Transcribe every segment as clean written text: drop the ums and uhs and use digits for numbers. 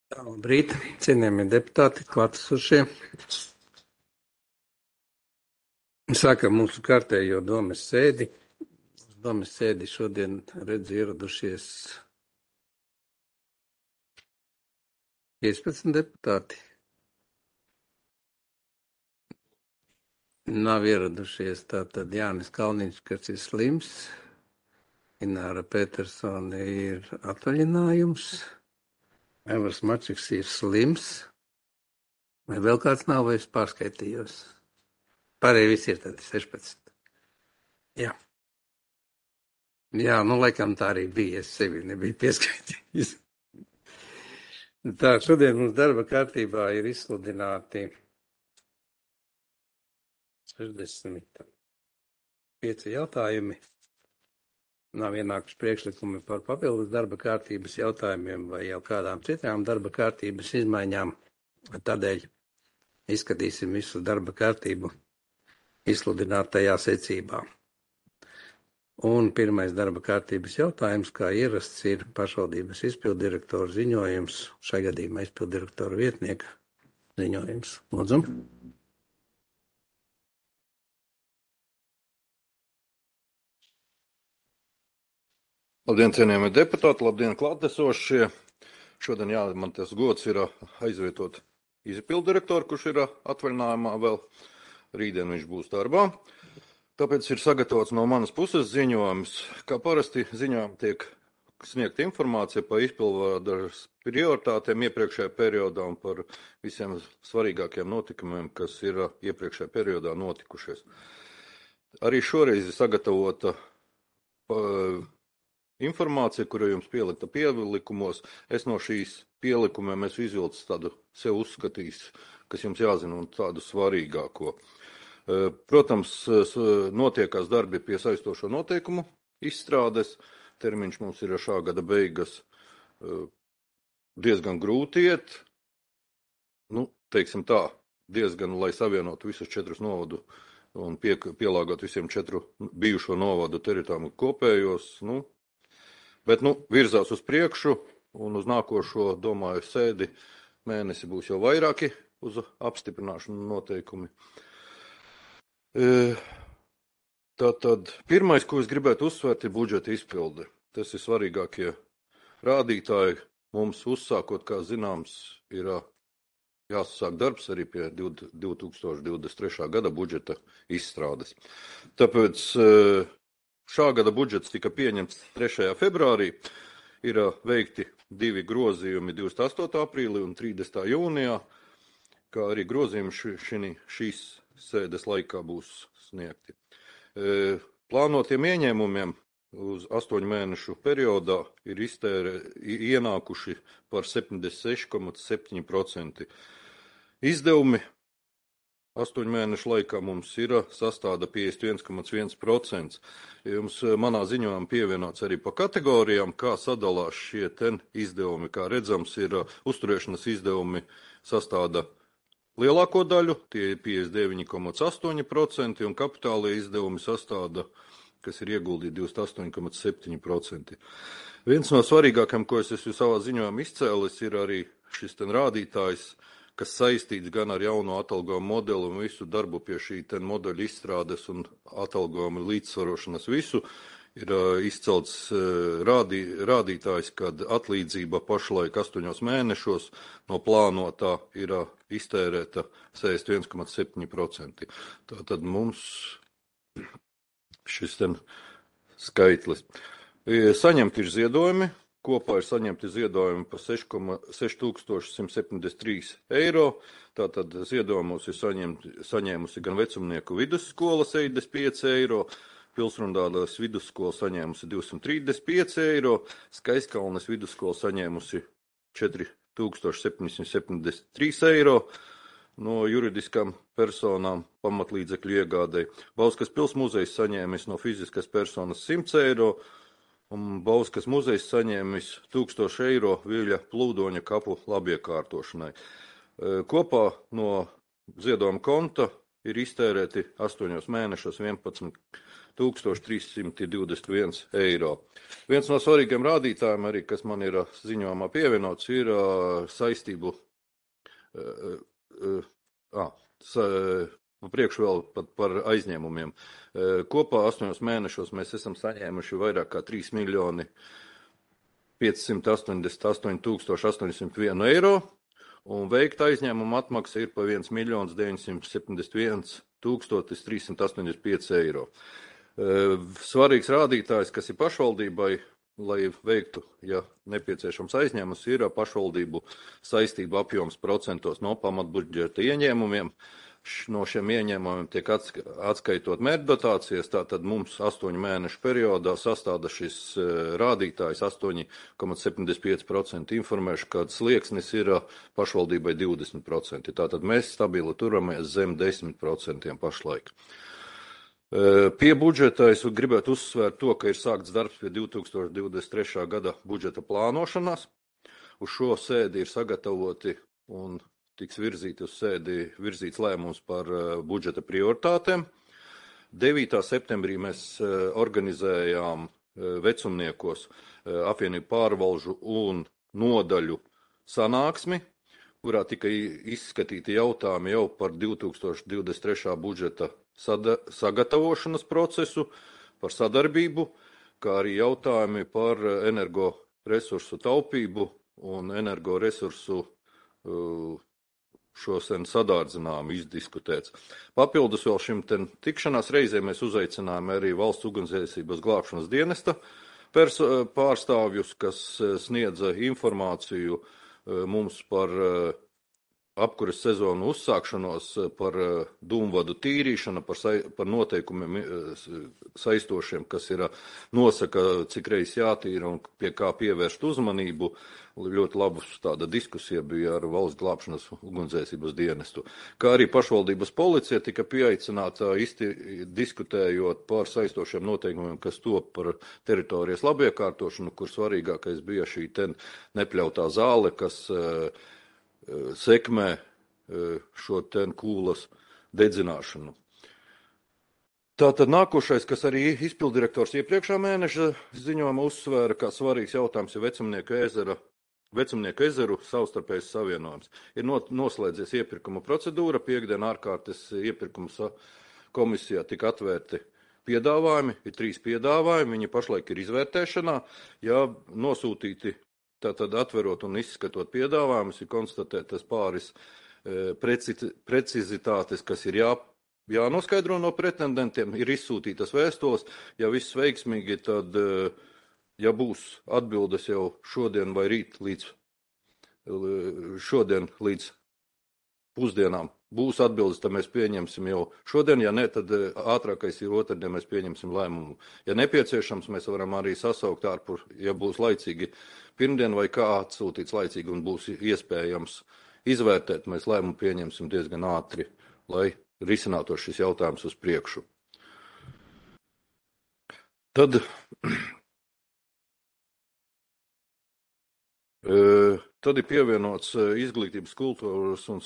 Labrīt, cienījamie deputāti, klātesošie. Sākam mūsu kārtējo domes sēdi. Domes sēdi šodien redz ieradušies 15 deputāti. Nav ieradušies tātad Jānis Kalniņš, kas ir slims. Ināra Petersone ir atvaļinājums. Evers Mačiks ir slims. Vai vēl kāds nav, vai es pārskaitījos? Pārējie visi ir tādi 16. Jā. Jā, laikam tā arī bija. Es sevi nebiju pieskaitījis. Tā, šodien mums darba kārtībā ir izsludināti 65 jautājumi. Nav ienākuši priekšlikumi par papildus darba kārtības jautājumiem vai jau kādām citām darba kārtības izmaiņām. Tādēļ izskatīsim visu darba kārtību izsludinātajā secībā. Un pirmais darba kārtības jautājums, kā ierasts, ir pašvaldības izpildirektora ziņojums, šajā gadījumā izpildirektora vietnieka ziņojums. Lūdzu. Labdien, cienījamie deputāti, labdien, klātesošie. Šodien man tas gods ir aizvietot izpildirektoru, kurš ir atvaļinājumā vēl. Rītdien viņš būs darbā. Tāpēc ir sagatavots no manas puses ziņojums. Kā parasti ziņojumā tiek sniegta informācija par izpildvaras prioritātēm iepriekšējā periodā un par visiem svarīgākiem notikumiem, kas ir iepriekšējā periodā notikušies. Arī šoreiz ir sagatavota informācija, kura jums pielikta pielikumos. Es no šīs pielikumiem izvilcu tādu sev uzskatījis, kas jums jāzina un tādu svarīgāko. Protams, notiekās darbi pie saistošo noteikumu izstrādes. Termiņš mums ir šā gada beigas. Diezgan grūti iet. Teiksim tā, diezgan, lai savienotu visus 4 novadu un pielāgot visiem 4 bijušo novadu teritorijām kopējos. Bet virzās uz priekšu un uz nākošo, domāju, sēdi mēnesi būs jau vairāki uz apstiprināšanu noteikumi. Tātad pirmais, ko es gribētu uzsvērt, ir budžeta izpilde. Tas ir svarīgākie rādītāji. Mums uzsākot, kā zināms, ir jāsāk darbs arī pie 2023. gada budžeta izstrādes. Tāpēc šā gada budžets tika pieņemts 3. februārī. Ir veikti 2 grozījumi 28. aprīlī un 30. jūnijā, kā arī grozījumi šīs sēdes laikā būs sniegti. Plānotiem ieņēmumiem uz 8 mēnešu periodā ir ienākuši par 76,7%. Izdevumi 8 mēnešu laikā mums ir sastāda 51,1%. Jums manā ziņojumā pievienots arī pa kategorijām, kā sadalās šie izdevumi. Kā redzams, ir uzturēšanas izdevumi sastāda lielāko daļu, tie ir 59,8%, un kapitālie izdevumi sastāda, kas ir ieguldīti 28,7%. Viens no svarīgākajiem, ko es esmu savā ziņojumā izcēlis, ir arī šis rādītājs, kas saistīts gan ar jauno atalgojumu modeli un visu darbu pie šī modeļa izstrādes un atalgojuma līdzsvarošanas visu. Ir izcelts rādītājs, kad atlīdzība pašlaik 8 mēnešos no plānotā ir iztērēta 61,7%. Tātad mums šis skaitlis. Saņemti ir ziedojumi. Kopā ir saņemti ziedojumi par 6173 eiro. Tātad ziedojumus ir saņēmusi gan vecumnieku vidusskola 75 eiro, Pilsrundāles vidusskola saņēmusi 235 eiro, Skaiskalnes vidusskola saņēmusi 4773 eiro no juridiskām personām pamatlīdzekļu iegādei. Bauskas pilsmuzejs saņēmis no fiziskas personas 100 eiro, un Bauskas muzejs saņēmis 1000 eiro Viļa plūdoņa kapu labiekārtošanai. Kopā no ziedojuma konta ir iztērēti 8 mēnešos 11 1321 eiro. Viens no svarīgiem rādītājiem arī, kas man ir ziņojumā pievienots, ir saistību priekš vēl pat par aizņēmumiem. Kopā 8 mēnešos mēs esam saņēmuši vairāk kā 3 miljoni 588 801 eiro, un veikta aizņēmuma atmaksa ir pa 1 miljons 971 385 eiro. Svarīgs rādītājs, kas ir pašvaldībai, lai veiktu, ja nepieciešams aizņēmums, ir pašvaldību saistību apjoms procentos no pamatbudžeta ieņēmumiem. No šiem ieņēmumiem tiek atskaitot mērķdotācijas, tātad mums 8 mēnešu periodā sastāda šis rādītājs 8,75%. Informēšu, ka slieksnis ir pašvaldībai 20%. Tātad mēs stabili turamies zem 10% pašlaik. Pie budžeta es gribētu uzsvērt to, ka ir sākts darbs pie 2023. gada budžeta plānošanās. Uz šo sēdi ir sagatavoti un tiks virzīts lēmums par budžeta prioritātēm. 9. septembrī mēs organizējām vecumniekos apvienību pārvalžu un nodaļu sanāksmi, kurā tika izskatīti jautājumi jau par 2023. budžeta sagatavošanas procesu, par sadarbību, kā arī jautājumi par energoresursu taupību un energoresursu šodien sadārdzinājumu izdiskutēts. Papildus vēl šim tikšanās reizē mēs uzaicinājām arī Valsts ugunsdzēsības glābšanas dienesta pārstāvjus, kas sniedza informāciju mums par apkuras sezonu uzsākšanos, par dūmvadu tīrīšanu, par noteikumiem saistošiem, kas ir nosaka, cik reiz jātīra un pie kā pievērst uzmanību. Ļoti labus tāda diskusija bija ar Valsts glābšanas ugunsdzēsības dienestu. Kā arī pašvaldības policija tika pieaicināta diskutējot par saistošiem noteikumiem, kas top par teritorijas labiekārtošanu, kur svarīgākais bija šī nepļautā zāle, kas sekmē šo kūlas dedzināšanu. Tātad nākošais, kas arī izpildirektors iepriekšā mēneša ziņojumā uzsvēra, kā svarīgs jautājums ir Vecumnieku ezeru savstarpējs savienojums. Ir noslēdzies iepirkuma procedūra, piekdien ārkārtas iepirkuma komisijā tika atvērti piedāvājumi, ir 3 piedāvājumi, viņi pašlaik ir izvērtēšanā, ja nosūtīti, tātad atverot un izskatot piedāvājumus, ir konstatētas pāris precizitātes, kas ir jānoskaidro no pretendentiem, ir izsūtītas vēstules, ja viss veiksmīgi, tad ja būs atbildes jau šodien vai rīt šodien līdz pusdienām būs atbildes, tad mēs pieņemsim jau šodien, ja ne, tad ātrākais ir otrdien, mēs pieņemsim lēmumu. Ja nepieciešams, mēs varam arī sasaukt ārpus, ja būs laicīgi pirmdien vai kā atsūtīts laicīgi un būs iespējams izvērtēt, mēs lēmumu pieņemsim diezgan ātri, lai risinātos šis jautājums uz priekšu. Tad ir pievienots Izglītības, kultūras un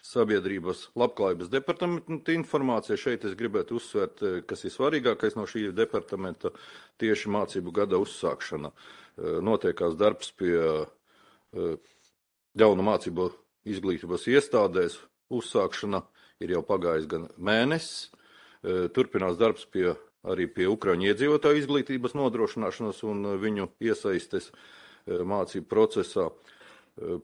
sabiedrības labklājības departamenta informācija. Šeit es gribētu uzsvērt, kas ir svarīgākais no šī departamenta, tieši mācību gada uzsākšana. Notiekās darbs pie jaunu mācību izglītības iestādēs uzsākšana, ir jau pagājis gan mēnesis. Turpinās darbs arī pie Ukraiņu iedzīvotāju izglītības nodrošināšanas un viņu iesaistes mācību procesā.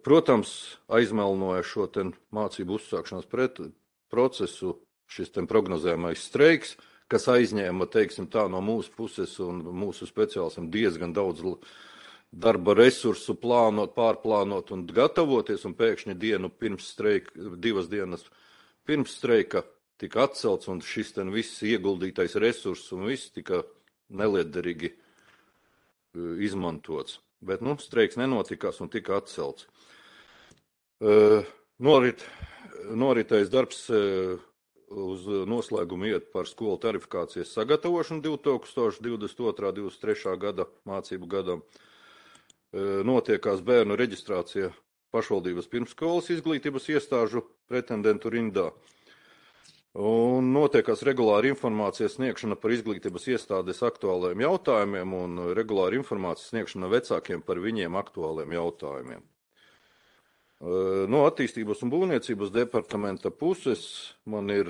Protams, aizmelnoja šo mācību uzsākšanas procesu šis prognozējamais streiks, kas aizņēma, teiksim tā, no mūsu puses un mūsu speciālistiem diezgan daudz darba resursu pārplānot un gatavoties, un pēkšņi divas dienas pirms streika tika atcelts, un šis viss ieguldītais resurss un viss tika nelietderīgi izmantots. Bet, streiks nenotikās un tika atcelts. Noritējis darbs uz noslēgumu iet par skolu tarifikācijas sagatavošanu 2022.–2023. gada mācību gadam. Notiekās bērnu reģistrācija pašvaldības pirmsskolas izglītības iestāžu pretendentu rindā. Un notiekās regulāra informācijas sniegšana par izglītības iestādes aktuāliem jautājumiem un regulāra informācijas sniegšana vecākiem par viņiem aktuāliem jautājumiem. No attīstības un būvniecības departamenta puses man ir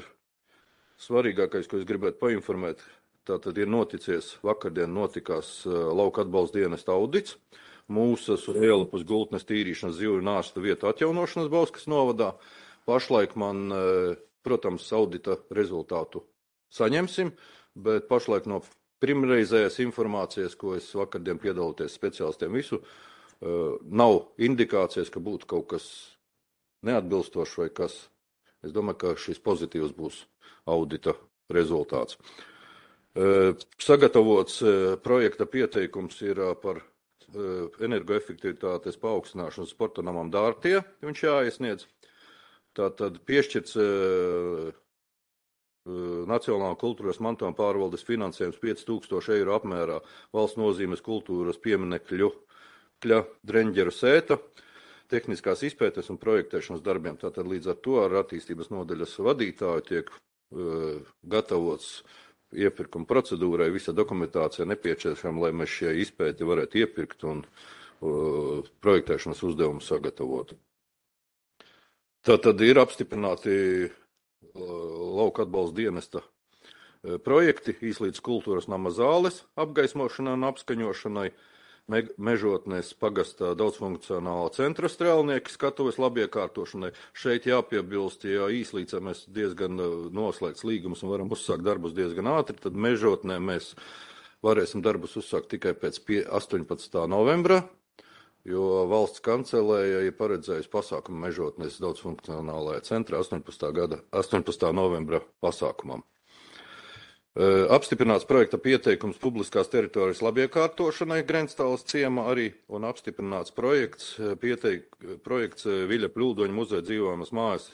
svarīgākais, ko es gribētu painformēt. Tātad ir noticies, vakardien notikās lauka atbalsta dienesta audits, Mūsas un Ielupus gultnes tīrīšanas zivju nārsta vietu atjaunošanas Bauskas novadā. Pašlaik man, protams, audita rezultātu saņemsim, bet pašlaik no pirmreizējās informācijas, ko es vakardien piedaloties speciālistiem visu, nav indikācijas, ka būtu kaut kas neatbilstošs vai kas. Es domāju, ka šis pozitīvs būs audita rezultāts. Sagatavots projekta pieteikums ir par energoefektivitātes paaugstināšanu sporta namam Dārtie, viņš jāiesniedz. Tātad piešķirts Nacionālā kultūras mantojuma pārvaldes finansējums 5000 eiro apmērā valsts nozīmes kultūras pieminekļu Dreņģeru sēta, tehniskās izpētes un projektēšanas darbiem. Tātad līdz ar to ar attīstības nodaļas vadītāju tiek gatavots iepirkuma procedūrai, visa dokumentācija nepieciešama, lai mēs šie izpēti varētu iepirkt un projektēšanas uzdevumu sagatavot. Tātad ir apstiprināti lauka atbalsta dienesta projekti Īslītes kultūras nama zāles apgaismošanai un apskaņošanai, Mežotnes pagastā daudzfunkcionālā centra strēlnieki skatuves labiekārtošanai. Šeit jāpiebilst, ja Īslīcē mēs diezgan noslēgts līgumus un varam uzsākt darbus diezgan ātri, tad Mežotnē mēs varēsim darbus uzsākt tikai pēc 18. novembra, jo valsts kancelēja ir paredzējusi pasākumu Mežotnes daudzfunkcionālajā centrā 18. novembra pasākumam. Apstiprināts projekta pieteikums publiskās teritorijas labiekārtošanai Grenstāles ciemā arī un apstiprināts projekts Viļa Pļūdoņa muzeja dzīvojamas mājas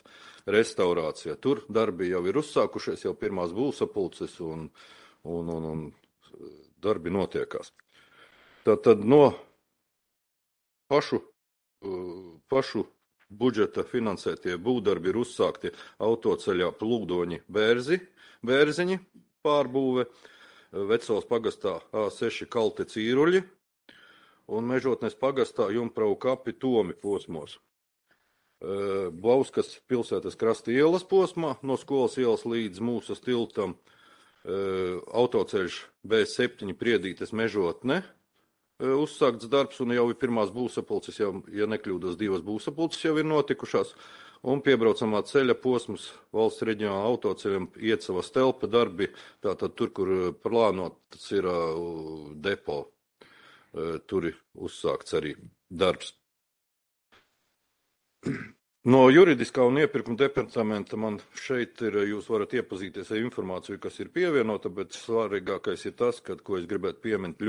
restaurācija. Tur darbi jau ir uzsākušies, jau pirmās būvsapulces un darbi notiekās. Tātad no pašu budžeta finansētie būvdarbi ir uzsākti autoceļā Plūdoņi Bērziņi pārbūve, Vecos pagastā A6 Kalte Cīruļi un Mežotnes pagastā Jumprau kapi Tomi posmos. Bauskas pilsētas krasta ielas posmā no Skolas ielas līdz Mūsas tiltam autoceļš B7 Priedītes Mežotne uzsākts darbs un jau ir pirmās būvsapulces, ja nekļūdos 2 būvsapulces jau ir notikušās. Un piebraucamā ceļa posms valsts reģionāla autoceļam Iecavas telpa darbi, tātad tur, kur plānots ir depo, tur ir uzsākts arī darbs. No juridiskā un iepirkuma departamenta man šeit ir, jūs varat iepazīties ar informāciju, kas ir pievienota, bet svarīgākais ir tas, ko es gribētu pieminēt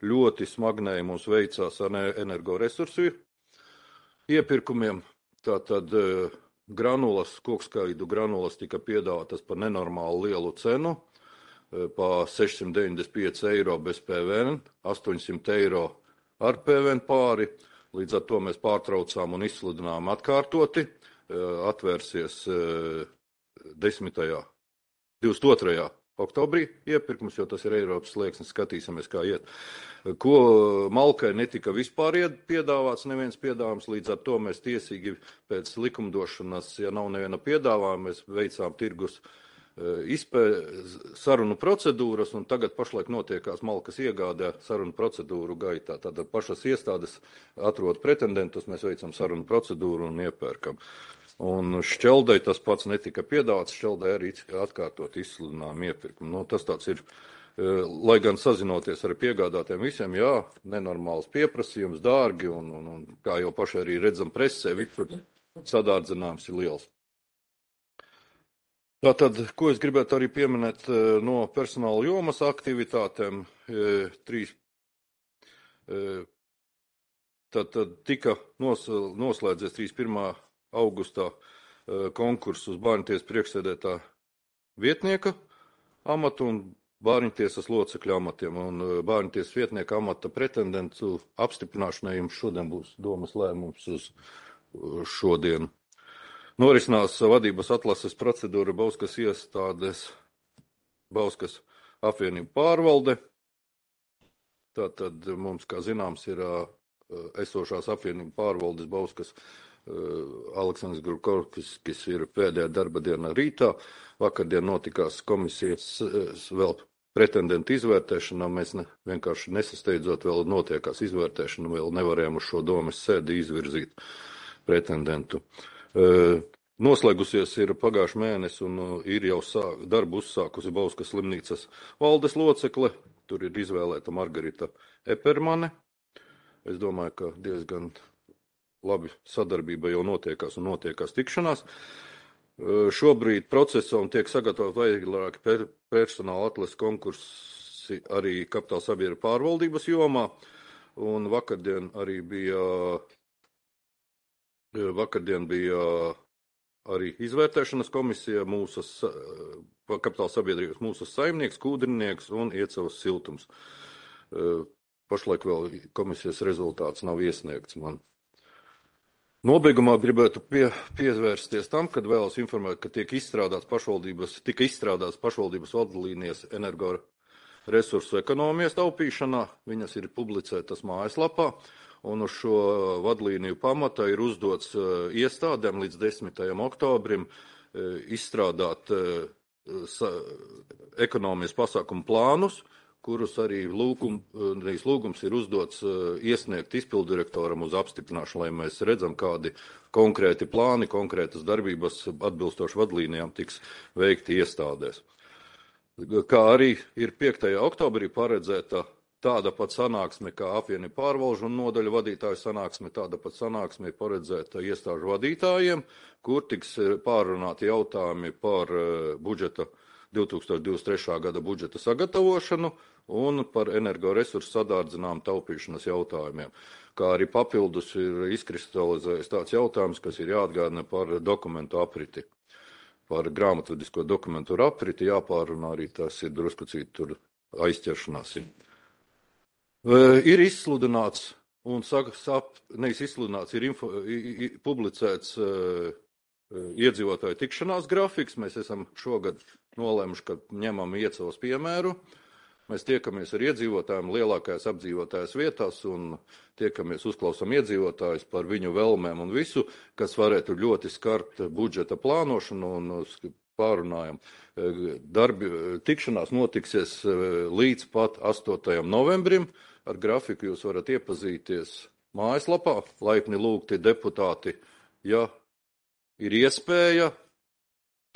ļoti smagnēji mums veicās ar energoresursu iepirkumiem. Tātad kokskaidu granulas tika piedāvātas par nenormāli lielu cenu, pa 695 eiro bez PVN, 800 eiro ar PVN pāri. Līdz ar to mēs pārtraucām un izsludinām atkārtoti. Atvērsies 22. oktobrī iepirkums, jo tas ir Eiropas slieksnis, skatīsimies, kā iet. Ko Malkai netika vispār piedāvāts, neviens piedāvājums, līdz ar to mēs tiesīgi pēc likumdošanas, ja nav neviena piedāvājuma, mēs veicām tirgus sarunu procedūras, un tagad pašlaik notiekās Malkas iegādē sarunu procedūru gaitā. Tātad pašas iestādes atrod pretendentus, mēs veicam sarunu procedūru un iepērkam. Un Šķeldei tas pats netika piedāvāts, Šķeldei arī atkārtot izsludinām iepirkumu. Tas tāds ir, lai gan sazinoties ar piegādātiem visiem, jā, nenormāls pieprasījums, dārgi, un kā jau paši arī redzam presē, visur sadārdzinājums ir liels. Tātad, ko es gribētu arī pieminēt no personāla jomas aktivitātēm, tātad tika noslēdzies 31. augustā konkurss uz Bārņtiesas priekšsēdētā vietnieka amatu un Bārņtiesas locekļu amatiem. Un Bārņtiesas vietnieka amata pretendentu apstiprināšanai jums šodien būs domas lēmums uz šodienu. Norisinās vadības atlases procedūra Bauskas iestādes, Bauskas apvienību pārvalde. Tātad mums, kā zināms, ir esošās apvienību pārvaldes Bauskas Aleksandrs Grurkovskis, kas ir pēdējā darba diena rītā. Vakardien notikās komisijas vēl pretendentu izvērtēšanā. Mēs vienkārši nesasteidzot, vēl notiekās izvērtēšana, vēl nevarējām uz šo domes sēdi izvirzīt pretendentu. Noslēgusies ir pagājuši mēnesi un ir jau darbu uzsākusi Bauskas slimnīcas valdes locekle. Tur ir izvēlēta Margarita Epermane. Es domāju, ka diezgan labi sadarbība jau notiekās un notiekās tikšanās. Šobrīd procesam tiek sagatavot vairāki personāla atlases konkursi arī kapitāla sabiedrību pārvaldības jomā. Un vakardien bija arī izvērtēšanas komisija kapitāla sabiedrības mūsu saimnieks, kūdrinieks un Iecavas siltums. Pašlaik vēl komisijas rezultāts nav iesniegts man. Nobeigumā gribētu pievērsties tam, kad vēlos informēt, ka tika izstrādāts pašvaldības vadlīnijas energoresursu ekonomijas taupīšanā. Viņas ir publicētas mājaslapā, un uz šo vadlīniju pamata ir uzdots iestādēm līdz 10. oktobrim izstrādāt ekonomijas pasākumu plānus, kurus arī lūgums ir uzdots iesniegt izpildirektoram uz apstiprināšanu, lai mēs redzam, kādi konkrēti plāni, konkrētas darbības atbilstoši vadlīnijām tiks veikti iestādēs. Kā arī ir 5. oktobrī paredzēta tāda pat sanāksme kā apvienību pārvalžu un nodaļu vadītāju sanāksme, tāda pat sanāksme ir paredzēta iestāžu vadītājiem, kur tiks pārunāti jautājumi par budžeta 2023. gada budžeta sagatavošanu un par energoresursu sadārdzinājumu taupīšanas jautājumiem. Kā arī papildus ir izkristalizējis tāds jautājums, kas ir jāatgādina par dokumentu apriti. Par grāmatvedisko dokumentu apriti jāpārunā arī, tas ir drusku citur aizķeršanās. Ir izsludināts un ir publicēts iedzīvotāju tikšanās grafiks. Mēs esam šogad nolēmuši, ka ņemam Iecavas piemēru. Mēs tiekamies ar iedzīvotājiem lielākajās apdzīvotājās vietās un tiekamies, uzklausām iedzīvotājus par viņu vēlmēm un visu, kas varētu ļoti skart budžeta plānošanu un pārunājam. Tikšanās notiksies līdz pat 8. novembrim. Ar grafiku jūs varat iepazīties mājaslapā. Laipni lūgti deputāti, ja ir iespēja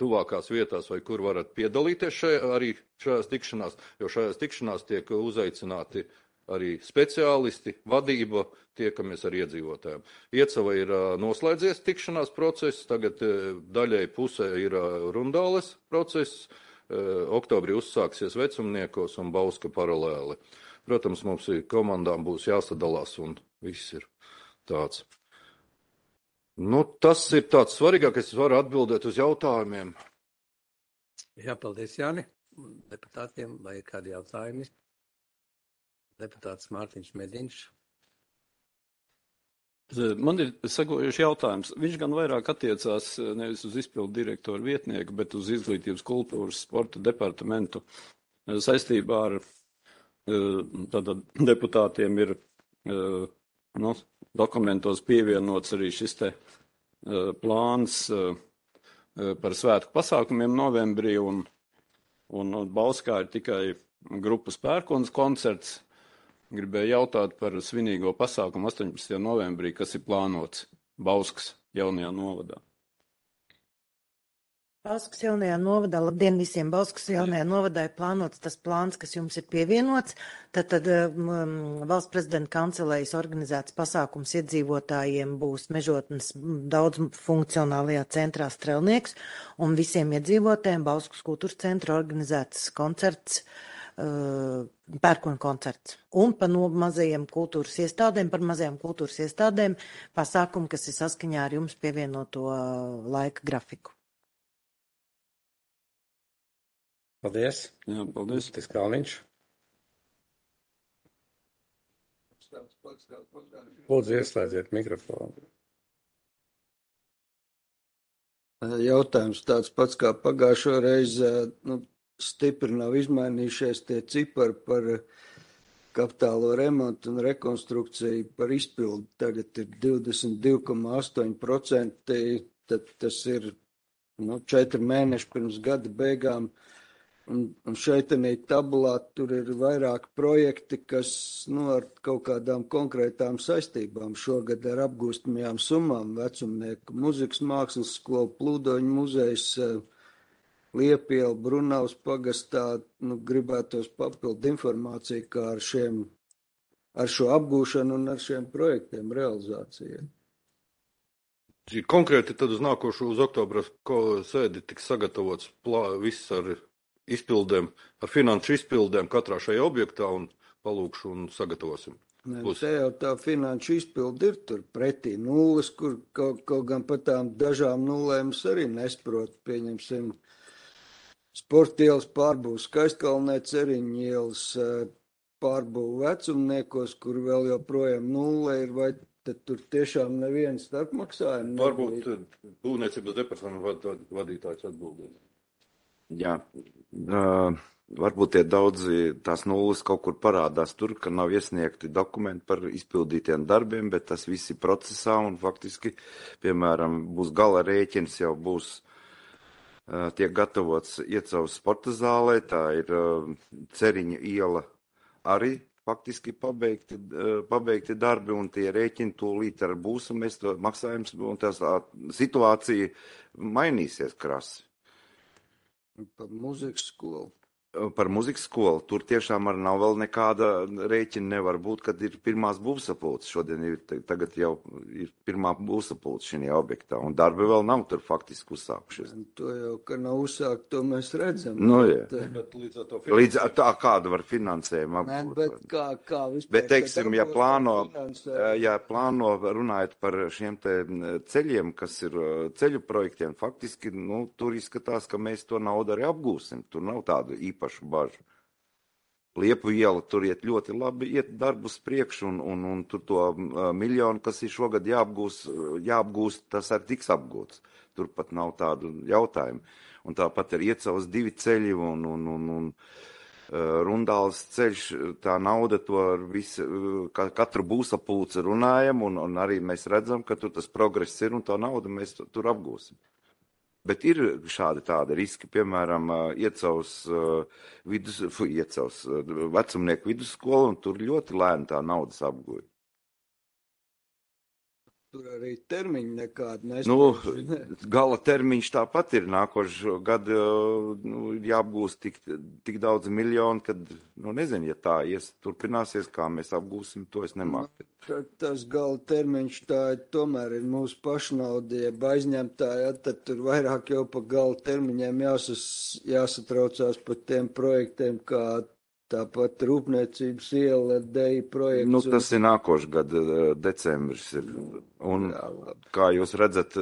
tuvākās vietās vai kur varat piedalīties arī šajās tikšanās, jo šajās tikšanās tiek uzaicināti arī speciālisti, vadība, tiekamies ar iedzīvotājiem. Iecava ir noslēdzies tikšanās process, tagad daļai pusē ir Rundāles process, oktobrī uzsāksies Vecumniekos un Bauska paralēli. Protams, mums komandām būs jāsadalās un viss ir tāds. Tas ir tāds svarīgākais, es varu atbildēt uz jautājumiem. Jā, paldies, Jāni. Deputātiem vai ir kādi jautājumi? Deputāts Mārtiņš Mediņš. Man ir sekojošs jautājums. Viņš gan vairāk attiecās nevis uz izpildu direktoru vietnieku, bet uz izglītības, kultūras, sporta departamentu. Saistībā ar tātad deputātiem ir dokumentos pievienots arī šis te plāns par svētku pasākumiem novembrī, un Bauskā ir tikai grupas pērkons koncerts. Gribēju jautāt par svinīgo pasākumu 18. novembrī, kas ir plānots Bauskas jaunajā novadā. Bauskas jaunajā novadā, labdien visiem, Bauskas jaunajā novadā ir plānots tas plāns, kas jums ir pievienots. Tad valsts prezidenta kancelējas organizēts pasākums iedzīvotājiem būs Mežotnes daudz funkcionālajā centrā Strelnieks, un visiem iedzīvotājiem Bauskas kultūras centra organizēts koncerts, pērkona koncerts. Un par mazajiem kultūras iestādēm pasākumu, kas ir saskaņā ar jums pievienoto laika grafiku. Paldies. Jā, paldies. Tas Kalniņš. Lūdzu, ieslēdziet mikrofonu. Jautājums tāds pats kā pagājušo reizi, stipri nav izmainījušies tie cipari par kapitālo remontu un rekonstrukciju par izpildu. Tagad ir 22,8%, tad tas ir 4 mēneši pirms gada beigām. Un šeit tabulā tur ir vairāk projekti, kas ar kaut kādām konkrētām saistībām šogad ar apgūstamajām summām. Vecumnieku muzikas mākslas skola, Plūdoņu muzejs, Liepiela, Brunavas pagastā. Gribētos papildu informāciju, kā ar šo apgūšanu un ar šiem projektiem realizācijai. Konkrēti tad uz nākošo, uz oktobra sēdi tiks sagatavots viss ar izpildēm, ar finanšu izpildēm katrā šajā objektā un palūkšu un sagatavosim. Te jau tā finanšu izpildi ir tur pretī nulles, kur kaut gan pat tām dažām nulēm es arī nesprotu. Pieņemsim, Sportielas pārbūvu Skaistkalnē, Ceriņu ielas pārbūvu Vecumniekos, kur vēl joprojām nulle ir, vai tad tur tiešām neviens starpmaksājumi nebija? Varbūt būvniecības departamenta vadītājs atbildēs. Jā, varbūt tie daudzi tās nulles kaut kur parādās tur, ka nav iesniegti dokumenti par izpildītiem darbiem, bet tas viss ir procesā un faktiski, piemēram, būs gala rēķins, jau būs tiek gatavots Iecavas sporta zālē, tā ir Ceriņa iela arī faktiski pabeigti darbi un tie rēķini tūlīt ar būs un mēs to maksājums un tā situācija mainīsies krasi. Par muzikas skolu. Par muzikas skolu. Tur tiešām arī nav vēl nekāda rēķina nevar būt, kad ir pirmās būvsapulces. Šodien tagad jau ir pirmā būvsapulce šajā objektā, un darbi vēl nav tur faktiski uzsākušies. To jau, ka nav uzsākt, to mēs redzam. Bet līdz ar tā kāda var finansējuma apgūt. Bet kā vispār? Bet, teiksim, ja plāno runājot par šiem te ceļiem, kas ir ceļu projektiem, faktiski, tur izskatās, ka mēs to naudu arī apgūsim. Tur nav tādu īpašu bažu. Liepu iela tur iet ļoti labi, iet darbus priekš, un tur to miljonu, kas ir šogad jāapgūst, tas arī tiks apgūts. Tur pat nav tādu jautājumu. Un tāpat ir Iecavas 2 ceļi un Rundāls ceļš, tā nauda to ar visu, katru būvsapulci runājam, un arī mēs redzam, ka tur tas progress ir, un tā nauda mēs tur apgūsim. Bet ir šādi tādi riski, piemēram, Iecavas vecumnieku vidusskola, un tur ļoti lēni tā naudas apguļ. Tur arī termiņi nekādi nespēj. Gala termiņš tāpat ir nākošo gadu jāapgūst tik daudz miljonu, kad, nezinu, ja tā turpināsies, kā mēs apgūsim, to es nemāku. Tas gala termiņš tā tomēr ir mūsu pašnauda, ja aizņemtāja, tad tur vairāk jau pa gala termiņiem jāsatraucās par tiem projektiem, kā tāpat Rūpniecības iela deja projekts. Tas ir nākošais gada decembris. Un, kā jūs redzat,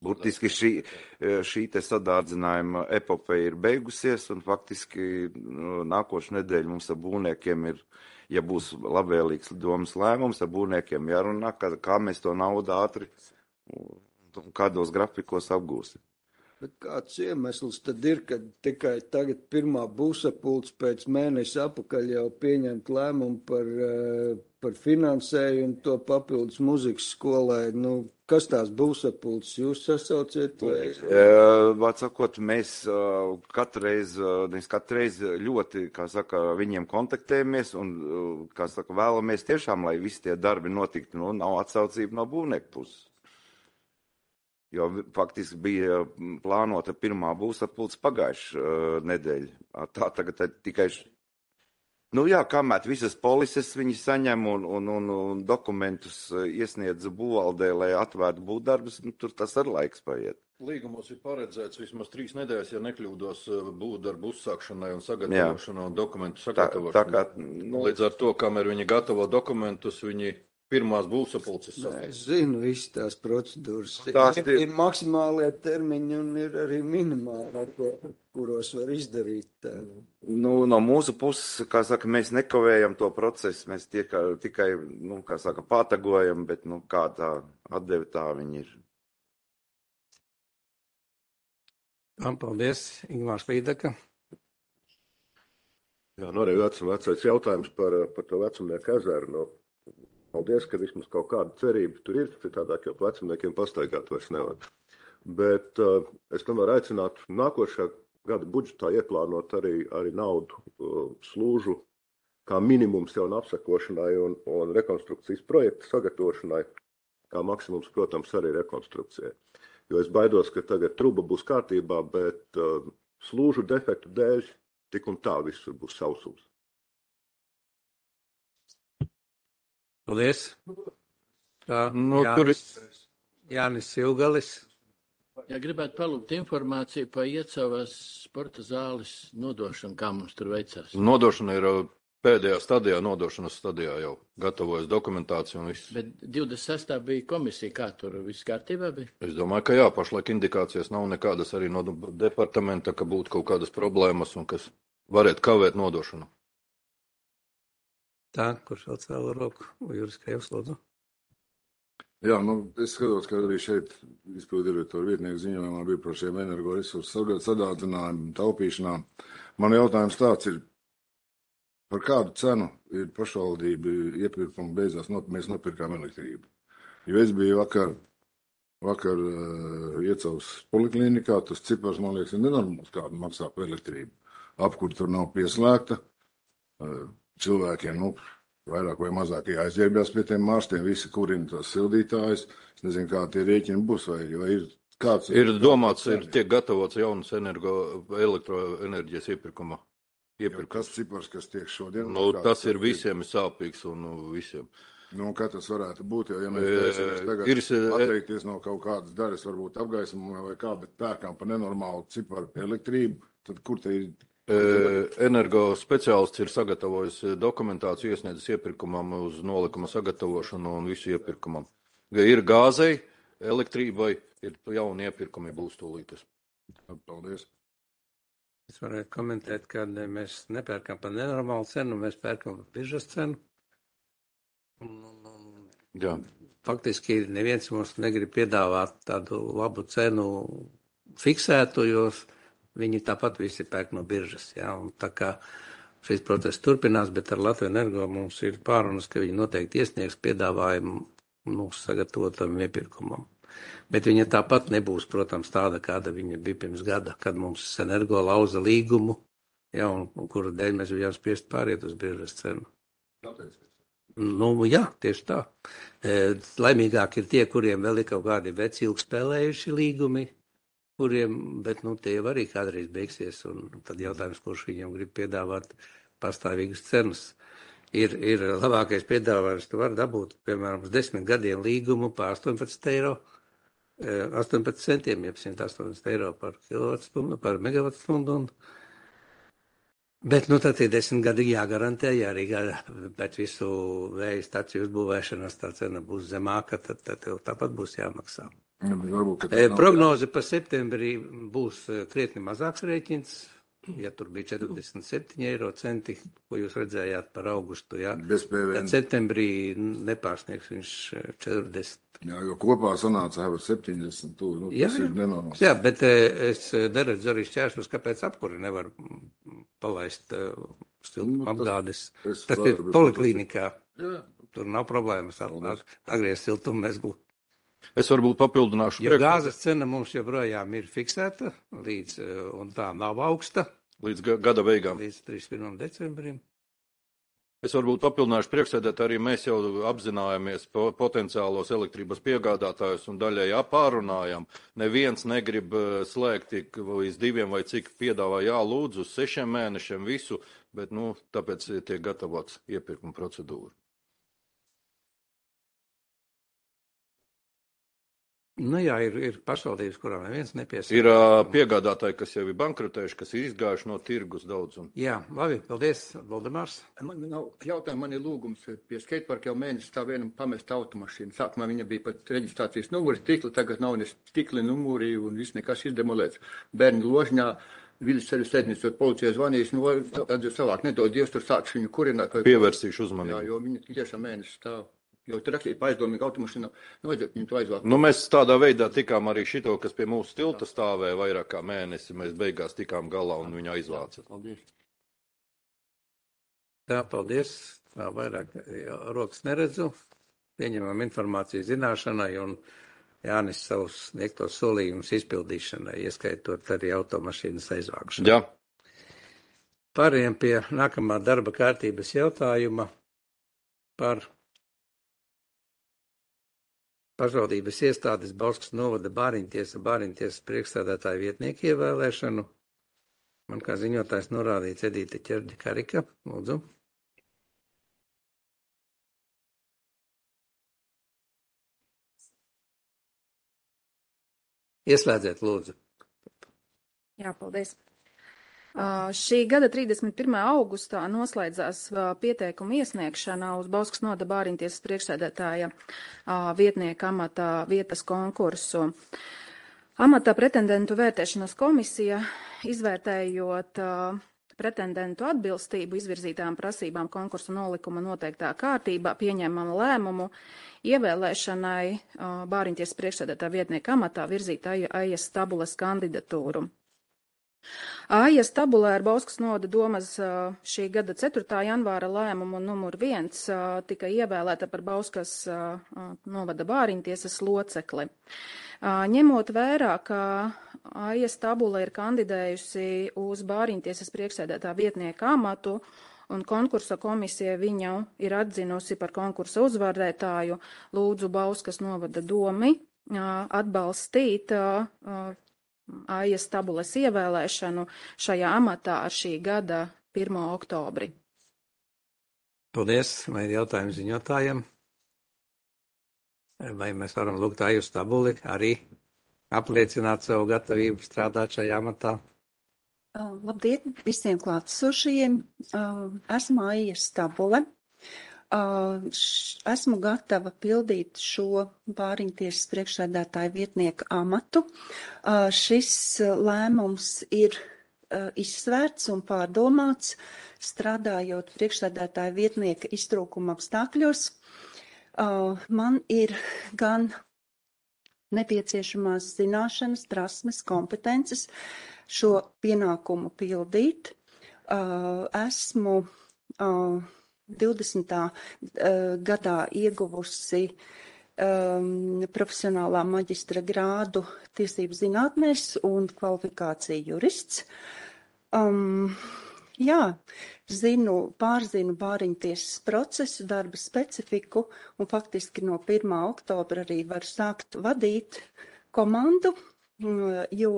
burtiski šī te sadārdzinājuma epopeja ir beigusies, un faktiski nākošu nedēļu mums ar būvniekiem ir, ja būs labvēlīgs domas lēmums, ar būvniekiem jārunā, kā mēs to naudu ātri un kādos grafikos apgūsim. Bet kāds iemesls tad ir, kad tikai tagad pirmā būvsapulce pēc mēneša apakaļ jau pieņemt lēmumu par finansējumu to papildus muzikas skolai? Kas tās būvsapulces jūs sasauciet? Vārds sakot, mēs katru reizi ļoti, viņiem kontaktējamies un, vēlamies tiešām, lai visi tie darbi notiktu, nav atsaucība no būvnieku puses. Jo faktiski bija plānota pirmā būvsapulce pagājušā nedēļa. Tā tagad tikai, kamēr visas polises viņi saņem un dokumentus iesniedz būvvaldē, lai atvērtu būvdarbus, tur tas ar laiks paiet. Līgumos ir paredzēts vismaz 3 nedēļas, ja nekļūdos, būvdarbu uzsākšanai un sagatavošanai un dokumentu sagatavošanai. Līdz ar to, kamēr viņi gatavo dokumentus, viņi pirmās būvsapulces. Es zinu visas tās procedūras. Ir maksimālie termiņi un ir arī minimāli, kuros var izdarīt. No mūsu puses, mēs nekavējam to procesu, mēs tikai pātagojam, bet kā tā atdeve tā viņi ir. Paldies, Ingmārs Līdaka. Jā, nu arī vecais jautājums par to Vecumnieku ezeru. Nu, paldies, ka vismaz kaut kāda cerība tur ir, citādāk jau vecumniekiem pastaigāt vairs nevar. Bet es tomēr aicinātu nākošā gada budžetā ieplānot arī naudu slūžu kā minimums jaunu apsakošanai un rekonstrukcijas projektu sagatavošanai, kā maksimums, protams, arī rekonstrukcijai. Jo es baidos, ka tagad truba būs kārtībā, bet slūžu defektu dēļ tik un tā visur būs sausums. Paldies. Tā, Nu, tur ir Jānis Silgalis. Ja gribētu palūgt informāciju par Iecavas sporta zāles nodošanu, kā mums tur veicās. nodošana ir pēdējā stadijā, nodošanas stadijā jau gatavojas dokumentācija un viss. Bet 26. bija komisija, kā tur viss kārtībā bija? Es domāju, ka jā, pašlaik indikācijas nav nekādas arī no departamenta, ka būtu kaut kādas problēmas un kas varētu kavēt nodošanu. Tā, kurš vēl cēla roku? Juris Krievs, lūdzu. Jā, nu, es skatos, ka arī šeit izpildirektora vietnieku ziņojumā bija par šiem energoresursu sadārdzinājumu, taupīšanām. Man jautājums tāds ir, par kādu cenu ir pašvaldība iepirkuma beigās, mēs nopirkām elektrību. Jo es biju vakar Iecavas poliklinikā, tas cipars, man liekas, ir nenormāls, kādu maksā par elektrību. Apkur tur nav pieslēgta, cilvēkiem, vairāk vai mazāk jāizģērbjās pie tiem mārstiem, visi kurina tās sildītājus. Es nezinu, kā tie rēķini būs, vai ir kāds... Ir domāts, tiek gatavots jaunas elektroenerģijas iepirkuma. Kas cipars, kas tiek šodien? Nu, tas ir visiem sāpīgs un visiem. Nu, kā tas varētu būt, jo, ja mēs tagad atteikties no kaut kādas daļas, varbūt apgaismojumā vai kā, bet pērkām par nenormālu ciparu elektrību, tad kur te ir... Energo speciālists ir sagatavojis dokumentāciju, iesniedzis iepirkumam uz nolikuma sagatavošanu un visu iepirkumam. Ir gāzei, elektrībai, ir jauni iepirkumi būs tūlītas. Paldies. Es varētu komentēt, ka mēs nepērkam par nenormālu cenu, mēs pērkam par biržas cenu. Jā. Faktiski neviens mums negrib piedāvāt tādu labu cenu fiksētu, jo viņi tāpat visi pērk no biržas. Jā, un tā kā šis process turpinās, bet ar Latviju Energo mums ir pārunas, ka viņi noteikti iesniegs piedāvājumu mūsu sagatavotam iepirkumam. Bet viņa tāpat nebūs, protams, tāda, kāda viņa bija pirms gada, kad mums Energo lauza līgumu, jā, un kura dēļ mēs bijām spiest pāriet uz biržas cenu. Nu, jā, tieši tā. Laimīgāk ir tie, kuriem vēl ir kaut kādi veci ilgspēlējuši līgumi, bet tie jau arī kādreiz beigsies, un tad jautājums, kurš viņiem grib piedāvāt pastāvīgas cenas. Ir labākais piedāvājums, tu vari dabūt, piemēram, uz 10 gadiem līgumu par 18 eiro, 18 centiem, jeb 180 eiro par kilovatstundu, par megavatstundu. Bet, tad ir 10 gadi jāgarantē, ja arī pēc visu vēja staciju uzbūvēšanas tā cena būs zemāka, tad tāpat būs jāmaksā. Prognoze par septembrī būs krietni mazāks rēķins, ja tur bija 47 eiro centi, ko jūs redzējāt par augustu, jā. Tad septembrī nepārsniegs viņš 40. Jā, jo kopā sanāca jau 70, tas ir nenormāls. Jā, bet es neredzu arī šķēršļus, kāpēc apkuri nevar palaist siltuma apgādes. Tas ir poliklīnikā. Tur nav problēmas. Agriezt siltumu mēs būtu. Es varbūt papildināšu. Jo gāzes cena mums joprojām ir fiksēta, un tā nav augsta. Līdz gada beigām. Līdz 31. decembrim. Es varbūt papildināšu priekšsēdēt, arī mēs jau apzinājāmies potenciālos elektrības piegādātājus un daļai pārunājam. Neviens negrib slēgt līdz 2 vai cik piedāvā lūdzu uz 6 mēnešiem visu, bet tāpēc tiek gatavots iepirkuma procedūra. Jā, ir pašvaldības, kurām neviens nepiesaka. Ir piegādātāji, kas jau ir bankrotējuši, kas ir izgājuši no tirgus daudz. Jā, labi, paldies, Valdemārs. Man nav jautājums, man ir lūgums pie skateparka jau mēnesi tā vienam pamest automašīnu. Sākumā viņa bija pat reģistrācijas numuri stikli, tagad nav ne stikli numuri un viss nekas izdemolēts. Bērni ložņā, viļas ceļu sēdnis, tur policija zvanīs, tad jau savāk nedod Dievs, tur sāks viņu kurināt. Pievērsīšu uzmanību. Jā, jo viņa tiešām mēnesi stāv. Jo tur rakstīt pa aizdomīgu automašīnu, vajadzētu viņu to aizvākt. Nu, mēs tādā veidā tikām arī šito, kas pie mūsu tilta stāvēja vairāk kā mēnesi. Mēs beigās tikām galā un viņu aizvāca. Paldies. Tā, paldies. Tā vairāk rokas neredzu. Pieņemam informāciju zināšanai un Jānis savus sniegtos solījumus izpildīšanai, ieskaitot arī automašīnas aizvākšanu. Jā. Pārējiem pie nākamā darba kārtības jautājuma par pašvaldības iestādes Bauskas novada Bāriņtiesas priekšsēdētāja vietnieku ievēlēšanu. Man kā ziņotājs norādīts Edīte Ķerģa-Karika. Lūdzu. Ieslēdziet, lūdzu. Jā, paldies. Šī gada 31. augustā noslēdzās pieteikuma iesniegšana uz Bauskas novada Bāriņtiesas priekšsēdētāja vietnieka amata vietas konkursu. Amata pretendentu vērtēšanas komisija, izvērtējot pretendentu atbilstību izvirzītām prasībām konkursa nolikuma noteiktā kārtībā, pieņēmama lēmumu ievēlēšanai Bāriņtiesas priekšsēdētāja vietnieka amatā virzīt Aijas Tabules kandidatūru. Aijas tabulē ar Bauskas novada domas šī gada 4. janvāra lēmumu numur 1 tika ievēlēta par Bauskas novada Bāriņtiesas locekli. Ņemot vērā, ka Aijas tabula ir kandidējusi uz Bāriņtiesas priekšsēdētāja vietnieka amatu un konkursa komisija viņu ir atzinusi par konkursa uzvarētāju, lūdzu Bauskas novada domi atbalstīt Aijas tabules ievēlēšanu šajā amatā ar šī gada 1. oktobri. Paldies. Vai ir jautājumi ziņotājiem? Vai mēs varam lūgt Aijas tabuli arī apliecināt savu gatavību strādāt šajā amatā? Labdien visiem klātesošajiem. Esmu Aijas tabule. Esmu gatava pildīt šo Bāriņtiesas priekšsēdētāja vietnieka amatu. Šis lēmums ir izsvērts un pārdomāts, strādājot priekšsēdētāja vietnieka iztrūkuma apstākļos. Man ir gan nepieciešamās zināšanas, prasmes, kompetences šo pienākumu pildīt. Esmu 20. gadā ieguvusi profesionālā maģistra grādu tiesību zinātnēs un kvalifikāciju jurists. Pārzinu Bāriņtiesas procesu, darba specifiku un faktiski no 1. oktobra arī varu sākt vadīt komandu, jo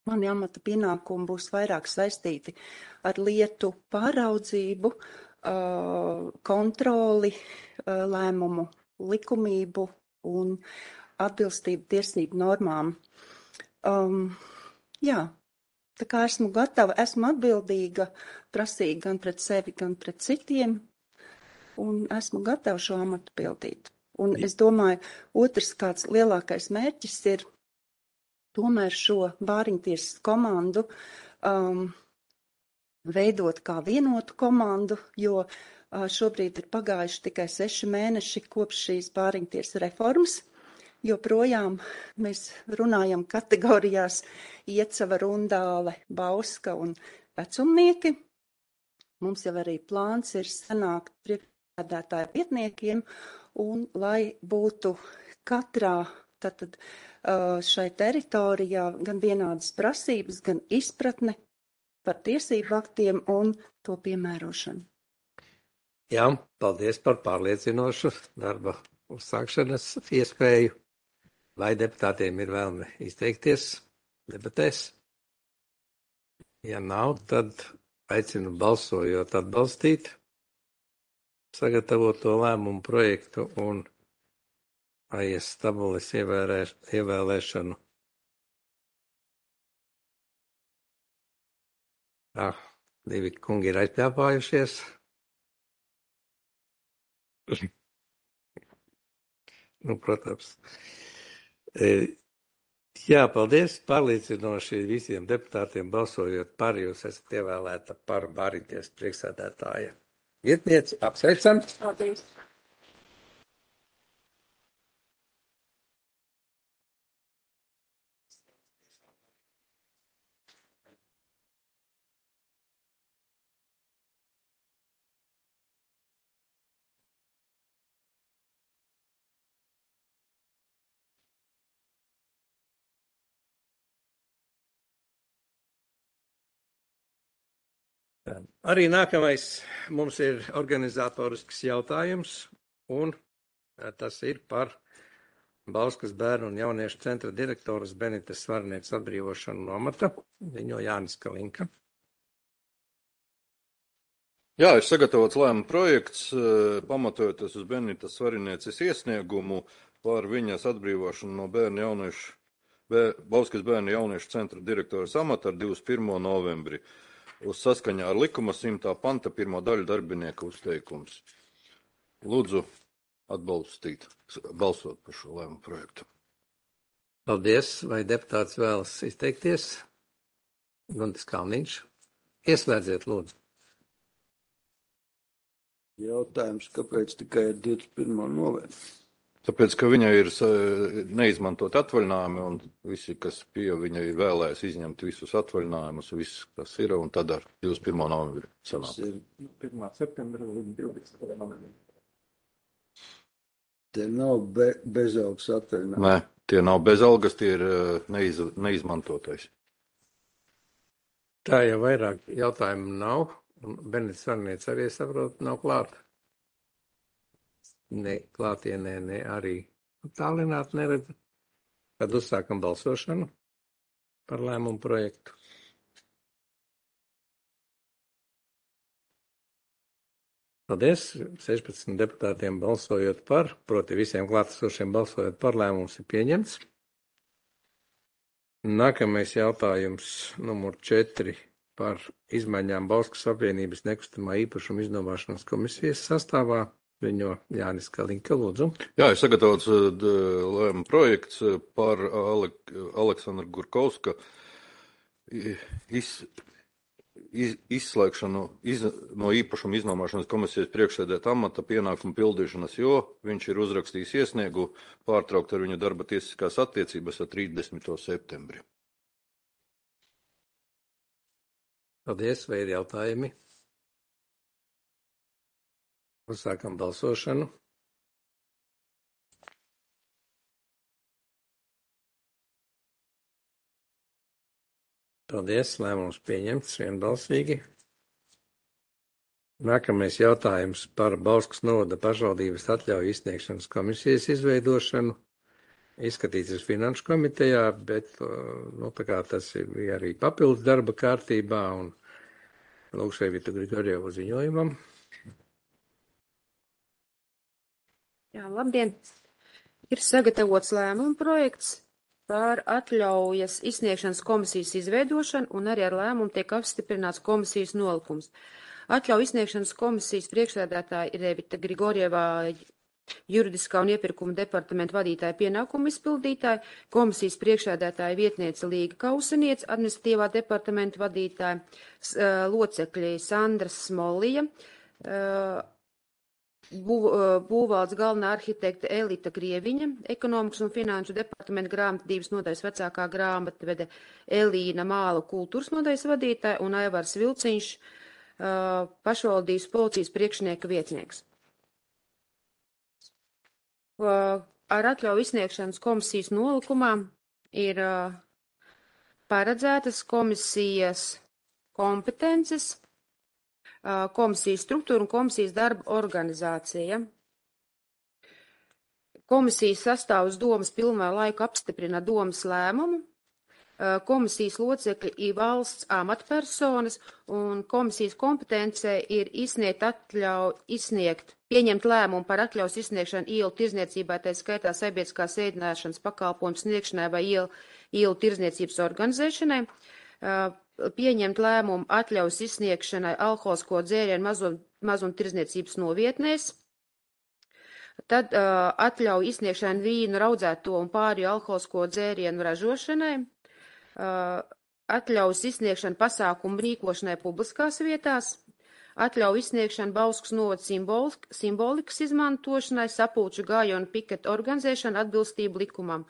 mani amata pienākumi būs vairāk saistīti ar lietu pāraudzību, kontroli, lēmumu likumību un atbilstību tiesību normām. Tā kā esmu gatava, esmu atbildīga, prasīga gan pret sevi, gan pret citiem, un esmu gatava šo amatu pildīt. Un es domāju, otrs kāds lielākais mērķis ir tomēr šo Bāriņtiesas komandu veidot kā vienotu komandu, jo šobrīd ir pagājuši tikai 6 mēneši kopš šīs Bāriņtiesas reformas. Joprojām mēs runājam kategorijās Iecava, Rundāle, Bauska un vecumnieki. Mums jau arī plāns ir sanākt priekšsēdētāja vietniekiem, un lai būtu katrā šai teritorijā gan vienādas prasības, gan izpratne par tiesību aktiem un to piemērošanu. Jā, paldies par pārliecinošu darba uzsākšanas iespēju. Vai deputātiem ir vēlme izteikties debatēs? Ja nav, tad aicinu balsojot atbalstīt sagatavoto lēmumu projektu un Aijas tabules ievēlēšanu. Divi kungi ir aizpļāpājušies. Protams. Jā, paldies. Pārliecinoši visiem deputātiem balsojot par, jūs esat ievēlēta par Bāriņtiesas priekšsēdētāja vietnieci. Apsveicam. Paldies. Arī nākamais mums ir organizatorisks jautājums, un tas ir par Bauskas bērnu un jauniešu centra direktoras Benitas Svarnieces atbrīvošanu no amata. Ziņo Jānis Kalinka. Jā, ir sagatavots lēmuma projekts, pamatojoties uz Benitas Svarnieces iesniegumu par viņas atbrīvošanu no Bauskas bērnu jauniešu centra direktoras amata ar 21. novembri. Uz saskaņā ar likuma 100. panta 1. daļu darbinieka uzteikums. Lūdzu balsot par šo lēmumu projektu. Paldies. Vai deputāts vēlas izteikties? Guntis Kalniņš. Ieslēdziet, lūdzu. Jautājums, kāpēc tikai 21. novembris? Tāpēc, ka viņai ir neizmantot atvaļinājumi, un visi, kas pie viņa ir vēlējis izņemt visus atvaļinājumus, viss, kas ir, un tad ar 21. novembri sanāk. 1. septembra līdz 20. novembrim. Te nav bezalgas atvaļinājumi. Nē, tie nav bezalgas, tie ir neizmantotais. Tā jau vairāk jautājumu nav, un Benitas Svarniece arī, saprot, nav klāta. Ne klātienē, ne arī tālināt neredzu. Tad uzsākam balsošanu par lēmumu projektu. Paldies. 16 deputātiem balsojot par, proti visiem klātesošiem balsojot par, lēmums ir pieņemts. Nākamais jautājums numur 4 par izmaiņām Bauskas apvienības nekustamā īpašuma iznomāšanas komisijas sastāvā. Viņo Jānis Kalinka, lūdzu. Jā, ir sagatavots lēmuma projekts par Aleksandra Gurkovska izslēgšanu no īpašuma iznomāšanas komisijas priekšsēdētāja amata pienākumu pildīšanas, jo viņš ir uzrakstījis iesniegu pārtraukt ar viņu darba tiesiskās attiecības ar 30. septembri. Paldies, vai ir jautājumi? Uzsākam balsošanu. Paldies, lēmums pieņemts vienbalsīgi. Nākamais jautājums par Bauskas novada pašvaldības atļauju izsniegšanas komisijas izveidošanu. Izskatīts ir finanšu komitejā, bet tā kā tas bija arī papildus darba kārtībā, un lūkšu Evitu Grigorjevu ziņojumam. Jā, labdien! Ir sagatavots lēmuma projekts par atļaujas izsniegšanas komisijas izveidošanu, un arī ar lēmumu tiek apstiprināts komisijas nolikums. Atļauju izsniegšanas komisijas priekšsēdētāja ir Evita Grigorjevā, juridiskā un iepirkuma departamenta vadītāja pienākumu izpildītāja, komisijas priekšsēdētāja vietniece Līga Kauseniec, administratīvā departamenta vadītāja, locekļi Sandra Smolija, būvvaldes galvenā arhitekta Elita Grieviņa, ekonomikas un finanšu departamenta grāmatvedības nodaļas vecākā grāmatvede Elīna Māla kultūras nodaļas vadītāja un Aivars Vilciņš, pašvaldības policijas priekšnieka vietnieks. Ar atļauju izsniegšanas komisijas nolikumā ir paredzētas komisijas kompetences, komisijas struktūra un komisijas darba organizācija. Komisijas sastāvus domas pilnvaru laiku apstiprina domas lēmumu. Komisijas locekļi ir valsts amatpersonas, un komisijas kompetencē ir pieņemt lēmumu par atļaus izsniegšanu ielu tirzniecībai, tā skaitā sabiedriskās ēdināšanas pakalpojumu sniegšanai vai ielu tirzniecības organizēšanai. Pieņemt lēmumu atļaus izsniegšanai alkoholisko dzērienu mazumtirdzniecības novietnēs, tad atļauju izsniegšanu vīnu, raudzēto un pārējo alkoholisko dzērienu ražošanai, atļaus izsniegšanu pasākumu rīkošanai publiskās vietās, atļauju izsniegšanu Bauskas novada simbolikas izmantošanai, sapulču gājienu piketu organizēšanu atbilstību likumam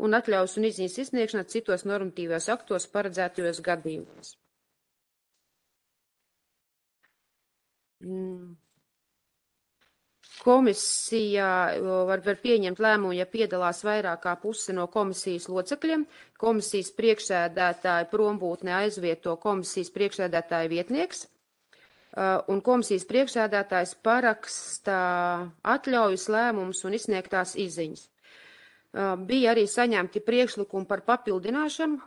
un atļaus un izziņas izsniegšanu citos normatīvos aktos paredzētajos gadījumos. Komisijā var pieņemt lēmumu, ja piedalās vairāk kā puse no komisijas locekļiem. Komisijas priekšsēdētāja prombūtne aizvieto komisijas priekšsēdētāja vietnieks. un komisijas priekšsēdētājs paraksta atļaujas lēmumus un izsniegtās izziņas. Bija arī saņemti priekšlikumi par papildināšanu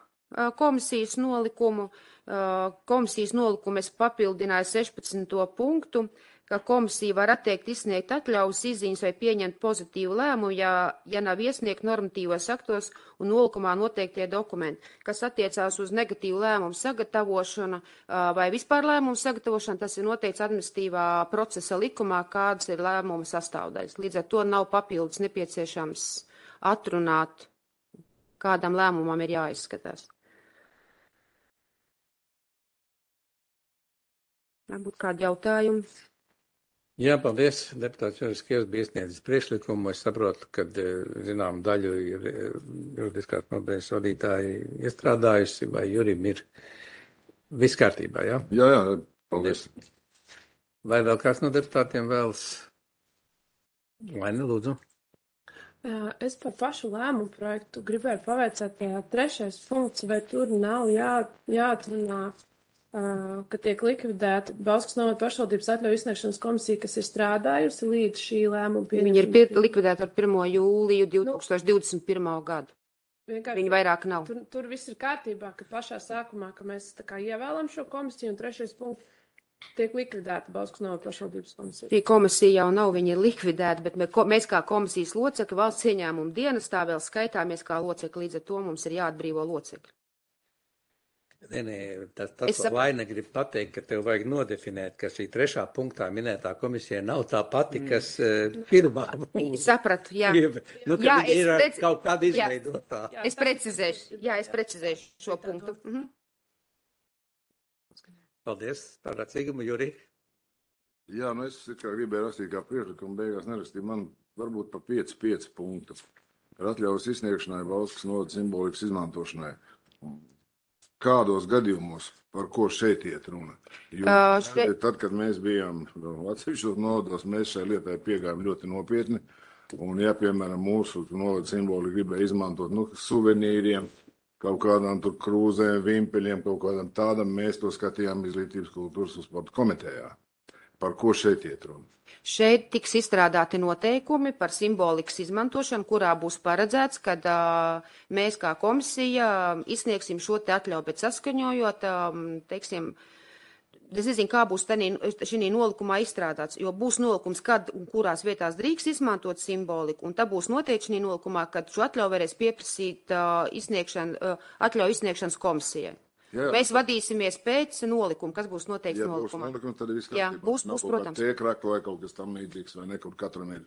komisijas nolikumu. Komisijas nolikumu es papildināju 16. punktu, ka komisija var atteikt izsniegt atļaujas izziņas vai pieņemt pozitīvu lēmumu, ja nav iesniegt normatīvos aktos un nolikumā noteiktie dokumenti, kas attiecās uz negatīvu lēmumu sagatavošanu vai vispār lēmumu sagatavošanu, tas ir noteikts administratīvā procesa likumā, kādas ir lēmuma sastāvdaļas. Līdz ar to nav papildus nepieciešams atrunāt, kādam lēmumam ir jāizskatās. Varbūt kādi jautājumi? Jā, paldies. Deputāts Juris Kievs bija iesniedzis priekšlikumu. Es saprotu, ka, zinām, daļu ir juridiskās nodaļas vadītāji iestrādājusi, vai Jurim ir viss kārtībā, jā? Jā, paldies. Vai vēl kāds no deputātiem vēlas? Laini, lūdzu. Es par pašu lēmumu projektu gribēju pavaicāt, 3. punkts, vai tur nav jāatrunā, ka tiek likvidēta Bauskas novada pašvaldības atļauju izsniegšanas komisija, kas ir strādājusi līdz šī lēmuma pieņemšanai. Viņi ir likvidēti ar 1. jūliju 2021. gadu. Viņi vairāk nav. Tur viss ir kārtībā, ka pašā sākumā, ka mēs tā kā ievēlam šo komisiju, un 3. punkts tiek likvidēta Bauskas novada pašvaldības komisija. Šī komisija jau nav, viņa ir likvidēta, bet mēs kā komisijas locekļi valsts ieņēmuma dienestā vēl skaitāmies kā locekļi, līdz ar to mums ir jāatbrīvo locekļi. Tas ko Laina grib pateikt, ka tev vajag nodefinēt, ka šī 3. punktā minētā komisija nav tā pati, kas pirmā. Sapratu, jā. Jā, ir kaut kāda izveidotā. Es precizēšu šo punktu. Paldies, par acīgumu, Juri. Jā, es gribēju rakstīt kā priekšlikumu, beigās nerakstīju, man varbūt pa 5 punktu. Ar atļaujas izsniegšanai Bauskas novada simbolikas izmantošanai. Kādos gadījumos, par ko šeit iet runa? Jo tad, kad mēs bijām atsevišķos novados, mēs šai lietai piegājām ļoti nopietni. Un, ja, piemēram, mūsu novada simboli gribēja izmantot suvenīriem, kaut kādām tur krūzēm, vimpeļiem, kaut kādām tādam, mēs to skatījām Izglītības kultūras un sporta komitejā. Par ko šeit iet runa? Šeit tiks izstrādāti noteikumi par simbolikas izmantošanu, kurā būs paredzēts, kad mēs kā komisija izsniegsim šo te atļauju, bet saskaņojot, teiksim, es nezinu, kā būs šī nolikumā izstrādāts, jo būs nolikums, kad un kurās vietās drīkst izmantot simboliku, un tā būs noteikti šī nolikumā, kad šo atļauju varēs pieprasīt atļauju izsniegšanas komisijai. Jā. Mēs vadīsimies pēc nolikuma, kas būs noteikts nolikumā. Ja būs nolikums, tad viss kārtībā. Jā, būs, protams. Tiekrakla vai kaut kas tam līdzīgs, vai nekur katram ir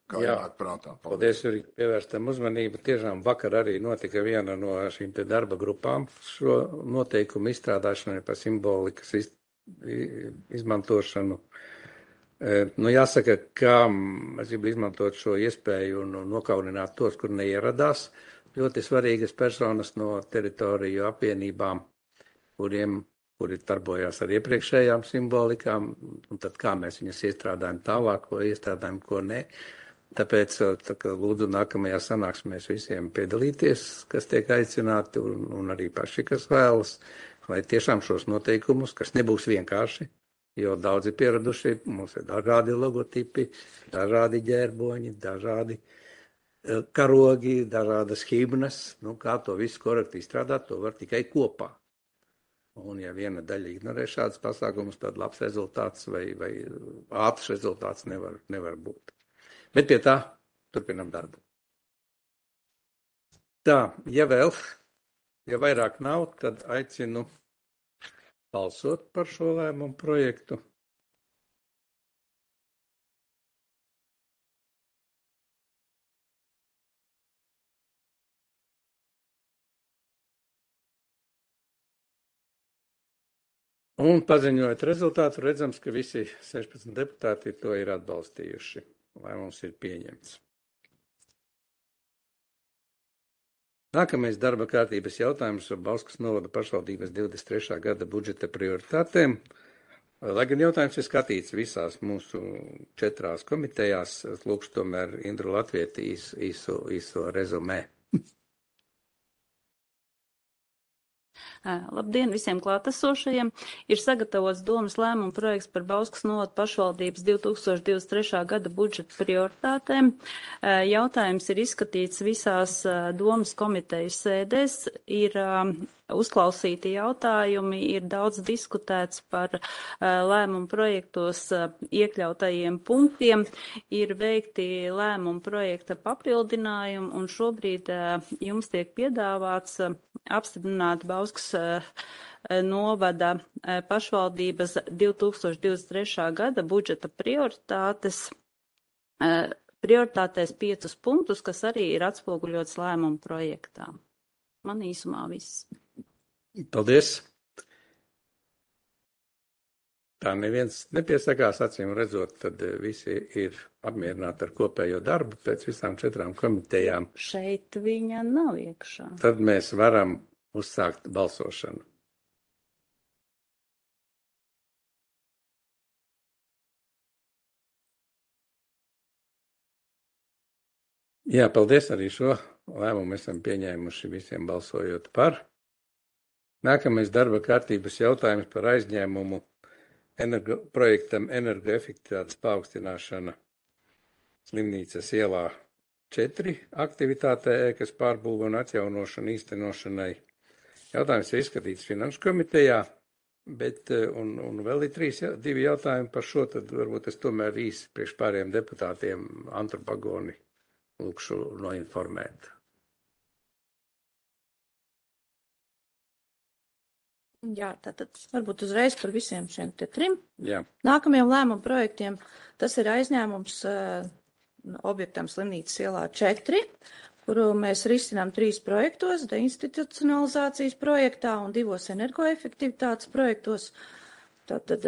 kā jānāk prātā. Paldies, Juri, pievērstam uzmanību. Tiešām vakar arī notika viena no šīm te darba grupām šo noteikumu izstrādāšanai par simbolikas izmantošanu. Jāsaka, ka es gribu izmantot šo iespēju un nokaunināt tos, kur neieradās. Ļoti svarīgas personas no teritoriju apvienībām, kuri darbojās ar iepriekšējām simbolikām, un tad kā mēs viņas iestrādājam tālāk, ko iestrādājam, ko ne. Tāpēc lūdzu nākamajā sanāksmēs visiem piedalīties, kas tiek aicināti, un arī paši, kas vēlas, lai tiešām šos noteikumus, kas nebūs vienkārši, jo daudzi pieraduši, mums ir dažādi logotipi, dažādi ģērboņi, dažādi karogi, dažādas himnas, kā to visu korekti izstrādāt, to var tikai kopā. Un ja viena daļa ignorē šādas pasākumus, tad labs rezultāts vai ātrs rezultāts nevar būt. Bet pie tā turpinam darbu. Tā, ja vairāk nav, tad aicinu balsot par šo lēmumu projektu. Un paziņojot rezultātu, redzams, ka visi 16 deputāti to ir atbalstījuši. Lēmums ir pieņemts. Nākamais darba kārtības jautājums par Bauskas novada pašvaldības 23. gada budžeta prioritātēm. Lai gan jautājums ir skatīts visās mūsu 4 komitejās, lūkšu tomēr Indru Latvieti īso rezumē. Labdien visiem klātesošajiem! Ir sagatavots domas lēmuma projekts par Bauskas novada pašvaldības 2023. gada budžeta prioritātēm. Jautājums ir izskatīts visās domas komitejas sēdēs. Ir uzklausīti jautājumi, ir daudz diskutēts par lēmumu projektos iekļautajiem punktiem, ir veikti lēmumu projekta papildinājumi, un šobrīd jums tiek piedāvāts apstiprināt Bauskas novada pašvaldības 2023. gada budžeta prioritātēs 5 punktus, kas arī ir atspoguļots lēmumu projektā. Man īsumā viss. Paldies! Tā neviens nepiesakās, acīm redzot, tad visi ir apmierināti ar kopējo darbu pēc visām 4 komitejām. Šeit viņa nav iekšā. Tad mēs varam uzsākt balsošanu. Jā, paldies, arī šo lēmumu esam pieņēmuši visiem balsojot par. Nākamais darba kārtības jautājums par aizņēmumu projektam energoefektivitātes paaugstināšana Slimnīcas ielā 4 aktivitātē, ēkas pārbūve un atjaunošana īstenošanai. Jautājums ir izskatīts Finanšu komitejā, bet un vēl ir 2 jautājumi par šo, tad varbūt es tomēr īsi priekš pāriem deputātiem antropagoni lūkšu noinformēt. Jā, tātad varbūt uzreiz par visiem šiem 3. Jā. Nākamajiem lēmumu projektiem tas ir aizņēmums objektam Slimnīcas ielā 4, kuru mēs risinām 3 projektos, deinstitucionalizācijas projektā un 2 energoefektivitātes projektos. Tātad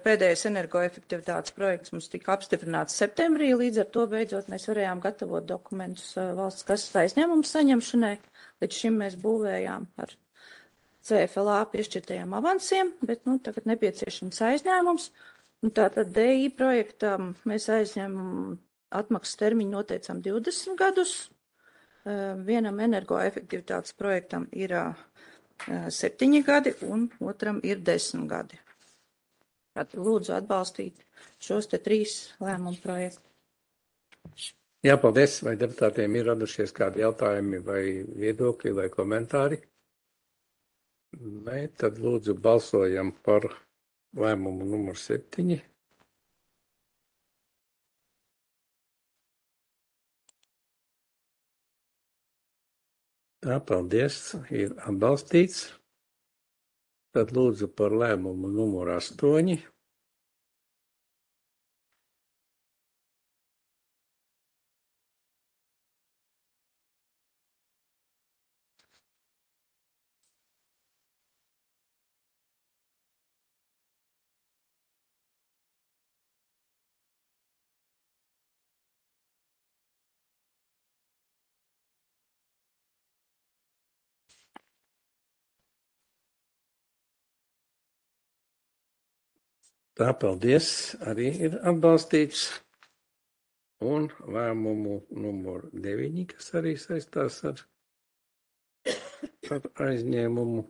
pēdējais energoefektivitātes projekts mums tika apstiprināts septembrī, līdz ar to beidzot mēs varējām gatavot dokumentus valsts kases aizņēmumu saņemšanai. Līdz šim mēs būvējām ar CFLA piešķirtajiem avansiem, bet tagad nepieciešams aizņēmums. Un tātad DI projektam mēs aizņēmumu atmaksas termiņu noteicām 20 gadus. Vienam energoefektivitātes projektam ir 7 gadi un otram ir 10 gadi. Tātad lūdzu atbalstīt šos 3 lēmumu projektus. Jā, paldies. Vai deputātiem ir radušies kādi jautājumi vai viedokļi vai komentāri? Nē, tad lūdzu balsojam par lēmumu numur 7. Tā, paldies, ir atbalstīts. Tad lūdzu par lēmumu numur 8. Tā, paldies, arī ir atbalstīts. Un lēmumu numur 9, kas arī saistās ar aizņēmumu.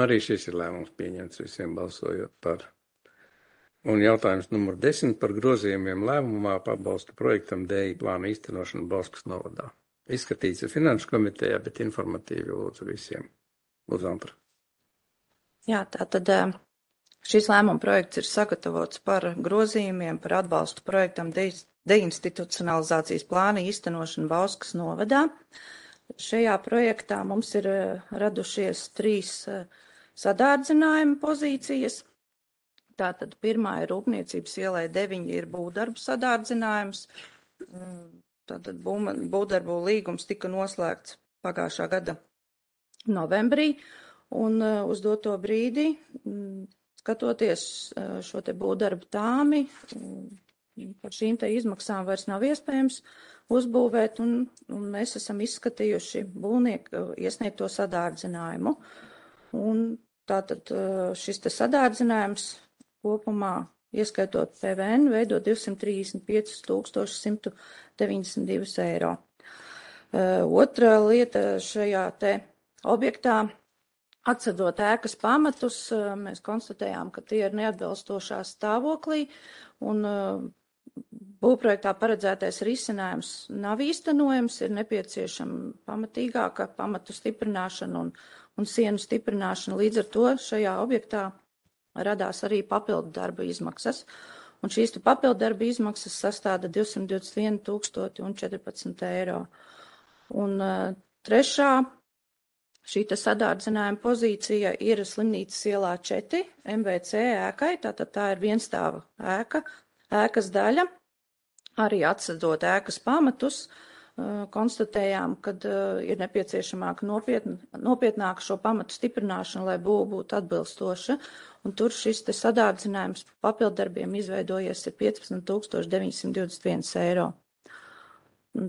Arī šis ir lēmums pieņemts visiem balsojot par. Un jautājums numur 10 par grozījumiem lēmumā pabalstu projektam DI plāna īstenošanu Bauskas novadā. Izskatīts ir Finanšu komitejā, bet informatīvi lūdzu visiem. Lūdzu, Antra. Jā, tātad šis lēmuma projekts ir sagatavots par grozījumiem par atbalstu projektam deinstitucionalizācijas plāna īstenošanu Bauskas novadā. Šajā projektā mums ir radušies 3 sadārdzinājuma pozīcijas. Tātad pirmā ir Rūpniecības ielai 9 ir būvdarbu sadārdzinājums. Tātad būvdarbu līgums tika noslēgts pagājušā gada novembrī. Un uz doto brīdi, skatoties šo te būvdarbu tāmi, par šīm te izmaksām vairs nav iespējams uzbūvēt, un mēs esam izskatījuši būvnieku iesniegto sadārdzinājumu. Un tātad šis te sadārdzinājums kopumā, ieskaitot PVN, veido 235 192 eiro. Otra lieta šajā te objektā, atsadot ēkas pamatus, mēs konstatējām, ka tie ir neatbilstošā stāvoklī, un būvprojektā paredzētais risinājums nav īstenojams, ir nepieciešama pamatīgāka pamatu stiprināšana un sienu stiprināšana. Līdz ar to šajā objektā radās arī papildu darba izmaksas, un šīs papildu darba izmaksas sastāda 221 014 eiro. Un trešā šī sadārdzinājuma pozīcija ir Slimnīcas ielā 4 MVC ēkai, tātad tā ir vienstāva ēkas daļa. Arī atsadot ēkas pamatus, konstatējām, ka ir nepieciešamāka nopietnāka šo pamatu stiprināšana, lai būva būtu atbilstoša. Un tur šis te sadārdzinājums papildarbiem izveidojies ir 15 921 eiro.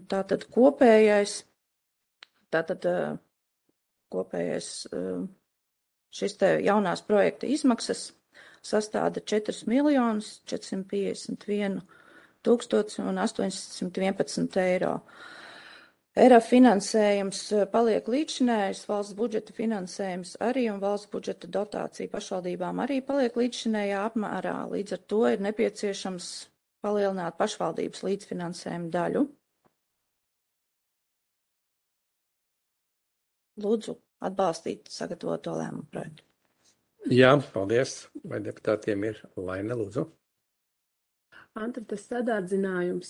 Tātad kopējais šis te jaunās projekta izmaksas sastāda 4 451 811 eiro. ERA finansējums paliek līdzšinējs, valsts budžeta finansējums arī un valsts budžeta dotācija pašvaldībām arī paliek līdzšinējā apmērā. Līdz ar to ir nepieciešams palielināt pašvaldības līdzfinansējumu daļu. Lūdzu, atbalstīt sagatavoto lēmumu projektu. Jā, paldies. Vai deputātiem ir Laine, lūdzu? Antra, tas sadārdzinājums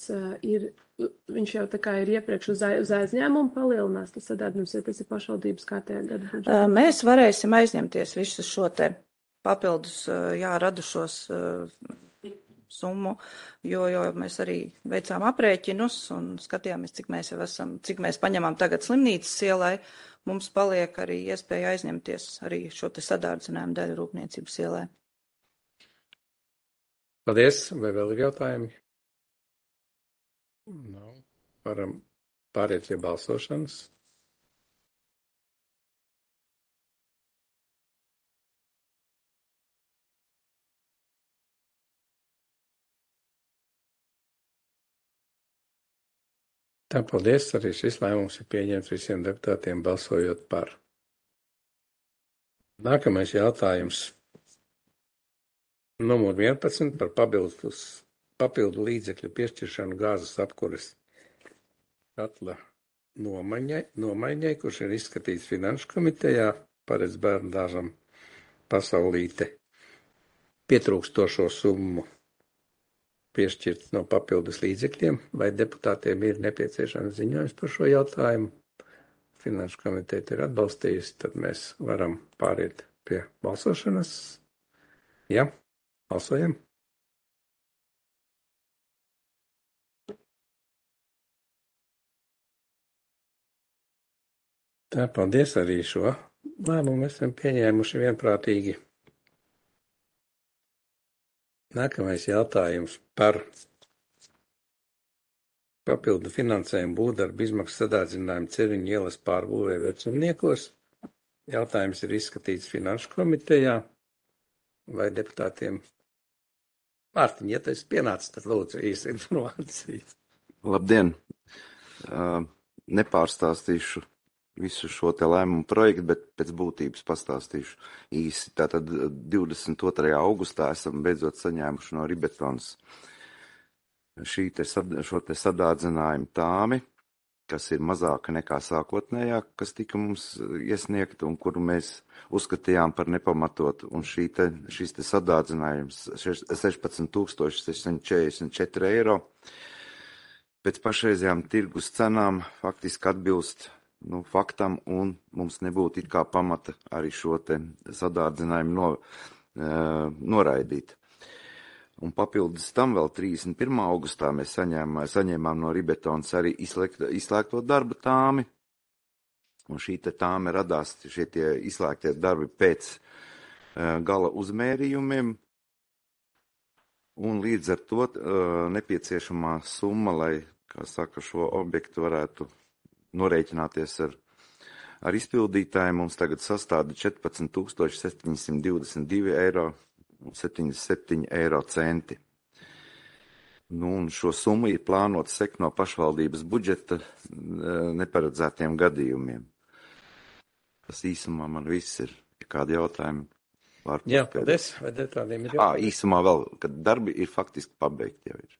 viņš jau tā kā ir iepriekš uz aizņēmumu palielinās, tas sadārdzinājums, ja tas ir pašvaldības kārtējā gada budžetā. Mēs varēsim aizņemties visu šo te papildus, radušos summu, jo mēs arī veicām aprēķinus un skatījāmies, cik mēs paņemam tagad Slimnīcas ielai. Mums paliek arī iespēja aizņemties arī šo te sadārdzinājumu daļu Rūpniecības ielai. Paldies. Vai vēl ir jautājumi? Nav. Varam pāriet pie balsošanas. Tā, paldies. Arī šis lēmums ir pieņemts visiem deputātiem balsojot par. Nākamais jautājums. Numur 11 par papildu līdzekļu piešķiršanu gāzes apkures katla nomaiņai, kurš ir izskatīts Finanšu komitejā, paredz bērndārzam Pasaulīte pietrūkstošo summu piešķirt no papildus līdzekļiem, vai deputātiem ir nepieciešams ziņojums par šo jautājumu. Finanšu komiteja ir atbalstījusi, tad mēs varam pāriet pie balsošanas. Jā, balsojam. Tā, paldies, arī šo lēmumu mēs esam pieņēmuši vienprātīgi. Nākamais jautājums par papildu finansējumu būvdarbu izmaksu sadārdzinājumu Ceriņu ielas pārbūvē Vecumniekos. Jautājums ir izskatīts Finanšu komitejā. Vai deputātiem? Mārtiņ, ja tas pienācis, tad lūdzu īsa informācija. Labdien! Nepārstāstīšu visu šo te lēmumu projektu, bet pēc būtības pastāstīšu īsi. Tātad 22. augustā esam beidzot saņēmuši no Ribetons šo te sadārdzinājumu tāmi, kas ir mazāka nekā sākotnējā, kas tika mums iesniegta un kuru mēs uzskatījām par nepamatotu. Un šis te sadārdzinājums 16 644 eiro pēc pašreizējām tirgus cenām faktiski atbilst faktam, un mums nebūtu it kā pamata arī šo te sadārdzinājumu noraidīt. Un papildus tam vēl 31. augustā mēs saņēmām no Ribetons arī izslēgto darba tāmi, un šī te tāme radās, šie tie izslēgtie darbi pēc gala uzmērījumiem, un līdz ar to nepieciešamā summa, lai kā saka, šo objektu varētu norēķināties ar izpildītāju. Mums tagad sastāda 14 722 eiro un 77 eiro centi. Nu, un šo summu ir plānot sekt no pašvaldības budžeta neparedzētiem gadījumiem. Tas īsumā man viss ir. Ja kādi jautājumi? Jā, paldies. Vai tādiem ir jautājumi? Īsumā vēl, kad darbi ir faktiski pabeigti jau ir.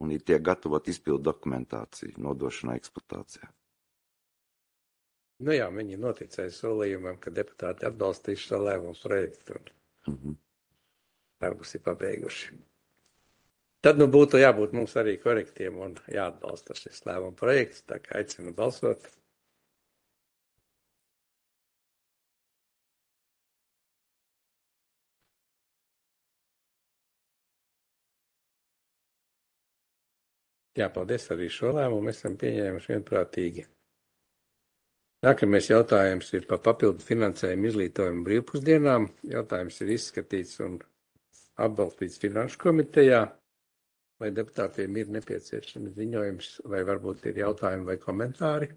Un ir tiek gatavot izpildu dokumentāciju nodošanai eksploatācijā. Nu jā, viņi noticēja solījumam, ka deputāti atbalstīs šo lēmumu projektu un darbus ir pabeiguši. Tad nu būtu jābūt mums arī korektiem un jāatbalsta šis lēmumu projekts, tā kā aicinu balsot. Jā, paldies, arī šo lēmumu esam pieņēmuši vienprātīgi. Nākamais jautājums ir par papildu finansējumu izglītojumu brīvpusdienām. Jautājums ir izskatīts un atbalstīts Finanšu komitejā. Vai deputātiem ir nepieciešams ziņojums, vai varbūt ir jautājumi vai komentāri?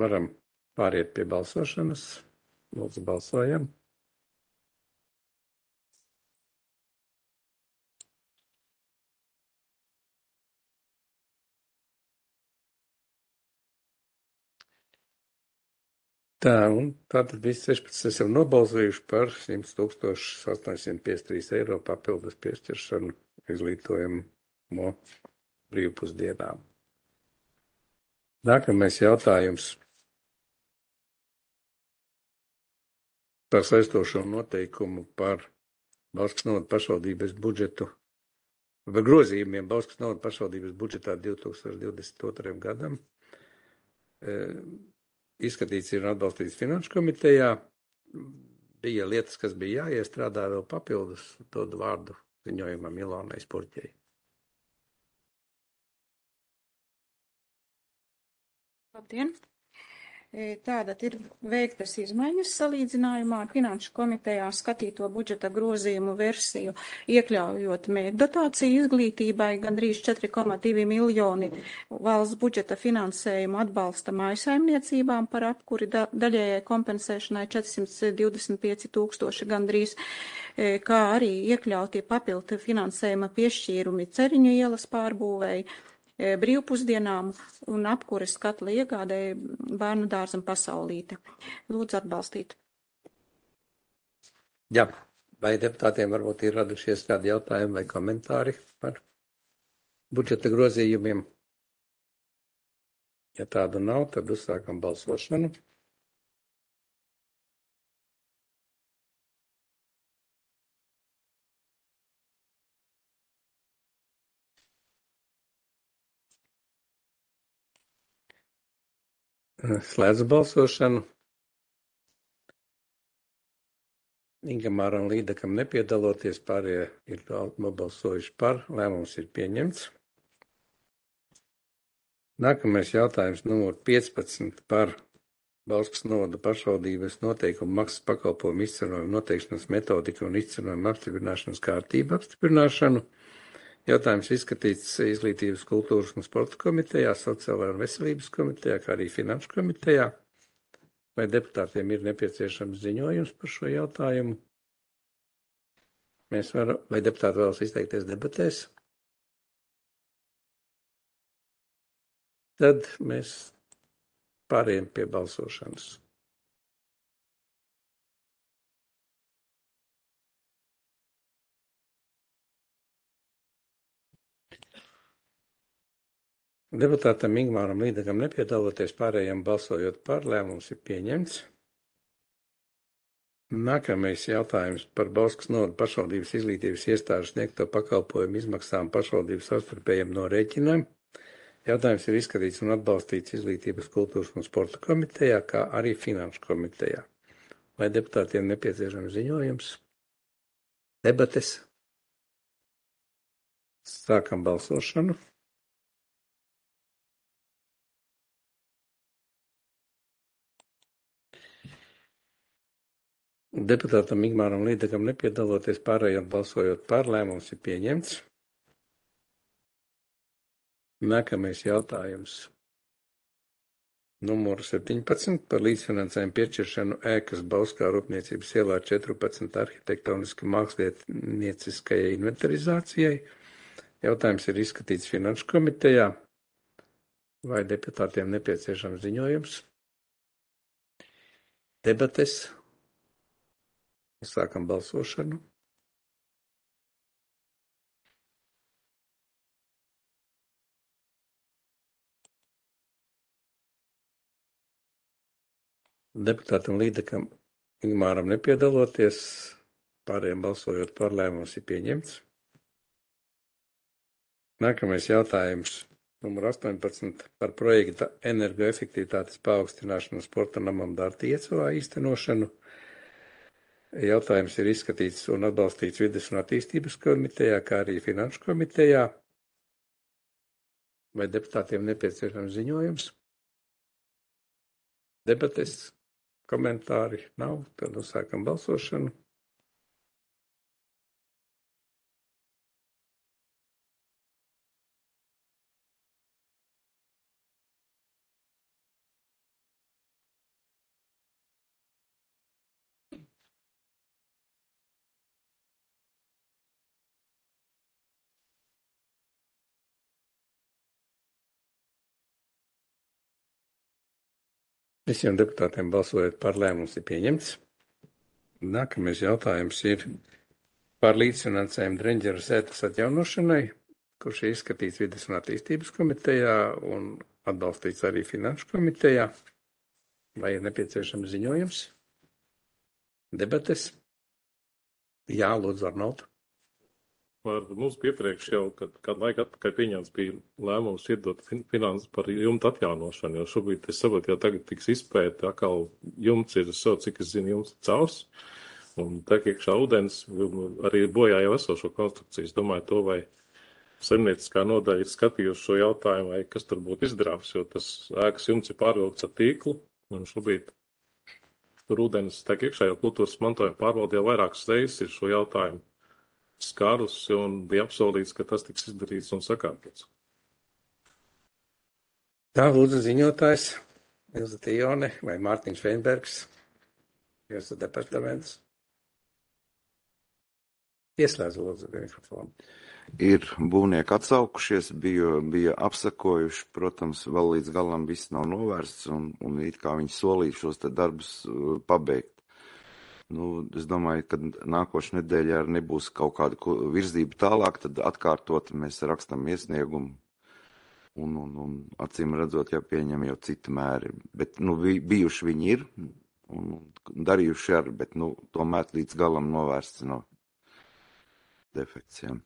Varam pāriet pie balsošanas. Lūdzu, balsojam. Tā, un tātad visi 16 esam nobalsojuši par 100 853 eiro papildus piešķiršanu izglītojumu brīvpusdienām. Nākamais jautājums par saistošo noteikumu par Bauskas novada pašvaldības budžetu, par grozījumiem Bauskas novada pašvaldības budžetā 2022. gadam. Izskatīts ir atbalstīts Finanšu komitejā. Bija lietas, kas bija jāiestrādā vēl papildus, dod vārdu ziņojumam Ilonai Spurķei. Labdien! Tātad ir veiktas izmaiņas salīdzinājumā ar Finanšu komitejā skatīto budžeta grozījumu versiju, iekļaujot mērķdotāciju izglītībai gandrīz 4,2 miljoni valsts budžeta finansējumu atbalsta mājsaimniecībām par apkuri daļējai kompensēšanai 425 000 gandrīz, kā arī iekļautie papildu finansējuma piešķīrumi Ceriņu ielas pārbūvēji, brīvpusdienām un apkures katla iegādēja bērnu dārzam Pasaulīte. Lūdzu atbalstīt. Jā, vai deputātiem varbūt ir radušies kādi jautājumi vai komentāri par budžeta grozījumiem? Ja tādu nav, tad uzsākam balsošanu. Slēdzu balsošanu. Ingamāram Līdakam nepiedaloties, pārējie ir nobalsojuši par, lēmums ir pieņemts. Nākamais jautājums numur 15 par Bauskas novada pašvaldības noteikumu maksas pakalpojumu izcenojumu noteikšanas metodiku un izcenojumu apstiprināšanas kārtību apstiprināšanu. Jautājums izskatīts Izglītības, kultūras un sporta komitejā, Sociālajā un veselības komitejā, kā arī Finanšu komitejā. Vai deputātiem ir nepieciešams ziņojums par šo jautājumu? Vai deputāti vēlas izteikties debatēs? Tad mēs pārējām pie balsošanas. Deputātam Ingmāram Līdakam nepiedaloties, pārējiem balsojot par, lēmums ir pieņemts. Nākamais jautājums par Bauskas novada pašvaldības izglītības iestāžu sniegto pakalpojumu izmaksām pašvaldības savstarpējiem norēķinām. Jautājums ir izskatīts un atbalstīts Izglītības, kultūras un sporta komitejā, kā arī Finanšu komitejā. Vai deputātiem nepieciešams ziņojums? Debates? Sākam balsošanu. Deputātam Ingmāram Līdakam nepiedaloties, pārējiem balsojot par, lēmums ir pieņemts. Nākamais jautājums. Numur 17 par līdzfinansējumu piešķiršanu ēkas Bauskā Rūpniecības ielā 14 arhitektoniski mākslinieckajai inventarizācijai. Jautājums ir izskatīts Finanšu komitejā. Vai deputātiem nepieciešams ziņojums? Debates. Sākam balsošanu. Deputātam Līdekam Ingmāram nepiedaloties, pārējiem balsojot par, lēmums ir pieņemts. Nākamais jautājums, numur 18, par projekta energoefektivitātes paaugstināšanu sporta namam Dārta Iecavā īstenošanu. Jautājums ir izskatīts un atbalstīts Vides un attīstības komitejā, kā arī Finanšu komitejā. Vai deputātiem nepieciešams ziņojums? Debates, komentāri nav, tad sākam balsošanu. Visiem deputātiem balsojot par, lēmums ir pieņemts. Nākamais jautājums ir par līdzfinansējumu Dreņģera sētas atjaunošanai, kurš ir izskatīts Vides un attīstības komitejā un atbalstīts arī Finanšu komitejā. Vai ir nepieciešams ziņojums? Debates? Jā, lūdzu, Arnold. Mums iepriekš jau, kad laika atpakaļ pieņemts bija lēmums iedot finanses par jumta atjaunošanu, jo šobrīd, es saprotu, jau tagad tiks izpēta, atkal jumts ir, cik es zinu, jumts cels, un tā iekšā ūdens arī bojā jau esošo konstrukciju. Es domāju to, vai saimnieciskā nodaļa ir skatījusi šo jautājumu, vai kas tur būtu izdarāms, jo tas ēkas jumts ir pārvilkts ar tīklu, un šobrīd tur ūdens tā iekšā jau kultūras mantojuma pārvalde jau vairākas reizes ir šo jautājumu skārusi un bija apsolīts, ka tas tiks izdarīts un sakārtots. Tā, lūdzu, ziņotājs Ilza Tijone vai Mārtiņš Feinbergs, jūsu departaments. Ieslēdz, lūdzu, mikrofonu. Ir būvnieki atsaukušies, bija apsakojuši, protams, vēl līdz galam viss nav novērsts un it kā viņi solīja šos te darbus pabeigt. Es domāju, ka nākošais nedēļā arī nebūs kaut kāda virzība tālāk, tad atkārtot mēs rakstam iesniegumu un acīm redzot, jau pieņem jau citi mēri. Bet, bijuši viņi ir un darījuši arī, bet, tomēr līdz galam novērsts no defekcijām.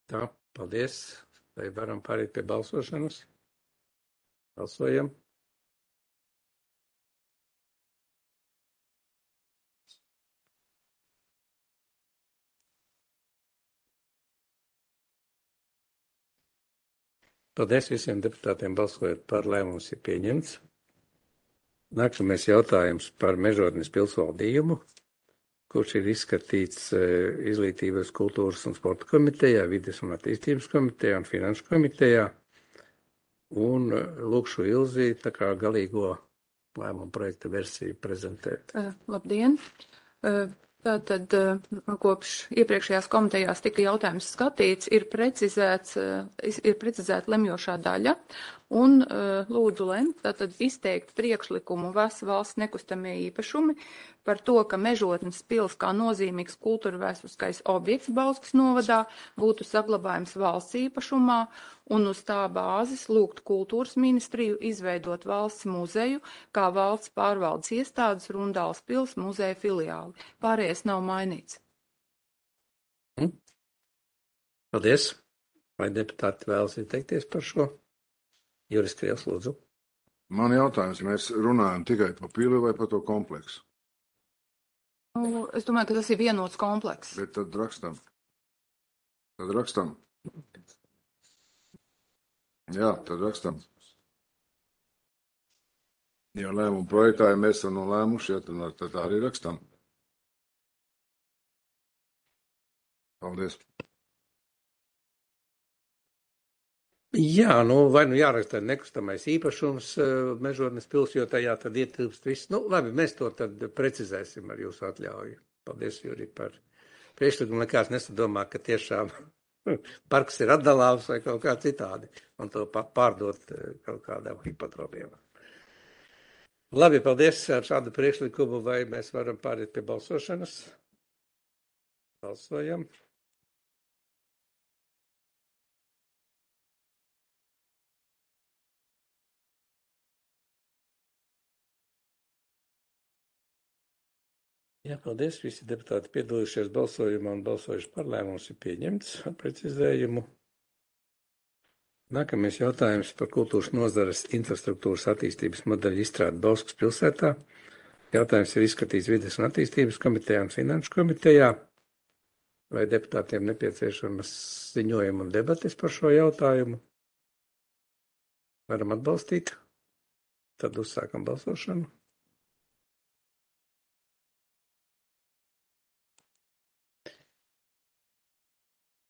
Tā, paldies. Vai varam pārīt pie balsošanas? Balsojam. Paldies visiem deputātiem balsojot par, lēmums ir pieņemts. Nākamais jautājums par Mežotnes pilsvaldījumu, kurš ir izskatīts Izglītības, kultūras un sporta komitejā, Vides un attīstības komitejā un Finanšu komitejā. Un lūkšu Ilzi tā kā galīgo lēmumu projekta versiju prezentēt. Labdien! Tātad kopš iepriekšējās komitejās tika jautājums skatīts, ir precizēta lemjošā daļa un lūdzu lemt, tātad izteikt priekšlikumu valsts nekustamie īpašumi par to, ka Mežotnes pils kā nozīmīgs kultūra vēsturiskais objekts Bauskas novadā būtu saglabājums valsts īpašumā un uz tā bāzes lūgt kultūras ministriju izveidot valsts muzeju kā valsts pārvaldes iestādes Rundāls pils muzeja filiāli. Pārējais nav mainīts. Paldies. Vai deputāti vēlas izteikties par šo? Juris Krievs, lūdzu. Man jautājums, mēs runājam tikai par pili vai par to kompleksu? Es domāju, ka tas ir vienots komplekss. Bet tad rakstam. Jā, tad rakstam. Ja lēmumu projektā, ja mēs esam nolēmuši, tad arī rakstam. Paldies. Jā, vai jāraksta nekustamais īpašums Mežodnes pils, jo tajā tad ietilpst viss. Labi, mēs to tad precizēsim ar jūsu atļauju. Paldies, Jurij, par priekšlikumu. Nekāds nesadomā, ka tiešām parks ir atdalāms vai kaut kā citādi, un to pārdot kaut kādām hipotropiem. Labi, paldies ar šādu priekšlikumu, vai mēs varam pāriet pie balsošanas? Balsojam. Jā, paldies. Visi deputāti piedalījušies balsojumā un balsojuši par lēmums ir pieņemts ar precizējumu. Nākamais jautājums par kultūras nozares infrastruktūras attīstības modeļu izstrādi Bauskas pilsētā. Jautājums ir izskatīts Vides un attīstības komitejā un finanšu komitejā. Vai deputātiem nepieciešamas ziņojuma un debates par šo jautājumu? Varam atbalstīt? Tad uzsākam balsošanu.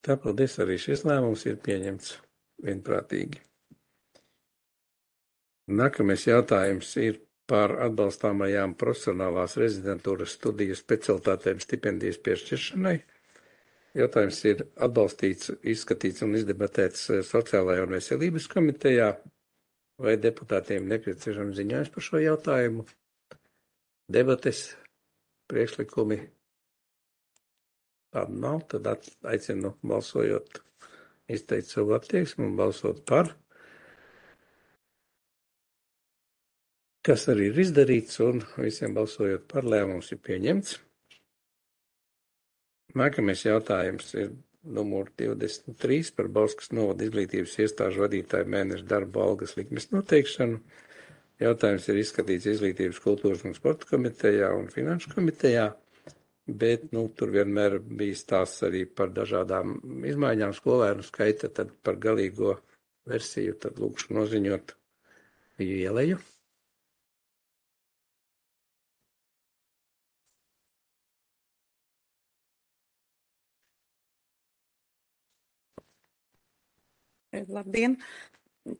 Tā, paldies, arī šis lēmums ir pieņemts vienprātīgi. Nākamais jautājums ir par atbalstāmajām profesionālās rezidentūras studiju specialitātēm stipendijas piešķiršanai. Jautājums ir atbalstīts, izskatīts un izdebatēts Sociālajā un veselības komitejā. Vai deputātiem nepieciešams ziņojums par šo jautājumu? Debates, priekšlikumi? Tāda nav, tad aicinu balsojot, izteikt savu attieksmi un balsot par, kas arī ir izdarīts, un visiem balsojot par lēmums ir pieņemts. Nākamais jautājums ir numur 23 par Bauskas novada izglītības iestāžu vadītāju mēneša darba algas likmes noteikšanu. Jautājums ir izskatīts Izglītības, kultūras un sporta komitejā un finanšu komitejā. Bet tur vienmēr bija stāsts arī par dažādām izmaiņām skolēnu skaita, tad par galīgo versiju, tad lūkšu noziņot ieleju. Labdien!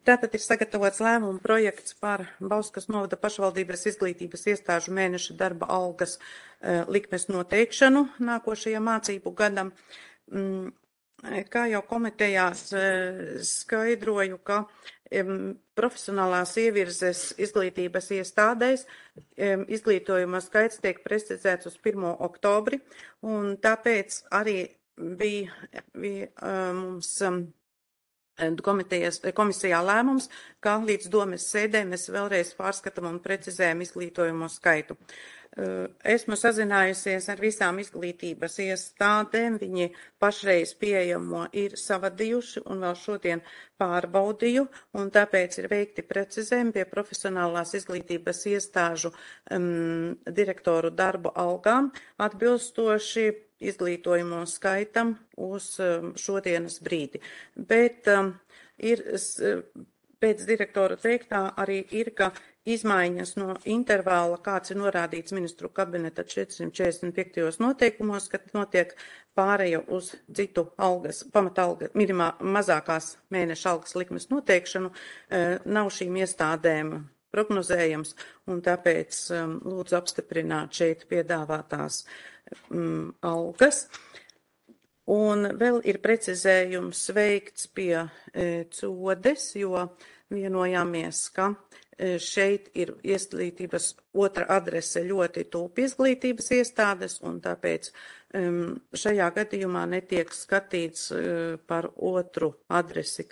Tātad ir sagatavots lēmuma projekts par Bauskas novada pašvaldības izglītības iestāžu mēneša darba algas likmes noteikšanu nākošajam mācību gadam. Kā jau komitejās skaidroju, ka profesionālās ievirzes izglītības iestādēs izglītojuma skaits tiek precizēts uz 1. oktobri, un tāpēc arī bija mums komisijā lēmums, ka līdz domes sēdē mēs vēlreiz pārskatām un precizējam izglītojumu skaitu. Esmu sazinājusies ar visām izglītības iestādēm, viņi pašreiz pieejamo ir savadījuši un vēl šodien pārbaudīju, un tāpēc ir veikti precizējumi pie profesionālās izglītības iestāžu direktoru darba algām atbilstoši izglītojumu skaitam uz šodienas brīdi. Bet ir pēc direktora teiktā arī ir, ka izmaiņas no intervāla, kāds ir norādīts ministru kabineta 445. noteikumos, kad notiek pāreja uz citu algas, pamatalga, mazākās mēneša algas likmes noteikšanu, nav šīm iestādēm prognozējams, un tāpēc lūdzu apstiprināt šeit piedāvātās algas. Un vēl ir precizējums veikts pie codes, jo vienojāmies, ka šeit ir izglītības otra adrese ļoti tuvu izglītības iestādes, un tāpēc šajā gadījumā netiek skatīts par otru adresi,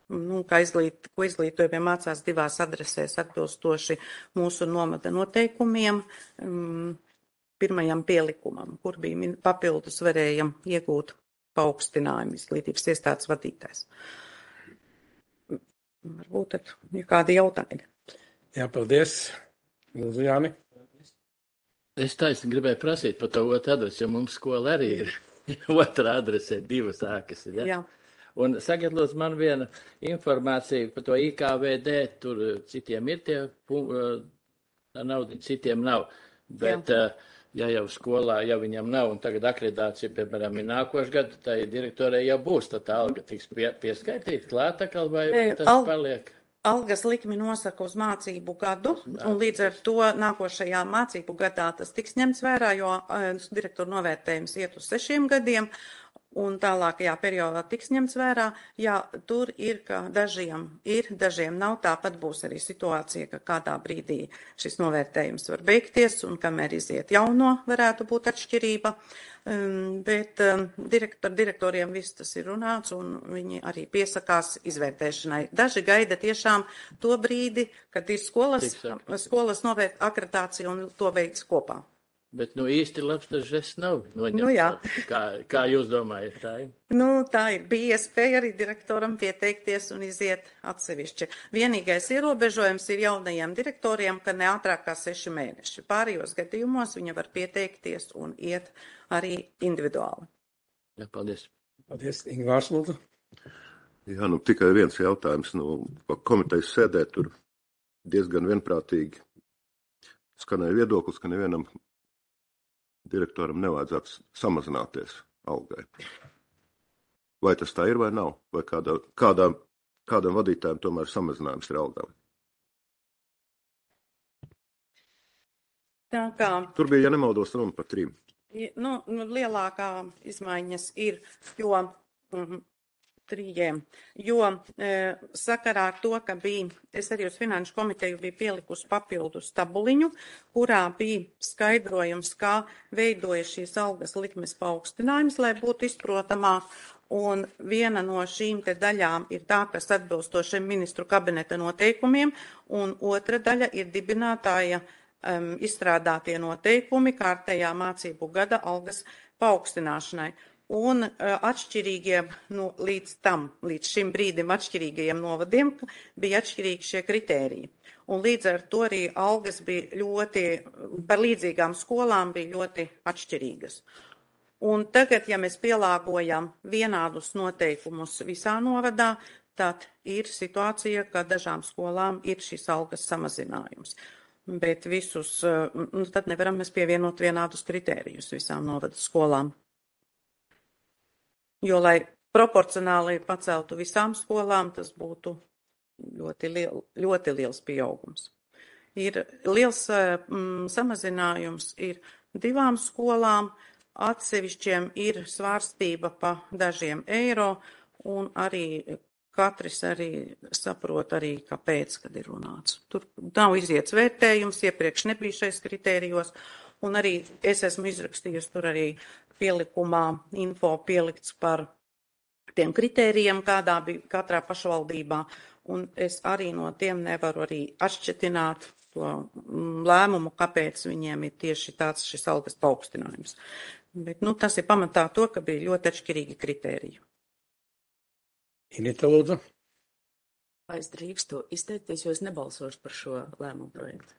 ko izglītojumie mācās divās adresēs atbilstoši mūsu nomada noteikumiem. Pirmajam pielikumam, kur bija papildus varējam iegūt paaugstinājumu izglītības iestādes vadītājs. Varbūt tad ir kādi jautājumi. Jā, paldies. Lūdzu, Jāni. Es taisni gribēju prasīt par to otru adresi, jo mums skola arī ir otra adrese, divas ēkas. Ja? Jā. Un sagatavos man viena informācija par to IKVD, tur citiem ir tie naudi, citiem nav. Bet ja jau skolā, ja viņam nav, un tagad akreditācija, piemēram, ir nākošu gadu, tai direktorai jau būs, tad tā alga tiks pieskaitīta klāt atkal, vai tas paliek? Algas likmi nosaka uz mācību gadu, un līdz ar to nākošajā mācību gadā tas tiks ņemts vērā, jo direktoru novērtējums iet uz 6 gadiem, un tālākajā periodā tiks ņemts vērā. Jā, tur ir, ka dažiem ir, dažiem nav. Tāpat būs arī situācija, ka kādā brīdī šis novērtējums var beigties, un kamēr iziet jauno, varētu būt atšķirība. Bet direktoriem viss tas ir runāts, un viņi arī piesakās izvērtēšanai. Daži gaida tiešām to brīdi, kad ir skolas akreditācija un to veids kopā. Bet, īsti labs tas žests nav noņemts. Jā. Kā jūs domājat, tā ir? Tā ir. Bija iespēja arī direktoram pieteikties un iziet atsevišķi. Vienīgais ierobežojums ir jaunajiem direktoriem, ka ne ātrāk kā 6 mēneši. Pārējos gadījumos viņa var pieteikties un iet arī individuāli. Jā, paldies. Paldies, Ingvārs, lūdzu. Jā, tikai viens jautājums. Komitejas sēdē tur diezgan vienprātīgi skanēja viedoklis, ka nevienam direktoram nevajadzētu samazināties algai. Vai tas tā ir vai nav? Vai kādam vadītājam tomēr samazinājums ir algām? Tur bija, ja nemaldos, runa par 3. Lielākā izmaiņas ir, jo 3, jo sakarā ar to, ka es arī uz Finanšu komiteju biju pielikusi papildus tabuliņu, kurā bija skaidrojums, kā veidojas šīs algas likmes paaugstinājums, lai būtu izprotamāk. Un viena no šīm te daļām ir tā, kas atbilstošiem ministru kabineta noteikumiem, un otra daļa ir dibinātāja izstrādātie noteikumi kārtējā mācību gada algas paaugstināšanai. Un atšķirīgiem, līdz šim brīdim atšķirīgajiem novadiem bija atšķirīgi šie kritēriji. Un līdz ar to arī algas bija par līdzīgām skolām bija ļoti atšķirīgas. Un tagad, ja mēs pielāgojam vienādus noteikumus visā novadā, tad ir situācija, ka dažām skolām ir šis algas samazinājums. Bet tad nevaram mēs pievienot vienādus kritērijus visām novada skolām. Jo, lai proporcionāli paceltu visām skolām, tas būtu ļoti liels pieaugums. Ir liels samazinājums ir 2 skolām, atsevišķiem ir svārstība pa dažiem eiro, un arī katrs arī saprot arī, kāpēc, kad ir runāts. Tur nav iziets vērtējums, iepriekš nebija šais kritērijos, un arī es esmu izrakstījusi tur arī pielikumā info pielikts par tiem kritērijiem, kādā bija katrā pašvaldībā, un es arī no tiem nevaru arī atšķetināt to lēmumu, kāpēc viņiem ir tieši tāds šis algas paaugstinājums. Bet, tas ir pamatā to, ka bija ļoti atšķirīgi kritēriji. Inita, lūdzu. Vai es drīkstu izteikties, jo es nebalsošu par šo lēmumu projektu?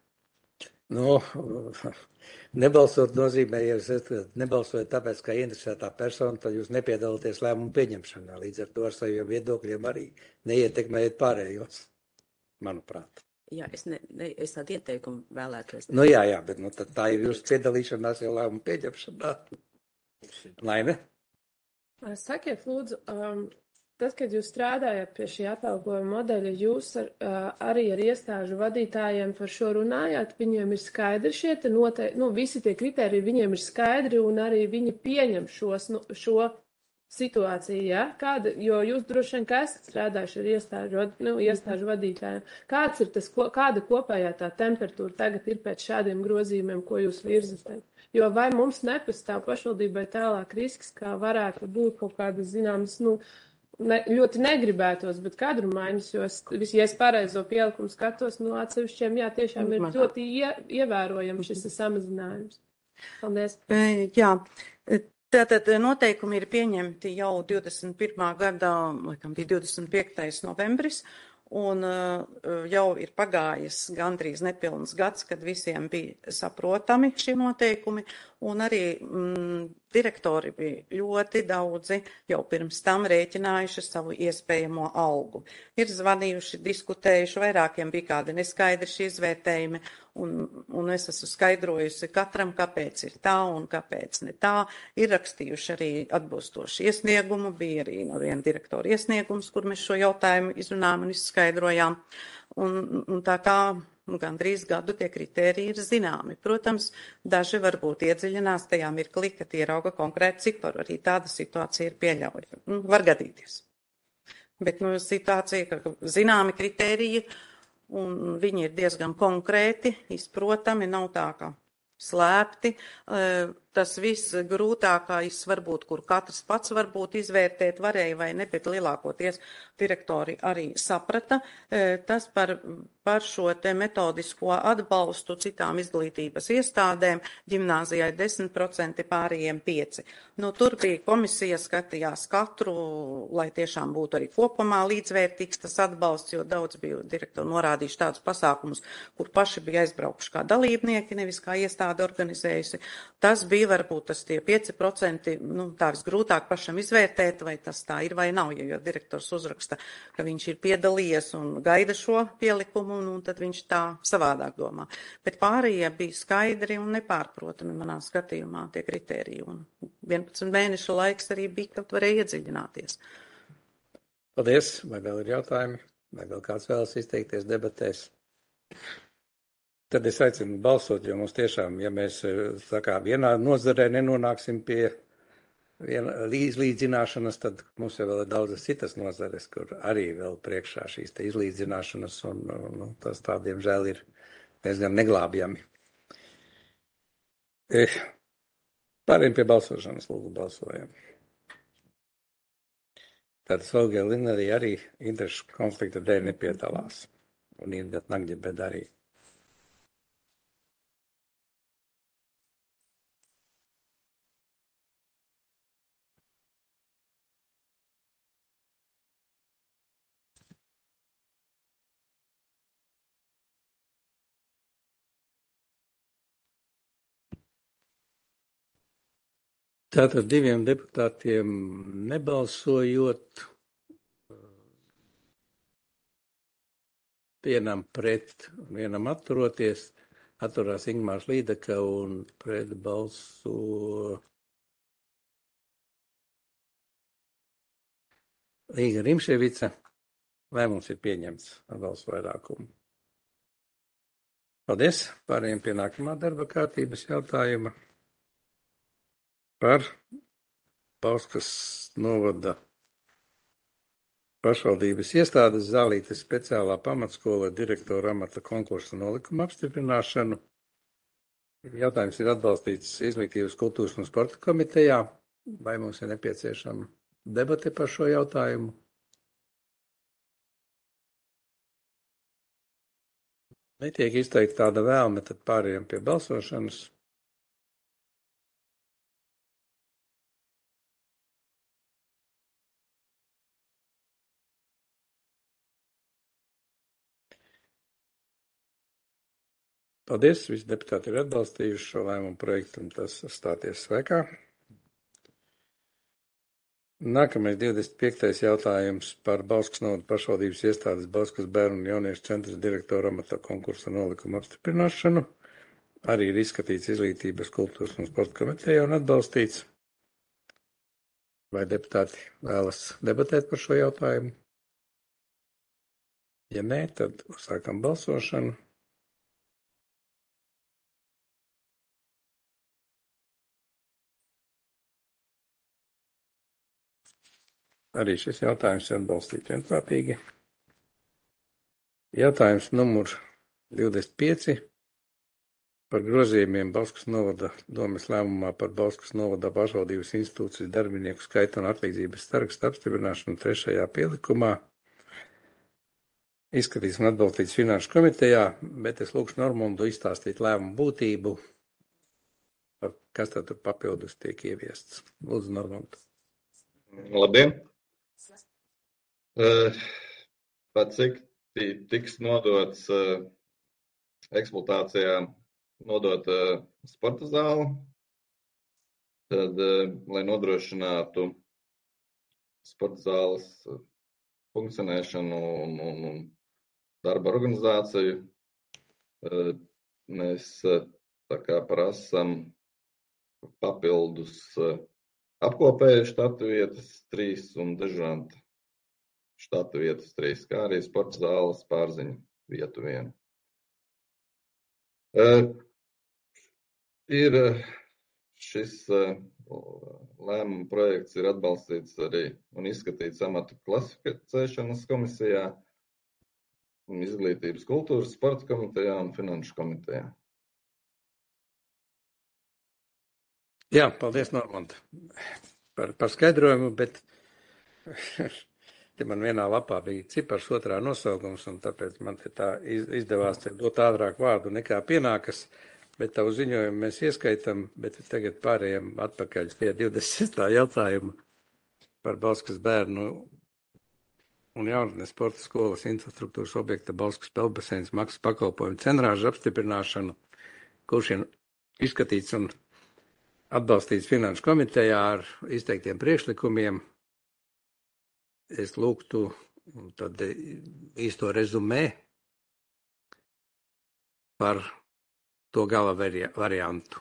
Nebalsot nozīmē, ja jūs nebalsojat tāpēc, kā interesētā persona, tad jūs nepiedalāties lēmumu pieņemšanā. Līdz ar to ar saviem viedokļiem arī neietekmējat pārējos, manuprāt. Jā, es tādu ieteikumu vēlētos. Jā, bet tad tā ir jūsu piedalīšanās jau lēmumu pieņemšanā. Laime? Sakiet, lūdzu, tad, kad jūs strādājat pie šī atalgojuma modeļa, jūs arī ar iestāžu vadītājiem par šo runājāt, viņiem ir skaidri šie visi tie kriteriji, viņiem ir skaidri un arī viņi pieņem šo situāciju, ja? Jo jūs droši vien, ka esat strādājuši ar iestāžu vadītājiem. Kāda kopējā tā temperatūra tagad ir pēc šādiem grozījumiem, ko jūs virzat? Jo vai mums nepastāv pašvaldībai tālāk risks, kā varētu būt kaut kādas zināmas, ļoti negribētos, bet kadru maiņas, jo ja es pareizo pielikumu skatos, atsevišķiem, tiešām ir ļoti ievērojami šis samazinājums. Paldies. Jā, tātad noteikumi ir pieņemti jau 21. gadā, laikam bija 25. novembris, un jau ir pagājis gandrīz nepilns gads, kad visiem bija saprotami šie noteikumi, un arī direktori bija ļoti daudzi jau pirms tam rēķinājuši savu iespējamo algu. Ir zvanījuši, diskutējuši, vairākiem bija kādi neskaidri šie izvērtējumi, un es esmu skaidrojusi katram, kāpēc ir tā un kāpēc ne tā. Ir rakstījuši arī atbilstoši iesniegumu, bija arī no viena direktora iesniegums, kur mēs šo jautājumu izrunājām un izskaidrojām. Un tā kā gandrīz gadu tie kritēriji ir zināmi. Protams, daži varbūt iedziļinās tajā mirklī, kad ierauga konkrētu ciparu. Arī tāda situācija ir pieļaujama. Var gadīties. Bet situācija, ka zināmi kritēriji, un viņi ir diezgan konkrēti, izprotami, nav tā kā slēpti. Tas viss grūtākais varbūt, kur katrs pats varbūt izvērtēt varēja vai ne, bet lielākoties direktori arī saprata. Tas par šo te metodisko atbalstu citām izglītības iestādēm, ģimnāzijai 10%, pārējiem 5%. Tur bija komisija, skatījās katru, lai tiešām būtu arī kopumā līdzvērtīgs tas atbalsts, jo daudz bija direktori norādījuši tādus pasākumus, kur paši bija aizbraukuši kā dalībnieki, nevis kā iestāde organizējusi. Tas bija varbūt tas tie 5%, tā visgrūtāk pašam izvērtēt, vai tas tā ir vai nav, jo direktors uzraksta, ka viņš ir piedalījies un gaida šo pielikumu, un tad viņš tā savādāk domā. Bet pārējie bija skaidri un nepārprotami manā skatījumā tie kritēriji, un 11 mēnešu laiks arī bija, kad varēja iedziļināties. Paldies, vai vēl ir jautājumi, vai vēl kāds vēlas izteikties debatēs? Tad es aicinu balsot, jo mums tiešām, ja mēs vienā nozarē nenonāksim pie izlīdzināšanas, tad mums jau vēl ir daudzas citas nozares, kur arī vēl priekšā šīs te izlīdzināšanas, un tas tādiem žēl ir diezgan neglābjami. Pārējiem pie balsošanas, lūdzu balsojam. Tad Solga Lina arī interešu konflikta dēļ nepiedalās, un Inga Nagģebeda arī. Tātad 2 deputātiem nebalsojot, vienam pret, vienam atturoties, atturās Ingmārs Līdeka un pret balso Līga Rimševica. Lēmums ir pieņemts ar balsu vairākumu. Paldies, pārējiem pie nākamā darba kārtības jautājuma. Par Bauskas novada pašvaldības iestādes Zālītes speciālā pamatskola direktora amata konkursa nolikuma apstiprināšanu. Jautājums ir atbalstīts Izglītības, kultūras un sporta komitejā. Vai mums ir nepieciešama debate par šo jautājumu? Netiek izteikta tāda vēlme, tad pārējām pie balsošanas. Paldies, visi deputāti ir atbalstījuši šo lēmumu projektu un tas stāties spēkā. Nākamais 25. jautājums par Bauskas novada pašvaldības iestādes Bauskas bērnu un jauniešu centra direktora amata konkursa nolikuma apstiprināšanu. Arī ir izskatīts Izglītības, kultūras un sporta komitejā un atbalstīts. Vai deputāti vēlas debatēt par šo jautājumu? Ja nē, tad sākam balsošanu. Arī šis jautājums ir atbalstīts vienprātīgi. Jautājums numur 25 par grozījumiem Bauskas novada domes lēmumā par Bauskas novada pašvaldības institūcijas darbinieku skaitu un atlīdzības sarakstu apstiprināšanu 3. pielikumā. Izskatīts un atbalstīts Finanšu komitejā, bet es lūkšu Normundu izstāstīt lēmumu būtību, kas tad tur papildus tiek ieviests. Lūdzu, Normundu. Labdien! Pat cik tiks nodots eksploatācijā nodot sporta zāli, tad, lai nodrošinātu sporta zāles funkcionēšanu un darba organizāciju, mēs tā kā prasam papildus apkopēju štatu vietas 3 un dežuranta štatu vietas 3, kā arī sporta zāles pārziņu vietu 1. Ir šis lēmuma projekts ir atbalstīts arī un izskatīts amatu klasificēšanas komisijā, izglītības, kultūras, sporta komitejā un finanšu komitejā. Jā, paldies, Normand, par skaidrojumu, bet te man vienā lapā bija cipars otrā nosaukums, un tāpēc man te tā izdevās te dot ātrāk vārdu nekā pienākas, bet tavu ziņojumu mēs ieskaitam, bet tagad pārējām atpakaļ pie 26. jautājuma par Bauskas bērnu un jaunatnes sporta skolas infrastruktūras objekta Bauskas peldbaseins maksas pakalpojumu cenrāžu apstiprināšanu, kurš ir izskatīts un atbalstīts finanšu komitejā ar izteiktiem priekšlikumiem. Es lūgtu tad īsto rezumē par to gala variantu.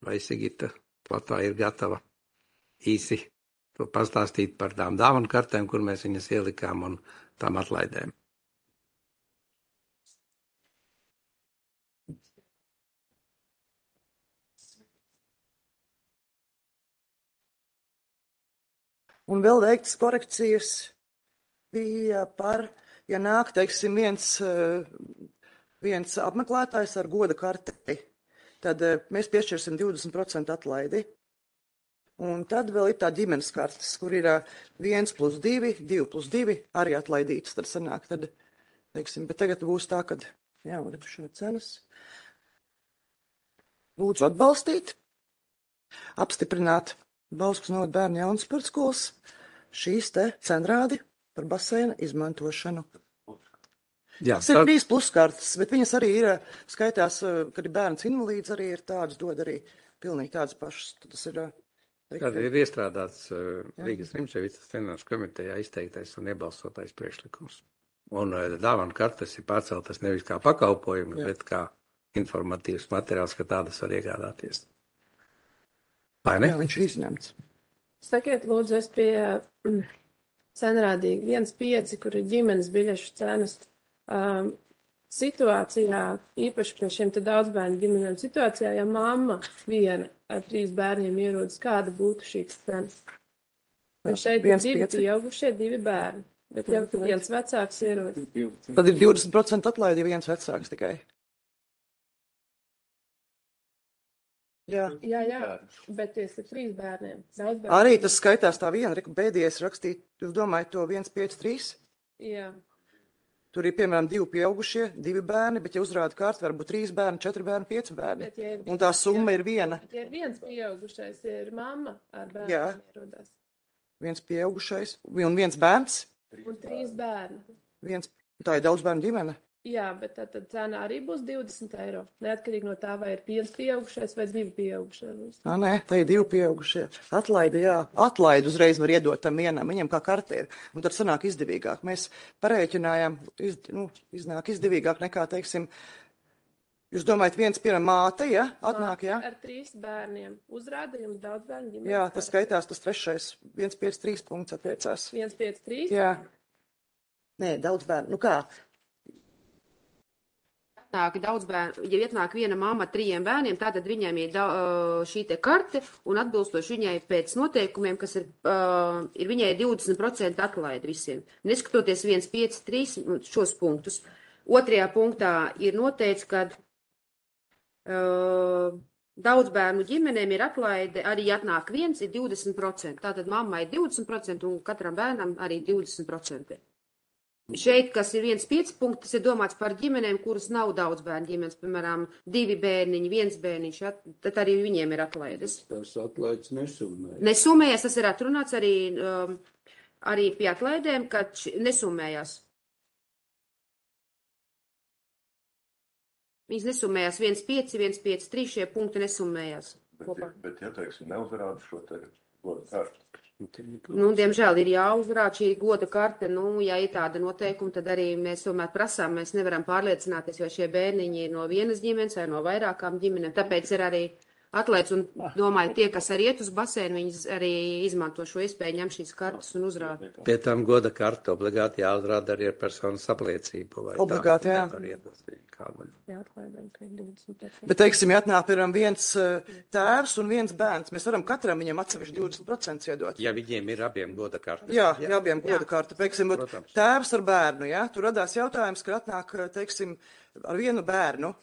Vai Sigita Platā ir gatava īsi to pastāstīt par tām dāvanu kartēm, kur mēs viņas ielikām un tām atlaidēm? Un vēl veiktas korekcijas bija par, ja nāk, teiksim, viens apmeklētājs ar goda karti, tad mēs piešķirsim 20% atlaidi. Un tad vēl ir tā ģimenes kartes, kur ir 1+2, 2+2 arī atlaidītas. Tad sanāk, tad, teiksim, bet tagad būs tā, kad, jā, šo cenas. Lūdzu atbalstīt, apstiprināt Bauskas novada bērnu jaunas sporta skolas šīs te cenrādi par baseina izmantošanu. Jā, tas ir 3+ kartes, bet viņas arī ir, skaitās, kad ir bērns invalīds, arī ir tādas, dod arī pilnīgi tādas pašas. Tas ir, tad ir iestrādāts Rīgas Rimševicas finanšu komitejā izteiktais un iebalsotais priekšlikums. Un dāvanu kartes ir pārceltas nevis kā pakalpojumi, bet kā informatīvs materiāls, ka tādas var iegādāties. Vai ne? Jā, viņš ir izņemts. Sakiet, lūdzu, es pie cenrādīgi 1,5, kur ir ģimenes biļešu cenas. Situācijā, īpaši pie šiem te daudzbērnu ģimenēm, situācijā, ja mamma viena ar 3 bērniem ierodas, kāda būtu šīs cenas? Un šeit ir 2 pieaugušie, 2 bērni, bet jau viens vecāks ierodas. Tad ir 20% atlaidi, ja viens vecāks tikai. Jā, bet tas ir 3 bērniem. Arī tas skaitās tā viena, pēdējais rakstīt, jūs domājat to 1,5,3? Jā. Tur ir, piemēram, 2 pieaugušie, 2 bērni, bet ja uzrāda kārtu, varbūt 3 bērni, 4 bērni, 5 bērni. Un tā summa ir viena. Ja ir viens pieaugušais, ir mamma ar bērniem ierodās. Viens pieaugušais un viens bērns. Un 3 bērni. Tā ir daudz bērnu ģimene. Jā, bet tad cena arī būs 20 eiro. Neatkarīgi no tā, vai ir 5 pieaugušais vai 2 pieaugušie. Nē, tā ir 2 pieaugušie. Atlaidi, jā. Atlaidi uzreiz var iedot tam vienam, viņam kā kartē ir. Un tad sanāk izdevīgāk. Mēs parēķinājām, iznāk izdevīgāk nekā, teiksim, jūs domājat, viens piemēram māte, ja? Atnāk, jā? Ar 3 bērniem. Uzrāda jums daudz bērnu ģimenes. Jā, tas skaitās tas 3. 1,5,3 punkts attiecās. 1,5,3? Jā. Nē, daudz bērnu. Nu kā? Daudz bērnu, ja ietnāk viena mamma ar 3 bērniem, tātad viņiem ir šī te karte un atbilstoši viņai pēc noteikumiem, kas ir viņai 20% atlaidi visiem. Neskatoties 1,5,3 šos punktus. 2. punktā ir noteikts, ka daudz bērnu ģimenēm ir atlaide, arī atnāk viens, ir 20%. Tātad mammai ir 20% un katram bērnam arī 20%. Šeit, kas ir 1,5 punkts, tas ir domāts par ģimenēm, kuras nav daudz bērnu ģimenes, piemēram, 2 bērniņi, 1 bērniņš, tad arī viņiem ir atlaides. Tas atlaides nesummējas. Nesummējas, tas ir atrunāts arī pie atlaidēm, ka nesummējas. Viņas nesummējās 1,5, 1,5,3, šie punkti nesummējās. kopā. Bet ja teiksim, neuzrāda šo te goda karti. Nu, diemžēl ir jāuzrāda šī goda karte, ja ir tāda noteikuma, tad arī mēs tomēr prasām, mēs nevaram pārliecināties, vai šie bērniņi ir no vienas ģimenes vai no vairākām ģimenēm, tāpēc ir arī atlaids un domāju, tie, kas arī iet uz basēnu, viņas arī izmanto šo iespēju ņem šīs kartas un uzrāda. Pie tam goda karta obligāti jāuzrāda arī ar personas apliecību. Obligāti, jā. Bet, teiksim, ja atnāk, piemēram, viens tēvs un viens bērns, mēs varam katram viņam atsevišķi 20% iedot. Ja viņiem ir abiem goda karta. Jā, abiem goda karta. Teiksim, tēvs ar bērnu, ja, tur radās jautājums, ka atnāk, teiksim, ar vienu bērnu,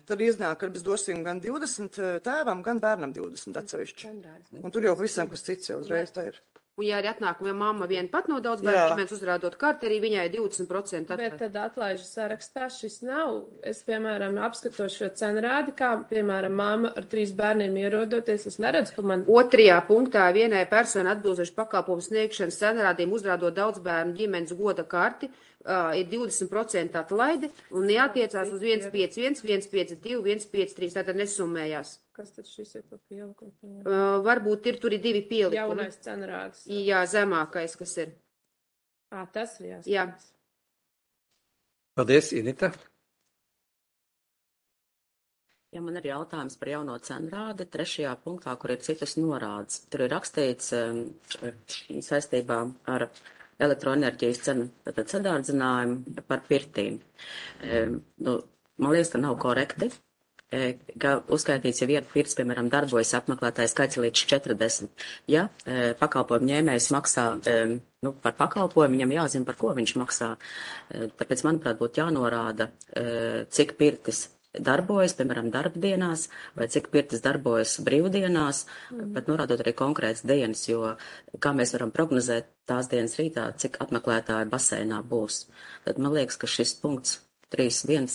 tad iznāk, ka mēs dosim gan 20 tēvam, gan bērnam 20 atsevišķi. Un tur jau visam, kas cits jau uzreiz tā ir. Un ja arī atnāk, ja mamma viena pat no daudz bērnu, mēs uzrādot karti, arī viņai 20% atlaid. Bet tad atlaižu sarakstā šis nav. Es, piemēram, apskatos šo cenrādi, kā, piemēram, mamma ar 3 bērniem ierodoties, es neredzu, ka man... Otrajā punktā vienai persona atbilstoši pakalpojumu sniegšanas cenrādiem uzrādot daudz bērnu ģimenes goda karti, ir 20% atlaide un neatiecās uz 151, 152, 153, tātad nesummējās. Kas tad šis ir pa pielikumu? Varbūt ir tur ir 2 pielikumi. Jaunais cenrāds. Jā, zemākais, kas ir. Tas ir jāskatās. Jā. Paldies, Inita. Ja man ir jautājums par jauno cenrādi, 3. punktā, kur ir citas norādes. Tur ir rakstīts saistībā ar elektroenerģijas cenu sadārdzinājumu par pirtīm. Man liekas, ka nav korekti, ka uzskaitīts, ja viena pirts, piemēram, darbojas apmeklētāju skaits līdz 40. Ja pakalpojumu ņēmējs maksā par pakalpojumu, viņam jāzina, par ko viņš maksā. Tāpēc, manuprāt, būtu jānorāda, cik pirtis darbojas, piemēram, darbdienās, vai cik pirtis darbojas brīvdienās, bet norādot arī konkrētas dienas, jo kā mēs varam prognozēt tās dienas rītā, cik apmeklētāji baseinā būs. Tad man liekas, ka šis punkts 3.1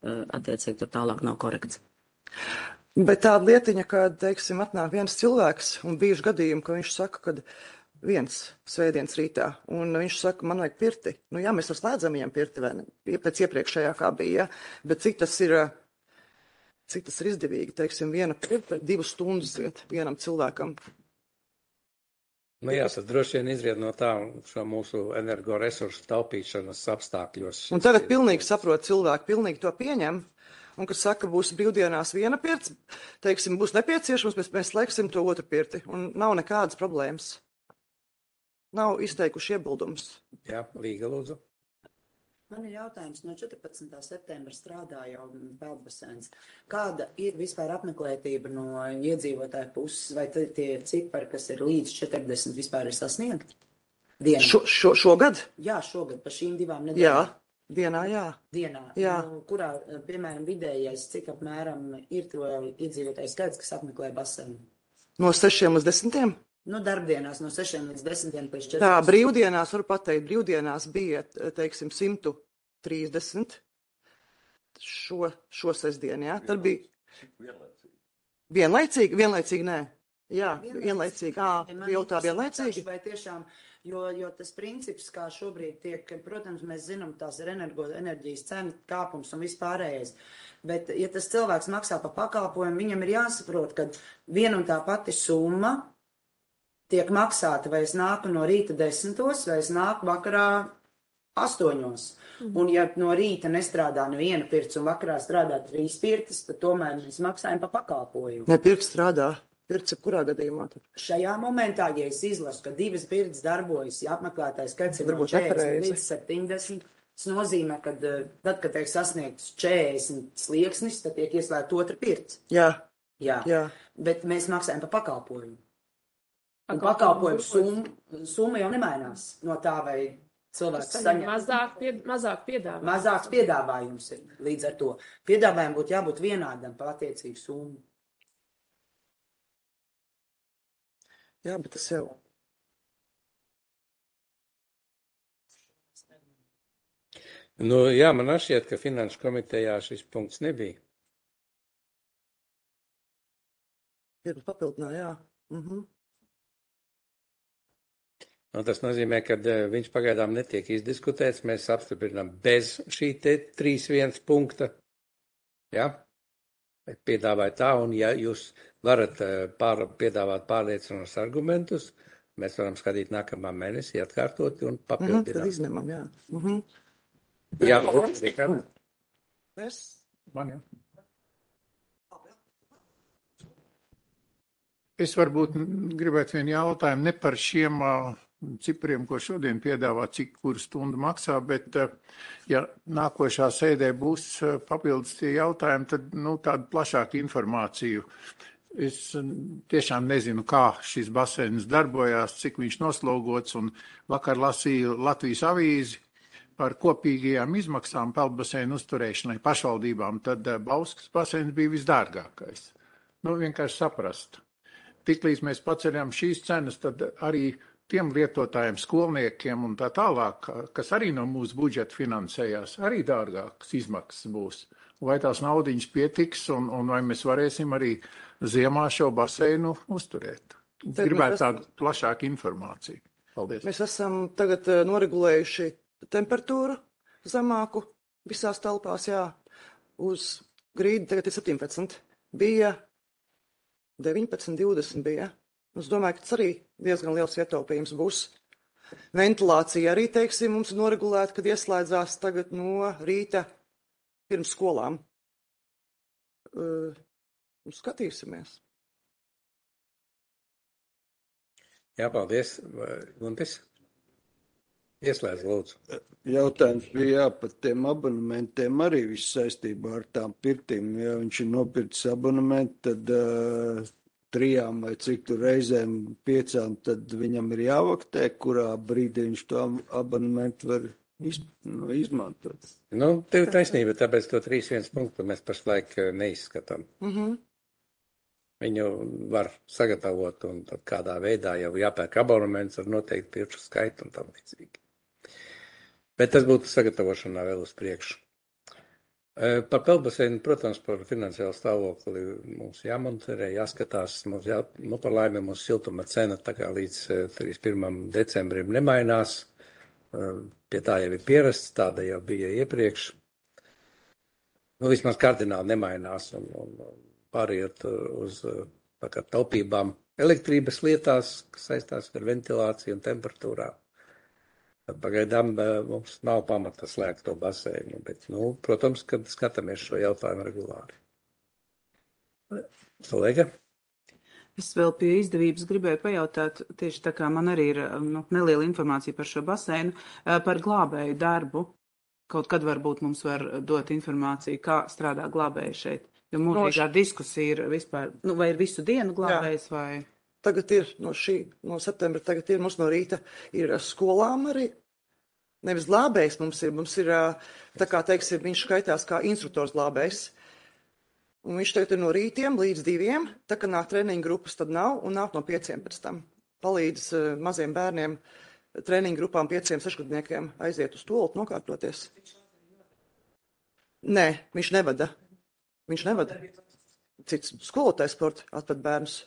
attiecīgi tur tālāk nav korekts. Bet tāda lietiņa, ka, teiksim, atnāk viens cilvēks un bijuši gadījumi, ka viņš saka, ka viens svētdienas rītā, un viņš saka, man vajag pirti. Jā, mēs slēdzam viņam pirti, vai ne? Pēc iepriekšējā kā bija, ja? Bet cik tas ir izdevīgi, teiksim, viena pirti 2 stundas iet vienam cilvēkam. Jā, tas droši vien izriet no tā šo mūsu energoresursu taupīšanas apstākļos. Un tagad pilnīgi saprot cilvēki, pilnīgi to pieņem, un kas saka, būs brīvdienās viena pirts, teiksim, būs nepieciešams, mēs slēgsim to otru pirti, un nav nekādas problēmas. Nav izteikuši iebildumus. Jā, Līga, lūdzu. Man ir jautājums, no 14. septembra strādā jau peldbaseins. Kāda ir vispār apmeklētība no iedzīvotāju puses, vai tie cipari, kas ir līdz 40 vispār ir sasniegti? Šogad? Jā, šogad, pa šīm 2 nedēļām. Jā, dienā, jā. Dienā, jā. Kurā, piemēram, vidējais, cik apmēram ir to iedzīvotāju skaits, kas apmeklē baseinu? No 6 līdz 10? Darbdienās no 6 līdz 10 līdz 14. Tā, brīvdienās, varu pateikt, brīvdienās bija, teiksim, 130 šo sestdienu, jā. Tad bija vienlaicīgi, nē. Jā, vienlaicīgi, jautā vienlaicīgi. Vai tiešām, jo tas princips, kā šobrīd tiek, protams, mēs zinām, tās ir enerģijas cena kāpums un vispārējais. Bet, ja tas cilvēks maksā pa pakalpojumu, viņam ir jāsaprot, ka viena un tā pati summa tiek maksāta, vai es nāku no rīta 10, vai es nāku vakarā 8. Un ja no rīta nestrādā neviena pirts un vakarā strādā 3 pirtis, tad tomēr mēs maksājam pa pakalpojumu. Ne, pirts strādā. Pirts kurā gadījumā? Šajā momentā, ja es izlasu, ka 2 pirts darbojas, ja apmeklētājs skaits ir no 40 līdz 70, tas nozīmē, ka tad, kad tiek sasniegts 40 slieksnis, tad tiek ieslēgta 2 pirts. Jā. Bet mēs maksājam pa pakalpojumu. Un pakalpojumu summa jau nemainās no tā, vai cilvēks saņem. Mazāk piedāvājums. Mazāks piedāvājums ir līdz ar to. Piedāvājumam būtu jābūt vienādam par attiecīgu summu. Jā, bet tas jau. Jā, man šķiet, ka Finanšu komitejā šis punkts nebija. Ir papildinā, jā. Tas nozīmē, ka viņš pagaidām netiek izdiskutēts. Mēs apstiprinām bez šī te 3.1 punkta. Jā? Bet piedāvāju tā, un ja jūs varat piedāvāt pārliecinošus argumentus, mēs varam skatīt nākamā mēnesī, atkārtot un papildināt. Tad izņemam, jā. Jā, Rikārd. Man, jā. Es varbūt gribētu vienu jautājumu ne par šiem cipriem, ko šodien piedāvā, cik kuru stundu maksā, bet ja nākošā sēdē būs papildus tie jautājumi, tad tādu plašāku informāciju. Es tiešām nezinu, kā šis baseins darbojās, cik viņš noslogots, un vakar lasīju Latvijas avīzi par kopīgajām izmaksām peldbaseinu uzturēšanai pašvaldībām, tad Bauskas baseins bija visdārgākais. Vienkārši saprast. Tiklīdz mēs paceļam šīs cenas, tad arī tiem lietotājiem, skolniekiem un tā tālāk, kas arī no mūsu budžeta finansējās, arī dārgākas izmaksas būs. Vai tās naudiņas pietiks un vai mēs varēsim arī ziemā šo baseinu uzturēt? Gribētu tādu plašāku informāciju. Paldies. Mēs esam tagad noregulējuši temperatūru zemāku visās telpās, jā. Uz grīdi tagad ir 17. Bija 19, 20 bija. Es domāju, ka tas arī diezgan liels ietaupījums būs. Ventilācija arī, teiksim, mums ir noregulēta, kad ieslēdzās tagad no rīta pirms skolām. Skatīsimies. Jā, paldies. Guntis? Ieslēdz, lūdzu. Jautājums bija par tiem abonementiem arī viss saistībā ar tām pirtīm. Ja viņš ir nopircis abonementu, tad 3 vai cik tur reizēm 5, tad viņam ir jāvaktē, kurā brīdī viņš to abonementu var izmantot. Tev taisnība, tāpēc to 3.1 punktu mēs pašlaik neizskatām. Viņu var sagatavot un tad kādā veidā jau jāpērk abonements ar noteikti pirkšu skaitu un tam līdzīgi. Bet tas būtu sagatavošanā vēl uz priekšu. Par peldbaseinu, protams, par finansiālu stāvokli mums jāmonitorē, jāskatās. Par laimi mums siltuma cena tā kā līdz 31. decembrim nemainās. Pie tā jau ir pierasts, tāda jau bija iepriekš. Vismaz kardināli nemainās un pāriet uz taupībām elektrības lietās, kas saistās ar ventilāciju un temperatūrām. Pagaidām mums nav pamata slēgt to baseinu, bet, protams, kad skatāmies šo jautājumu regulāri. Kolēga? Es vēl pie izdevības gribēju pajautāt, tieši tā kā man arī ir neliela informācija par šo baseinu, par glābēju darbu. Kaut kad varbūt mums var dot informāciju, kā strādā glābēji šeit. Jo mūžīgā diskusija ir vispār, vai ir visu dienu glābējs vai... Tagad ir no septembra, tagad ir mums no rīta ir skolām arī. Nevis glābējs mums ir tā kā, teiksim, viņš skaitās kā instruktors glābējs. Un viņš tagad ir no rītiem līdz 2, tā kā nāk treniņu grupas, tad nav, un nāk no 5 pēc tam. Palīdz maziem bērniem, treniņu grupām 5-6 aiziet uz toltu nokārtoties. Nē, viņš nevada. Cits skolotājs sporta atved bērnus.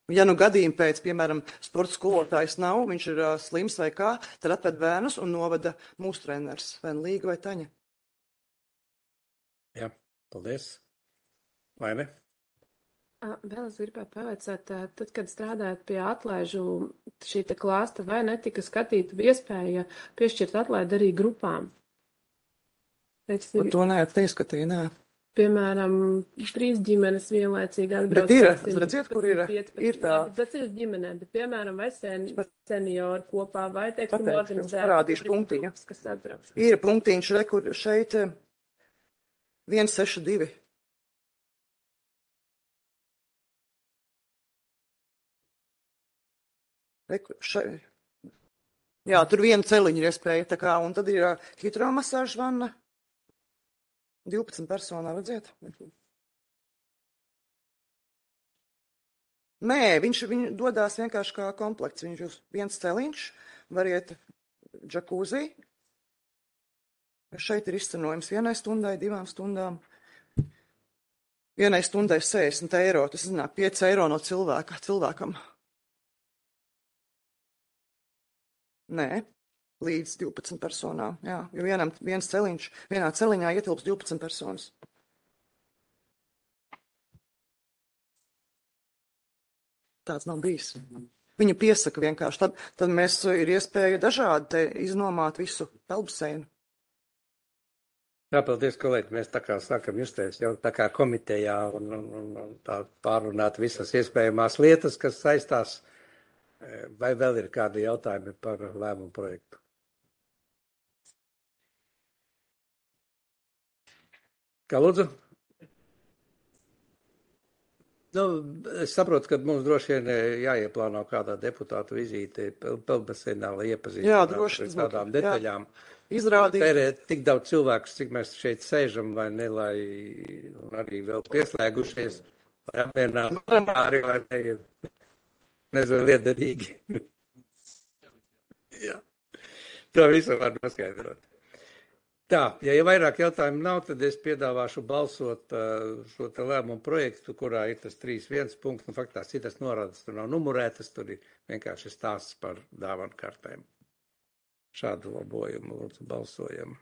Ja gadījumi pēc, piemēram, sporta skolotājs nav, viņš ir slims vai kā, tad atved bērnus un novada mūsu treneris, vai Līga vai Taņa. Jā, paldies. Vai ne? Vēl es gribētu pavaicāt, tad, kad strādājat pie atlaižu šī te klāsta, vai netika skatīta iespēja piešķirt atlaidi arī grupām? Par to neizskatīja, nē. Piemēram, 3 ģimenes vienlaicīgi atbrauc. Bet ir, redziet, kur ir tā. Tas ir ģimenē, bet, piemēram, vai seniori kopā, vai, teiksim, organizēt. Parādīšu punktiņu. Kas atbrauc. Ir punktiņš, kur šeit 162. Jā, tur viena celiņa ir iespēja, tā kā, un tad ir hidromasāža vanna. 12 personā, redziet? Nē, viņš dodās vienkārši kā komplekts. Viņš ir viens celiņš, var iet džakūzī. Šeit ir izcenojums 1 stundai, 2 stundām. 1 stundai 60 eiro, tas iznāk 5 eiro no cilvēkam. Nē. Līdz 12 personām, jā, jo viens celiņš, vienā celiņā ietilps 12 personas. tāds nav bijis. Viņa piesaka vienkārši. Tad mēs ir iespēja dažādi te iznomāt visu peldbaseinu. Jā, paldies, kolēģi. Mēs tā kā sākam justies jau tā kā komitejā un tā pārunāt visas iespējamās lietas, kas saistās. Vai vēl ir kādi jautājumi par lēmumu projektu? Kā lūdzu? Nu, es saprotu, ka mums droši vien jāieplāno kādā deputātu vizīte peldbaseinā, lai iepazīstinātu ar tādām detaļām. Izrādīt. Tērēt tik daudz cilvēkus, cik mēs šeit sēžam, vai ne, lai arī vēl pieslēgušies, lai apmierinātu arī, vai ne, ir nezinu, liederīgi. Jā. To visu var noskaidrot. Tā, ja vairāk jautājumu nav, tad es piedāvāšu balsot šo te lēmumu projektu, kurā ir tas 3.1 punkts, un faktās citas norādes tur nav numurētas, tur ir vienkārši stāsts par dāvanu kartēm. Šādu labojumu lūdzu balsojam.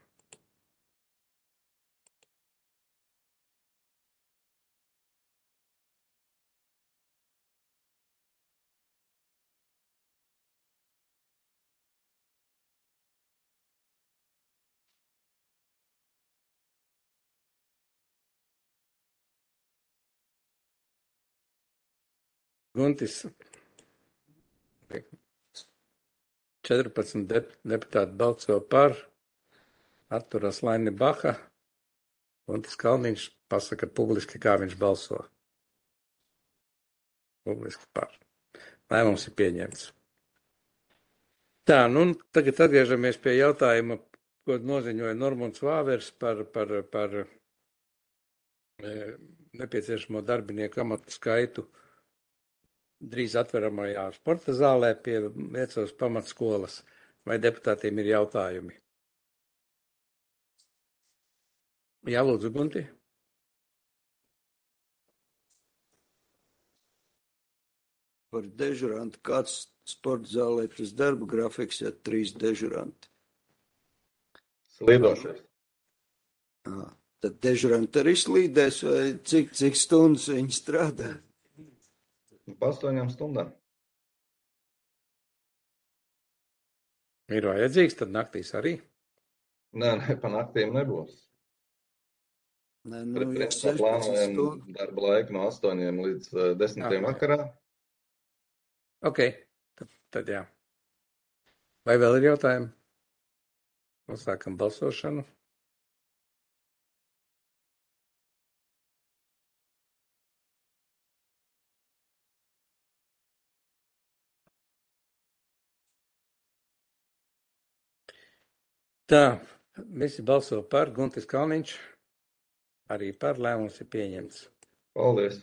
Guntis, 14 deputāti balso par, atturas Laini Baha, Guntis Kalniņš pasaka publiski, kā viņš balso. Publiski par. Lēmums ir pieņemts. Tā, nu tagad atgriežamies pie jautājuma, ko noziņoja Normunds Vāvers par nepieciešamo darbinieku amatu skaitu drīz atveramajā sporta zālē pie Viecavas pamatskolas. Vai deputātiem ir jautājumi? Jā, lūdzu, Gunti. Par dežurantu. Kāds sporta zālē tas darba grafiks, ja 3 dežuranti? Slīdošais. Tad dežuranti arī slīdēs, vai cik stundas viņi strādā? Pa 8 stundām. Ir vajadzīgs, tad naktīs arī? Nē, pa naktīm nebūs. Nē, Principā plānojam darba laiku no 8 līdz 10 vakarā. Ok, tad jā. Vai vēl ir jautājumi? Sākam balsošanu. Tā, visi balso par, Guntis Kalniņš, arī par, lēmums ir pieņemts. Paldies.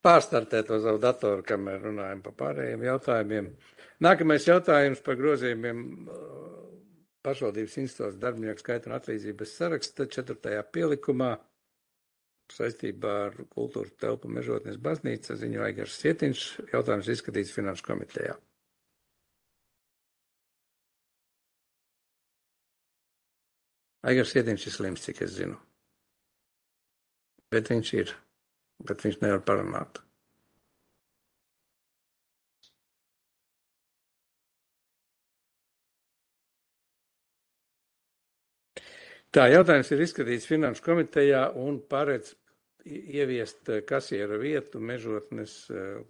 Pārstartēt to savu datoru, kamēr runājam par pārējiem jautājumiem. Nākamais jautājums par grozījumiem pašvaldības institūcijas darbinieku skaita un atlīdzības saraksta 4. pielikumā saistībā ar kultūras telpu Mežotnes baznīca ziņo Aigars Sietiņš. Jautājums izskatīts Finanšu komitejā. Aigars Sietiņš ir slims, cik es zinu. Bet viņš nevar parunāt. Tā, jautājums ir izskatīts Finanšu komitejā un paredz ieviest kasiera vietu Mežotnes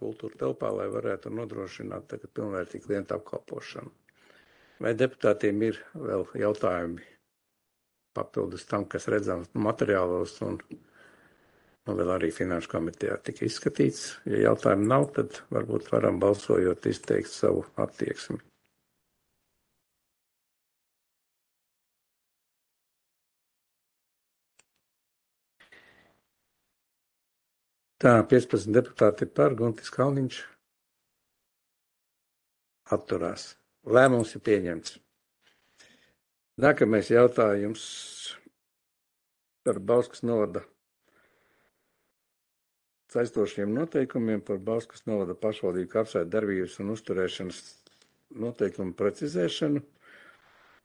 kultūra telpā, lai varētu nodrošināt tagad pilnvērtīgu klientu apkalpošanu. Vai deputātiem ir vēl jautājumi papildus tam, kas redzams materiālos un vēl arī Finanšu komitejā tika izskatīts? Ja jautājumu nav, tad varbūt varam balsojot izteikt savu attieksmi. Tā, 15 deputāti par, Guntis Kalniņš atturās. Lēmums ir pieņemts. Nākamais jautājums par Bauskas novada saistošiem noteikumiem par Bauskas novada pašvaldību kapsētu darbības un uzturēšanas noteikumu precizēšanu.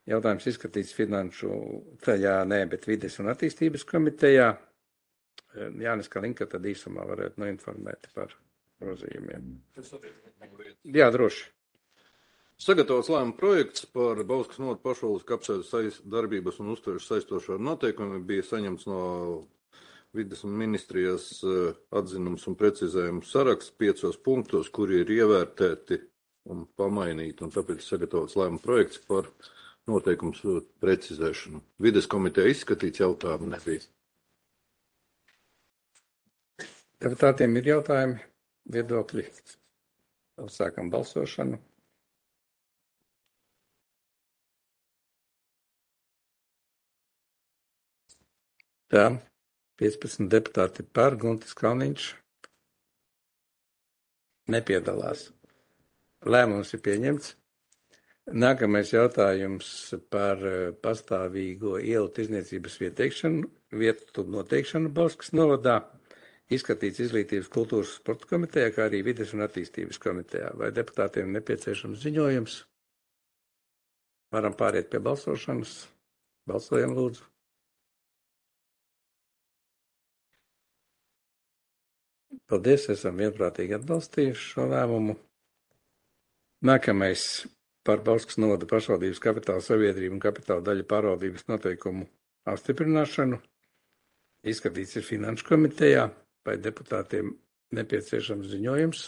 Jautājums izskatīts Finanšu ceļā, bet Vides un attīstības komitejā. Jānis Kalinka tad īsumā varētu noinformēt par grozījumiem. Jā, droši. Sagatavots lēmuma projekts par Bauskas novada pašvaldības kapsētas darbības un uztveres saistošo noteikumiem bija saņemts no Vides ministrijas atzinums un precizējums saraksts 5 punktos, kuri ir ievērtēti un pamainīti, un tāpēc sagatavots lēmuma projekts par noteikums precizēšanu. Vides komiteja izskatīts, jautājumu nebija. Deputātiem ir jautājumi, viedokļi. Sākam balsošanu. Tā, 15 deputāti par, Guntis Kalniņš nepiedalās. Lēmums ir pieņemts. Nākamais jautājums par pastāvīgo ielu tirdzniecības vietu noteikšanu Bauskas novadā. Izskatīts Izglītības, kultūras un sporta komitejā, kā arī Vides un attīstības komitejā. Vai deputātiem nepieciešams ziņojums? Varam pāriet pie balsošanas. Balsojam, lūdzu. Paldies, esam vienprātīgi atbalstījuši šo lēmumu. Nākamais par Bauskas novada pašvaldības kapitāla sabiedrību un kapitāla daļu pārvaldības noteikumu apstiprināšanu. Izskatīts ir Finanšu komitejā. Vai deputātiem nepieciešams ziņojums?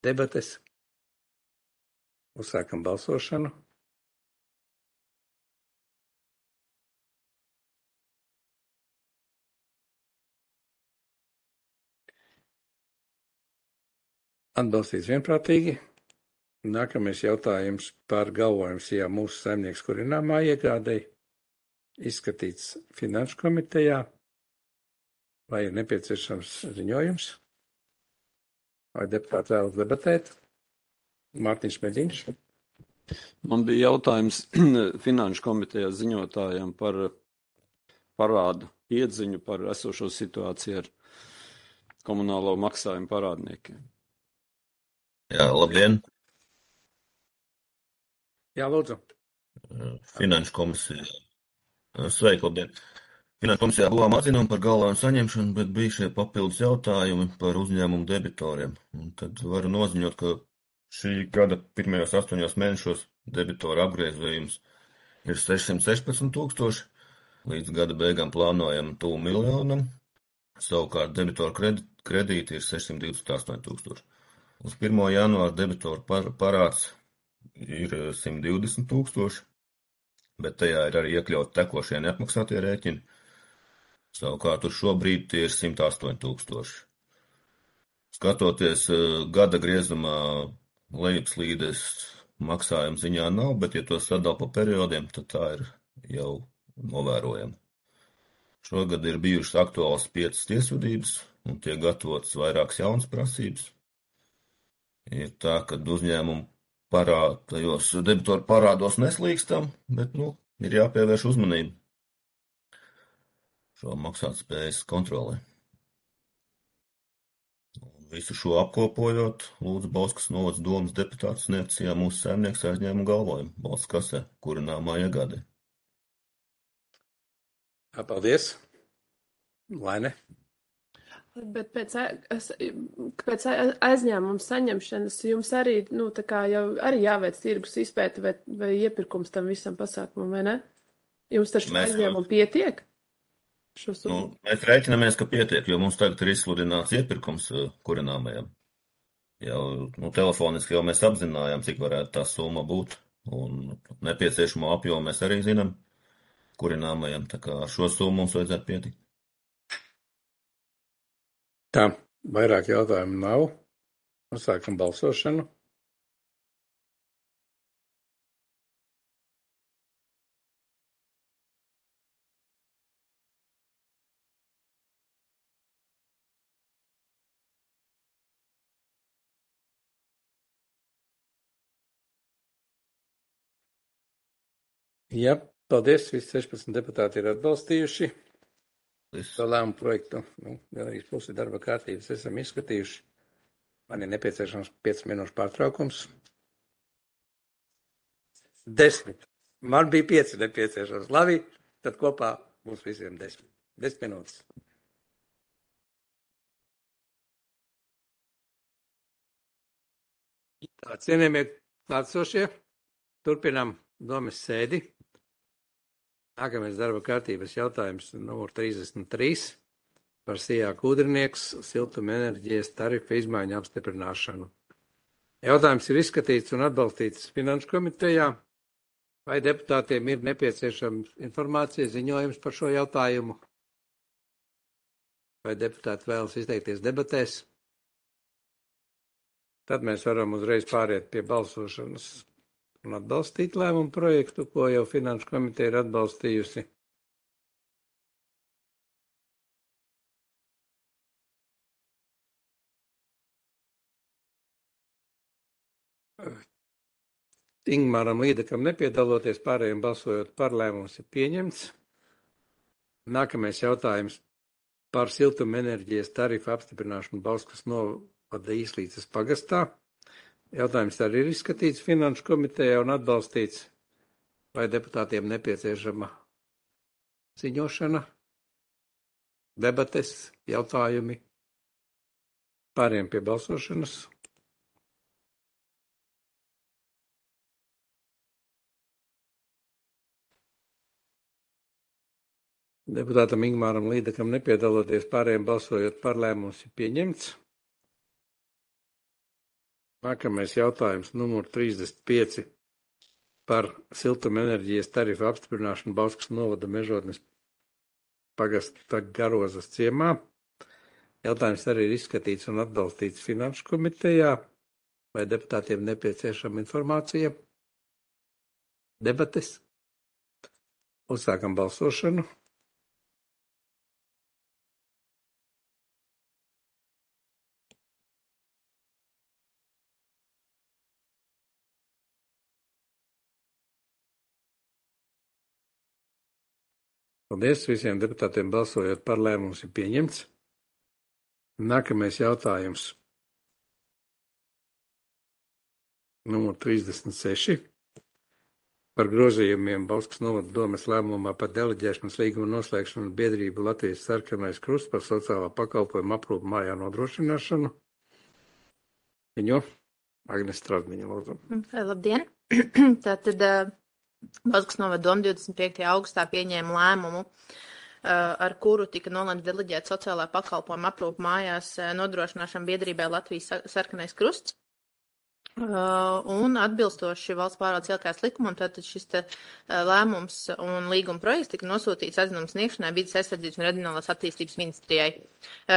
Debates. Uzsākam balsošanu. Atbalstīts vienprātīgi. Nākamais jautājums par galvojumu Sijā mūsu saimnieks kurināmā iegādei. Izskatīts Finanšu komitejā. Vai ir nepieciešams ziņojums? Vai deputāti vēlas debatēt? Mārtiņš Meļiņš. Man bija jautājums Finanšu komitejas ziņotājiem par parādu iedziņu par esošo situāciju ar komunālo maksājumu parādniekiem. Jā, labdien! Jā, lūdzu. Finanšu komisija. Sveiki, labdien! Finanšu komisijā guvām atzinumu par galvājumu saņemšanu, bet bija šie papildus jautājumi par uzņēmumu debitoriem. Un tad varu noziņot, ka šī gada pirmajos 8 mēnešos debitoru apgriezījumus ir 616 000, līdz gada beigām plānojam tuvu 1 000 000, savukārt debitoru kredīti ir 628 000. Uz 1. janvāra debitoru parāds ir 120 000, bet tajā ir arī iekļaut tekošie neapmaksātie rēķini. Savukārt uz šobrīd tie ir 108 000. Skatoties gada griezumā lejupslīdes maksājuma ziņā nav, bet ja to sadala pa periodiem, tad tā ir jau novērojama. Šogad ir bijušas aktuālas 5 tiesvedības un tiek gatavotas vairākas jaunas prasības. Ir tā, ka uzņēmumu tajos debitoru parādos neslīkstam, bet, ir jāpievērš uzmanība šo maksātspējas kontrolē. Visu šo apkopojot, lūdzu Bauskas novads domas deputātus sniegt Sijā mūsu saimnieks aizņēmumu galvojumu valsts kasē, kurināmā iegādē. Paldies. Laine. Bet pēc aizņēmuma saņemšanas jums arī, tā kā jau arī jāveic tirgus izpēte vai iepirkums tam visam pasākumam, vai ne? Jums taču aizņēmumu pietiek? Mēs rēķinamies, ka pietiek, jo mums tagad ir izsludināts iepirkums kurināmajam. Jau, telefoniski jau mēs apzinājām, cik varētu tā summa būt, un nepieciešamo apjomu mēs arī zinām kurināmajam, tā kā ar šo summu mums vajadzētu pietikt. Tā, vairāk jautājumu nav. Sākam balsošanu. Jā, paldies. Visi 16 deputāti ir atbalstījuši. Šo lēmumu projektu, arī pusi darba kārtības esam izskatījuši. Man ir nepieciešams 5 minūšu pārtraukums. 10. Man bija 5 nepieciešams. Labi, tad kopā mums visiem 10. 10 minūtes. Tā, cienījamie klātsošie, turpinām domas sēdi. Nākamais darba kārtības jautājums numur 33 par Sijāk Ūdrinieks siltuma enerģijas tarifu izmaiņu apstiprināšanu. Jautājums ir izskatīts un atbalstīts Finanšu komitejā. Vai deputātiem ir nepieciešama informācija, ziņojums par šo jautājumu? Vai deputāti vēlas izteikties debatēs? Tad mēs varam uzreiz pāriet pie balsošanas un atbalstīt lēmumu projektu, ko jau Finanšu komiteja ir atbalstījusi. Ingmāram Līdekam nepiedaloties, pārējiem balsojot par, lēmums ir pieņemts. Nākamais jautājums par siltuma enerģijas tarifu apstiprināšanu Bauskas novada Īslīces pagastā. Jautājums arī ir izskatīts Finanšu komitejā un atbalstīts. Vai deputātiem nepieciešama ziņošana, debates, jautājumi? Pārējiem pie balsošanas. Deputātam Ingmāram Līdekam nepiedaloties, pārējiem balsojot par, lēmums ir pieņemts. Nākamais jautājums numur 35 par siltuma enerģijas tarifu apstiprināšanu Bauskas novada Mežotnes pagasta Garozas ciemā. Jautājums arī ir izskatīts un atbalstīts Finanšu komitejā. Vai deputātiem nepieciešama informācija? Debates? Uzsākam balsošanu. Paldies visiem deputātiem balsojot par, lēmums ir pieņemts. Nākamais jautājums. Numur 36. Par grozījumiem Bauskas novada domes lēmumā par deleģēšanas līguma noslēgšanu biedrību Latvijas Sarkanais Krusts par sociālā pakalpojuma aprūpu mājā nodrošināšanu. Viņu Agnes Strazdiņa, lūdzu. Labdien! Tātad Bauskas novada doma 25. augustā pieņēma lēmumu, ar kuru tika nolemts deleģēt sociālā pakalpojuma aprūpu mājās nodrošināšanu biedrībai Latvijas Sarkanais Krusts. Un atbilstoši valsts pārvaldes iekļaujas likumam, tātad šis lēmums un līguma projekts tika nosūtīts atzinuma sniegšanai Vides aizsardzības un reģionālās attīstības ministrijai.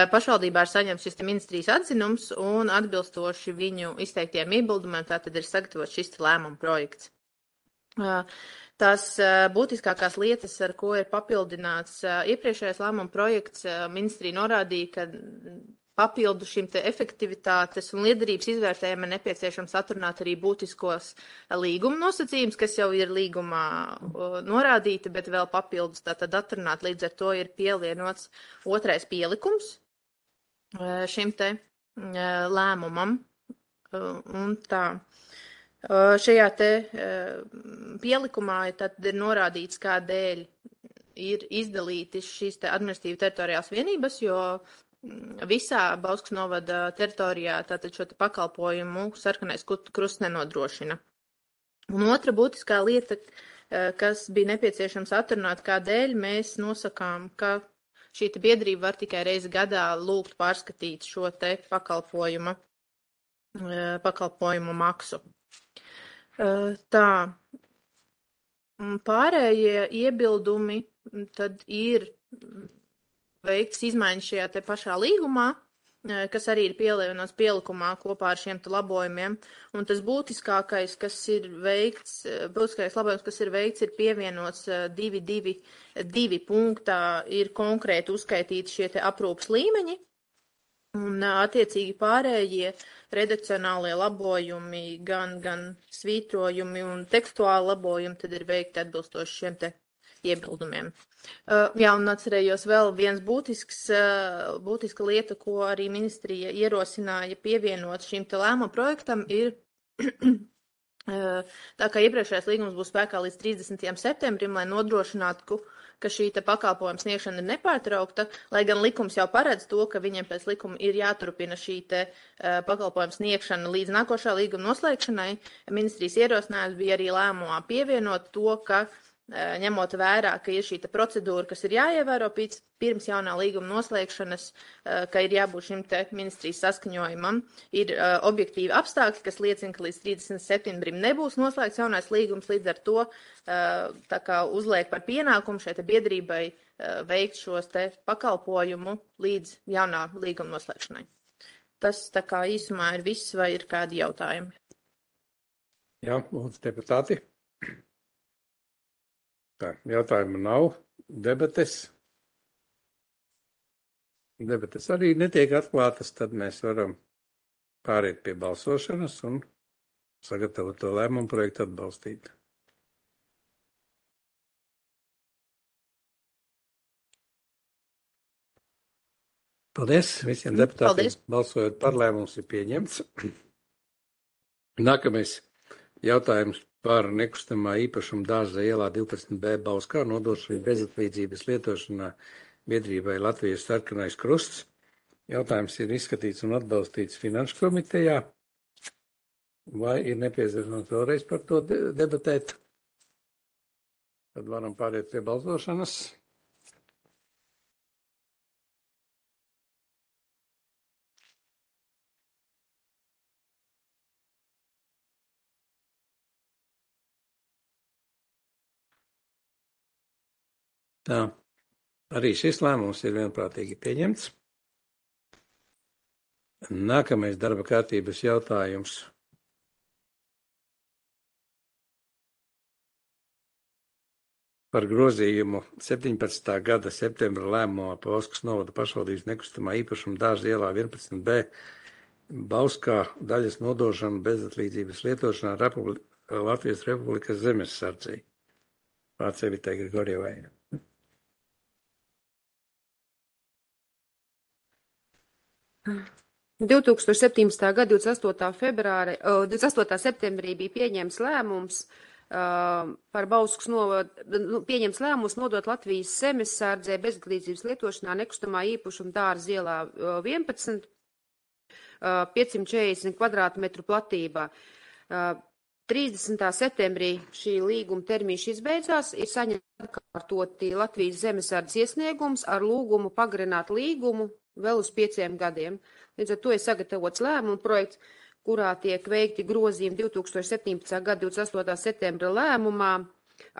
Pašvaldībā ir saņemts šis ministrijas atzinums un atbilstoši viņu izteiktiem iebildumiem, tātad ir sagatavots šis lēmuma projekts. Tās būtiskākās lietas, ar ko ir papildināts iepriekšējais lēmuma projekts, ministrija norādīja, ka papildu šim te efektivitātes un liederības izvērtējumam ir nepieciešams atrunāt arī būtiskos līguma nosacījumus, kas jau ir līgumā norādīti, bet vēl papildus tātad atrunāt. Līdz ar to ir pielienots otrais pielikums šim te lēmumam. Un tā. Šajā te pielikumā tad ir norādīts, kādēļ ir izdalīti šīs te administratīvi teritoriālās vienības, jo visā Bauskas novada teritorijā tātad šo te pakalpojumu Sarkanais Krusts nenodrošina. Un otra būtiskā lieta, kas bija nepieciešams atrunāt, kādēļ mēs nosakām, ka šī te biedrība var tikai reizi gadā lūgt pārskatīt šo te pakalpojumu maksu. Tā, pārējie iebildumi tad ir veikts izmaiņas šajā te pašā līgumā, kas arī ir pielienots pielikumā kopā ar šiem te labojumiem, un tas būtiskākais, kas ir veikts, ir pievienots 2.2 punktā, ir konkrēti uzskaitīti šie te aprūpas līmeņi, un attiecīgi pārējie redakcionālie labojumi, gan svītrojumi un tekstuāli labojumi, tad ir veikti atbilstoši šiem te iebildumiem. Jā, un atcerējos vēl viens būtiska lieta, ko arī ministrija ierosināja pievienot šim te lēmuma projektam, ir tā kā iepriekšējais līgums būs spēkā līdz 30. septembrim, lai nodrošinātu, ka šī te pakalpojuma sniegšana ir nepārtraukta, lai gan likums jau paredz to, ka viņiem pēc likuma ir jāturpina šī te pakalpojuma sniegšana līdz nākošā līguma noslēgšanai. Ministrijas ierosinājums bija arī lēmumā pievienot to, ka ņemot vērā, ka ir šī procedūra, kas ir jāievēro pirms jaunā līguma noslēgšanas, ka ir jābūt šim te ministrijas saskaņojumam, ir objektīvi apstākļi, kas liecina, ka līdz 30. septembrim nebūs noslēgts jaunais līgums, līdz ar to tā kā uzliek par pienākumu šai te biedrībai veikt šos te pakalpojumu līdz jaunā līguma noslēgšanai. Tas tā kā īsumā ir viss, vai ir kādi jautājumi? Jā, lūdzu, deputāti. Tā, jautājumu nav. Debates arī netiek atklātas, tad mēs varam pāriet pie balsošanas un sagatavot to lēmumu projektu atbalstīt. Paldies visiem deputātiem. Paldies. Balsojot par lēmums ir pieņemts. Nākamais jautājums par nekustamā īpašuma Dārza ielā 12B Bauskā nodošanu bezatlīdzības lietošanā biedrībai Latvijas sarkanais krusts. Jautājums ir izskatīts un atbalstīts Finanšu komitejā. Vai ir nepieciešams vēlreiz par to debatēt? Tad varam pāriet pie balsošanas. Tā, arī šis lēmums ir vienprātīgi pieņemts. Nākamais darba kārtības jautājums. Par grozījumu 17. gada septembra lēmumā par Bauskas novada pašvaldības nekustamā īpašuma Dārza ielā 11B Bauskā daļas nodošanu bezatlīdzības lietošanā Latvijas Republikas zemesardzei. Vārds Evitai Grigorjevai. Uh. 2017. gada 28. septembrī bija pieņemts lēmums par Bauskas pieņemts lēmums nodot Latvijas zemesardzei bezatlīdzības lietošanā nekustamā īpašuma Dārza ielā 11, 540 kvadrātmetru platībā. 30. septembrī šī līguma termiņš izbeidzās, ir saņemts atkārtoti Latvijas zemesardzes iesniegums ar lūgumu pagarināt līgumu vēl uz 5 gadiem. Līdz ar to ir sagatavots lēmumu projekts, kurā tiek veikti grozījumi 2017. gada 28. septembra lēmumā,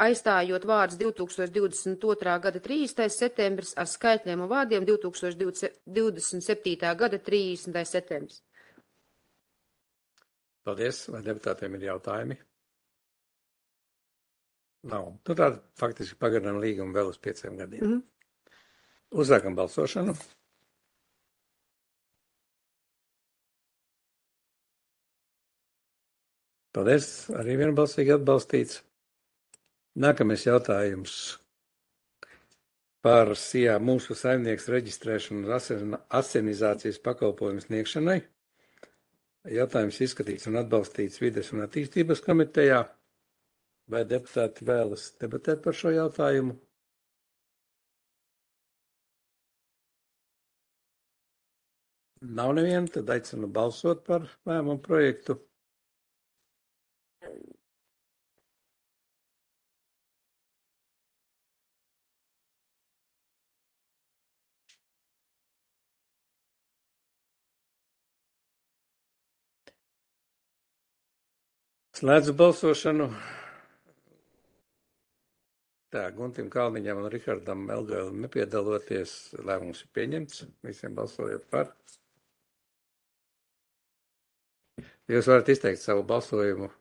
aizstājot vārdus 2022. gada 30. septembris ar skaitļiem un vārdiem 2027. gada 30. septembris. Paldies. Vai deputātiem ir jautājumi? Nav. Nu tāda faktiski pagarinām līgumu vēl uz 5 gadiem. Uzsākam balsošanu. Paldies, arī vienbalsīgi atbalstīts. Nākamais jautājums par SIA mūsu saimnieks reģistrēšanu un asenizācijas pakalpojumu sniegšanai. Jautājums izskatīts un atbalstīts Vides un attīstības komitejā. Vai deputāti vēlas debatēt par šo jautājumu? Nav neviena, tad aicinu balsot par lēmumu projektu. Slēdzu balsošanu. Tā, Guntim Kalniņam un Rihardam Melgailim nepiedaloties, lēmums ir pieņemts. Visiem balsojot par. Jūs varat izteikt savu balsojumu.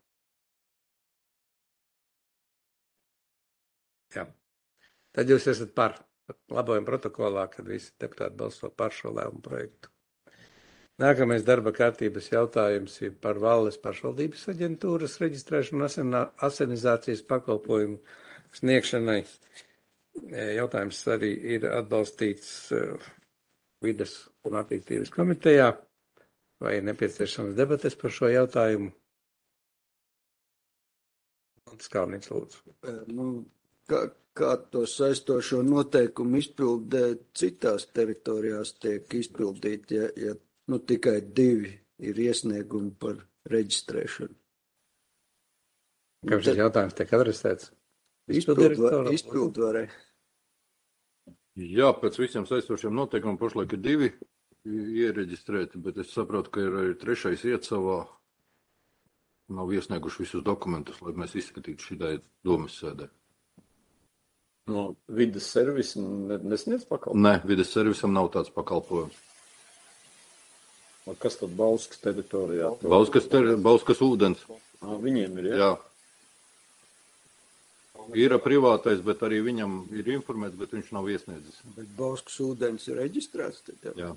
Jā. Tad jūs esat par. Labojumu protokolā, kad visi deputāti balso par šo lēmumu projektu. Nākamais darba kārtības jautājums ir par Valles pašvaldības aģentūras reģistrēšanu un asenizācijas pakalpojumu sniegšanai. Jautājums arī ir atbalstīts Vides un attīstības komitejā. Vai ir nepieciešams debates par šo jautājumu? Skalniņš, lūdzu. kā to saistošo noteikumu izpildē citās teritorijās tiek izpildīti, ja tikai 2 ir iesniegumi par reģistrēšanu. Kā šis jautājums tiek adresēts? Izpildvarē. Jā, pēc visiem saistošiem noteikumiem pašlaik ir 2 iereģistrēti, bet es saprotu, ka ir arī 3. iecavā. Nav iesnieguši visus dokumentus, lai mēs izskatītu šitai domas sēdē. No vides servisa nesniedz pakalpojumu? Nē, vides servisam nav tāds pakalpojums. Kas tad Bauskas teritorijā? Bauskas ūdens. Viņiem ir, jā? Ir privātais, bet arī viņam ir informēts, bet viņš nav iesniedzis. Bet Bauskas ūdens ir reģistrēts? Jā.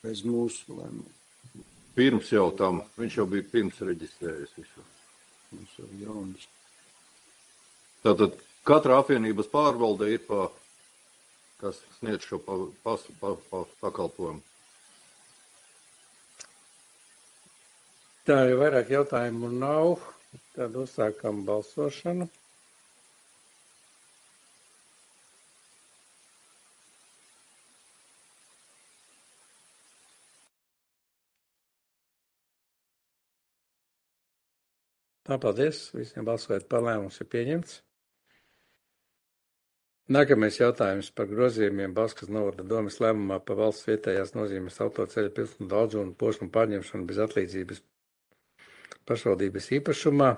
Bez mūsu lēmumu. Pirms jau tam, viņš jau bija pirms reģistrējies visu. Mums jau jauns. Tātad katra apvienības pārvalde ir kas sniedz šo pakalpojumu. Tā jau vairāk jautājumu nav. Tad uzsākam balsošanu. Tā, paldies. Visiem balsojot par, lēmums ir pieņemts. Nākamais jautājums par grozījumiem Bauskas novada domes lēmumā par valsts vietējās nozīmes autoceļa pilsētu daudzumu un posmu pārņemšanu bez atlīdzības pašvaldības īpašumā.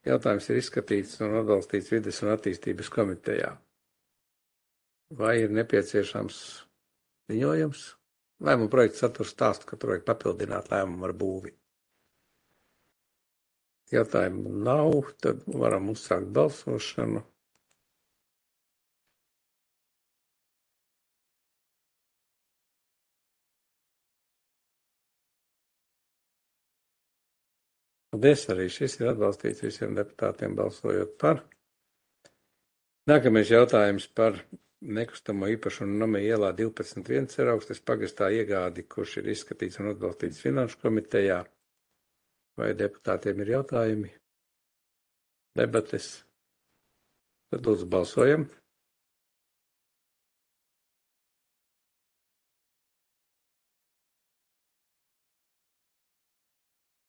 Jautājums ir izskatīts un atbalstīts vides un attīstības komitejā. Vai ir nepieciešams ziņojums? Lēmuma projekts satur stāstu, ka tur vajag papildināt lēmumu ar būvi. Jautājumu nav, tad varam uzsākt balsošanu. Paldies, arī šis ir atbalstīts visiem deputātiem balsojot par. Nākamais jautājums par nekustamo īpašumu Namē ielā 12.1 Ceraugstes pagastā iegādi, kurš ir izskatīts un atbalstīts Finanšu komitejā. Vai deputātiem ir jautājumi? Debates? Tad lūdzu balsojam.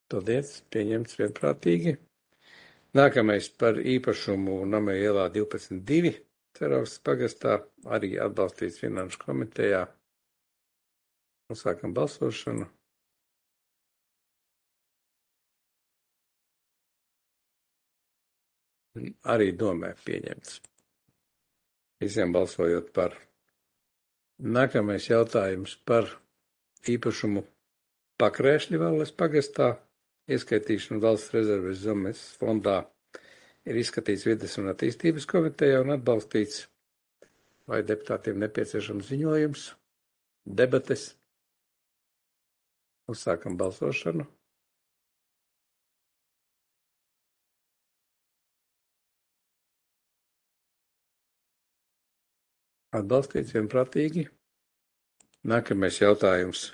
Paldies, pieņemts vienprātīgi. Nākamais par īpašumu Namē ielā 12.2 Ceraugstes pagastā, arī atbalstīts Finanšu komitejā. Uzsākam balsošanu. Arī domē pieņemts. Visiem balsojot par. Nākamais jautājums par īpašumu Pakrēšļi Valles pagastā. Ieskaitīšana valsts rezerves zemes fondā ir izskatīts vides un attīstības komitejā un atbalstīts. Vai deputātiem nepieciešams ziņojums? Debates? Uzsākam balsošanu. Atbalstīts vienprātīgi. Nākamais jautājums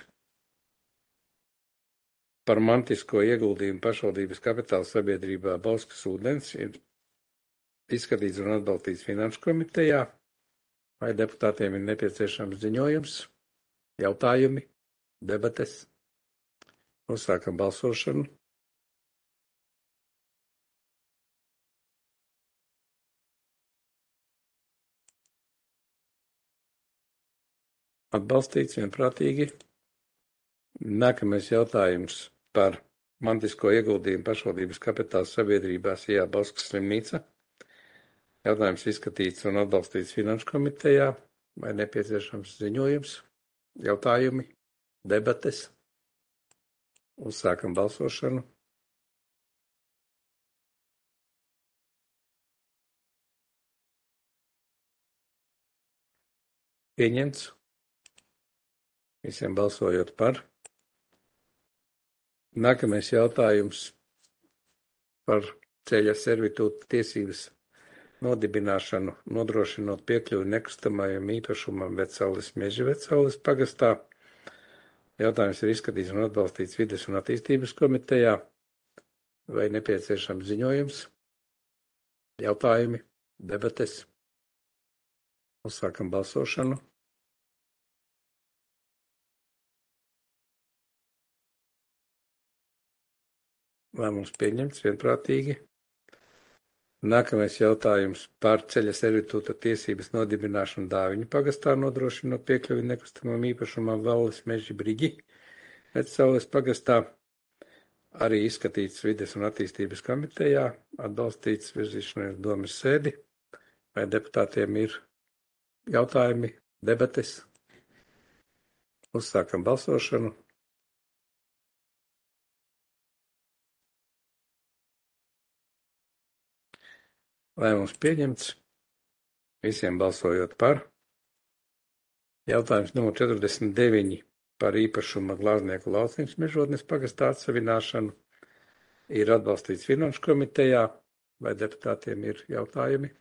par mantisko ieguldījumu pašvaldības kapitāla sabiedrībā Bauskas ūdens ir izskatīts un atbalstīts Finanšu komitejā. Vai deputātiem ir nepieciešams ziņojums, jautājumi, debates? Uzsākam balsošanu. Atbalstīts vienprātīgi. Nākamais jautājums par mantisko ieguldījumu pašvaldības kapitāla sabiedrībās IA Bauskas slimnīca. Jautājums izskatīts un atbalstīts Finanšu komitejā. Vai nepieciešams ziņojums, jautājumi, debates? Uzsākam balsošanu. Pieņemts. Visiem balsojot par. Nākamais jautājums par ceļa servitūta tiesības nodibināšanu, nodrošinot piekļuvi nekustamajam īpašumam Vecaules meži Vecaules pagastā. Jautājums ir izskatīts un atbalstīts vides un attīstības komitejā. Vai nepieciešams ziņojums, Jautājumi, debates. Uzsākam balsošanu. Lēmums pieņemts vienprātīgi. Nākamais jautājums par ceļa servitūta tiesības nodibināšanu Dāviņu pagastā, nodrošinot piekļuvi nekustamam īpašumam Valles meži Brigi. Vecaules pagastā arī izskatīts vides un attīstības komitejā, atbalstīts virzīšanai uz domes sēdi. Vai deputātiem ir jautājumi, debates? Uzsākam balsošanu. Lēmums pieņemts. Visiem balsojot par. Jautājums numur 49 par īpašuma Glāznieku Lauciņas mežotnes pagastā atsavināšanu ir atbalstīts Finanšu komitejā. Vai deputātiem ir jautājumi?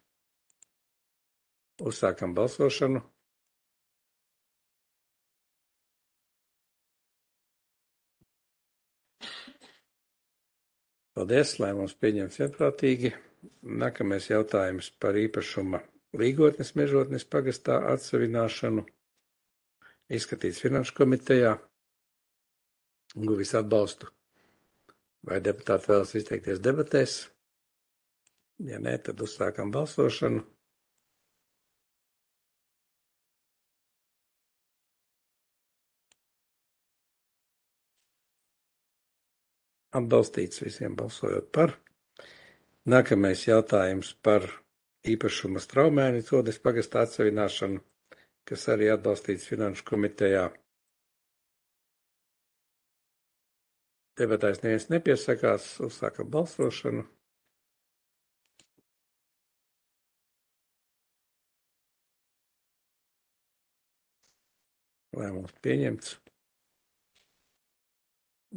Uzsākam balsošanu. Paldies, lēmums pieņemts vienprātīgi. Nākamais jautājums par īpašuma Līgotnes mežotnes pagastā atsavināšanu. Izskatīts Finanšu komitejā. Guvis atbalstu. Vai deputāti vēlas izteikties debatēs? Ja nē, tad uzsākam balsošanu. Atbalstīts visiem balsojot par. Nākamais jautājums par īpašuma Straumēni Codes pagastā atsavināšanu, kas arī atbalstīts Finanšu komitejā. Debatēs neviens nepiesakās, uzsākam balsošanu. Lēmums pieņemts.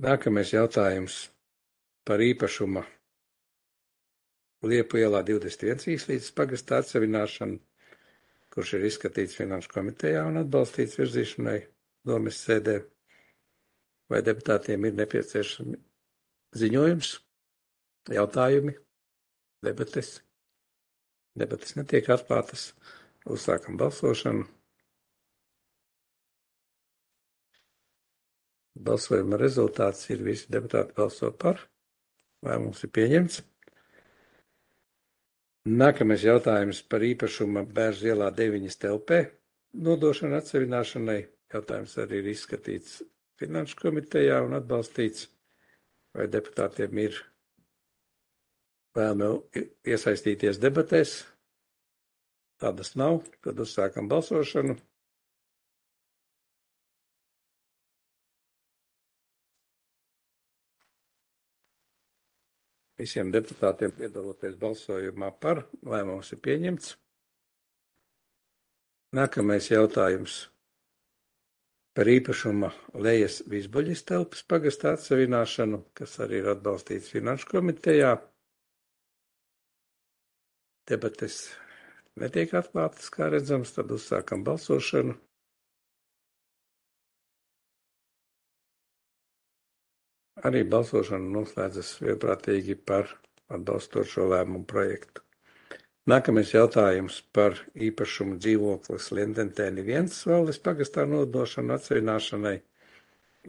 Nākamais jautājums par īpašuma Liepu ielā 21 īslīdzes pagastā atsavināšanu, kurš ir izskatīts Finanšu komitejā un atbalstīts virzīšanai domes sēdē. Vai deputātiem ir nepieciešami ziņojums, jautājumi, debates? Debates netiek atklātas. Uzsākam balsošanu. Balsojuma rezultāts ir visi deputāti balso par. Lēmums ir pieņemts. Nākamais jautājums par īpašuma Bērzu ielā 9 telpē nodošanu atsavināšanai. Jautājums arī ir izskatīts Finanšu komitejā un atbalstīts. Vai deputātiem ir vēlme iesaistīties debatēs? Tādas nav, tad uzsākam balsošanu. Visiem deputātiem piedaloties balsojumā par, lēmums ir pieņemts. Nākamais jautājums par īpašuma Lejas Vizbuļas telpas pagastā atsavināšanu, kas arī ir atbalstīts Finanšu komitejā. Debates netiek atklātas, kā redzams, tad uzsākam balsošanu. Arī balsošana noslēdzas vienprātīgi par atbalstošo lēmumu projektu. Nākamais jautājums par īpašumu dzīvoklis Lindentēni 1 Valles pagastā nodošanu atsavināšanai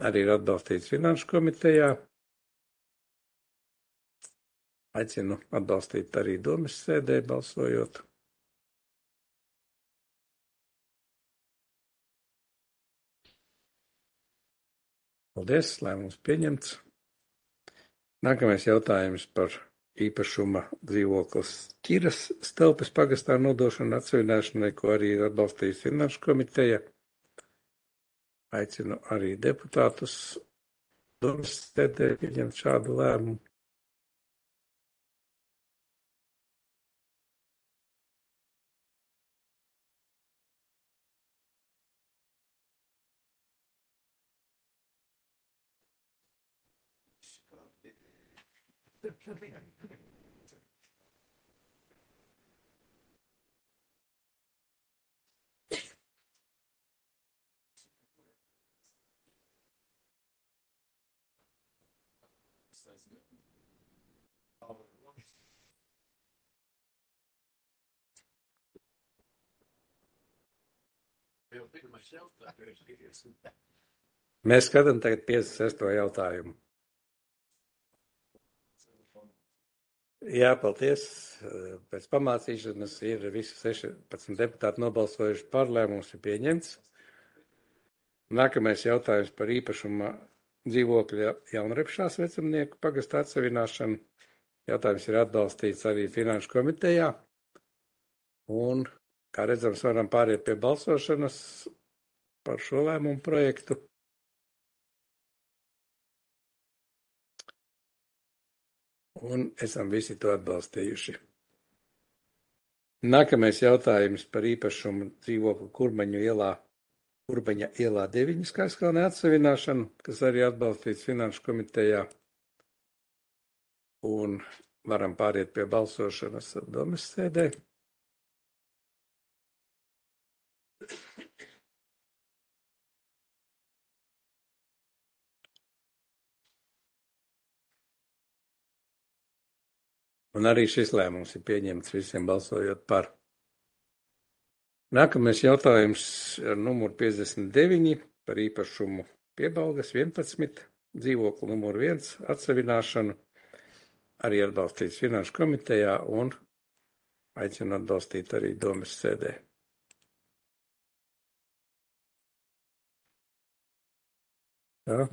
arī ir atbalstīts Finanšu komitejā. Aicinu atbalstīt arī domes sēdē balsojot. Paldies, lēmums pieņemts. Nākamais jautājums par īpašuma dzīvoklis Ķiras telpas pagastā nodošanu atsavināšanai, ko arī ir atbalstījis Finanšu komiteja. Aicinu arī deputātus domes sēdē pieņemt šādu lēmumu. Mēs skatām tagad 56. jautājumu. Jā, paldies. Pēc pamācīšanas ir visi 16 deputāti nobalsojuši par, lēmums ir pieņemts. Nākamais jautājums par īpašuma dzīvokļa Jaunrepšās vecumnieku pagasta atsevināšanu. Jautājums ir atbalstīts arī Finanšu komitejā. Un, kā redzams, varam pāriet pie balsošanas par šo lēmumu projektu. Un esam visi to atbalstījuši. Nākamais jautājums par īpašumu dzīvokli Kurbaņa ielā 9 Skaiskalnē atsevināšanu, kas arī atbalstīts Finanšu komitejā. Un varam pāriet pie balsošanas domes sēdē. Un arī šis lēmums ir pieņemts visiem balsojot par. Nākamais jautājums ar numuru 59 par īpašumu Piebalgas 11, dzīvokli numuru 1 atsevināšanu, arī atbalstīts Finanšu komitejā un aicinu atbalstīt arī domes sēdē. Jā,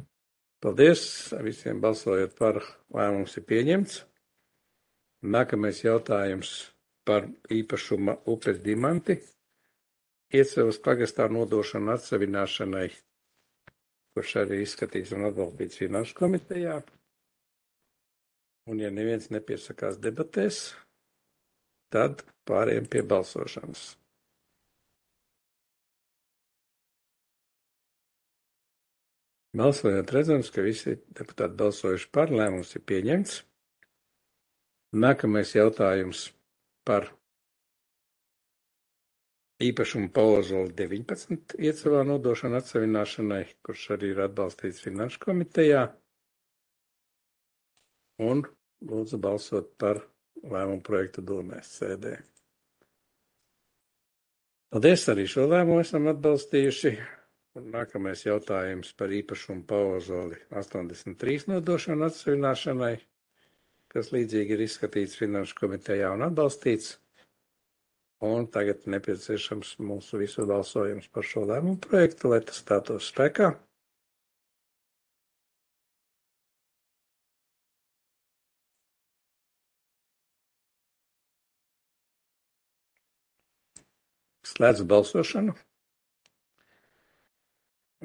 paldies, visiem balsojot par, lēmums ir pieņemts. Nākamais jautājums par īpašuma upes Dimanti, Iecevas pagastā nodošanu atsevināšanai, kurš arī izskatīts un atbalstīts Finanšu komitejā. Un ja neviens nepiesakās debatēs, tad pārējiem pie balsošanas. Balsojot redzams, ka visi deputāti balsojuši par, lēmums ir pieņemts. Nākamais jautājums par īpašumu Paozoli 19 Iecevā nodošanu atsevināšanai, kurš arī ir atbalstīts Finanšu komitejā. Un lūdzu balsot par lēmumu projektu domēs sēdē. Paldies, arī šo lēmumu esam atbalstījuši. Un nākamais jautājums par īpašumu Paozoli 83 nodošanu atsevināšanai, kas līdzīgi ir izskatīts Finanšu komitejā un atbalstīts. Un tagad nepieciešams mūsu visu balsojums par šo lēmumu projektu, lai tas stātos spēkā. Slēdzu balsošanu.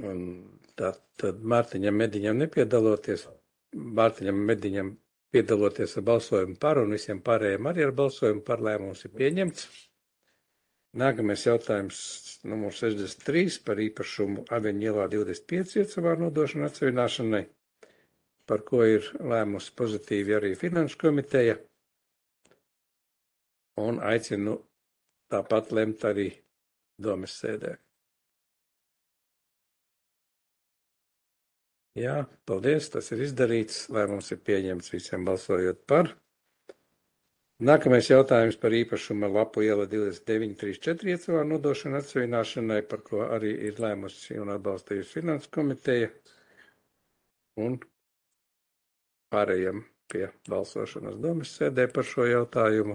Un tad Mārtiņam Mediņam piedaloties ar balsojumu par un visiem pārējiem arī ar balsojumu par, lēmums ir pieņemts. Nākamais jautājums numur 63 par īpašumu Aveņu ielā 25 Iecevā nodošanu atsevināšanai, par ko ir lēmusi pozitīvi arī Finanšu komiteja. Un aicinu tāpat lemt arī domes sēdē. Jā, paldies, tas ir izdarīts, lēmums ir pieņemts visiem balsojot par. Nākamais jautājums par īpašumu Lapu iela 2934 Iecevā nodošanu atsevināšanai, par ko arī ir lēmusi un atbalstījusi Finanšu komiteja. Un pārējiem pie balsošanas domes sēdē par šo jautājumu.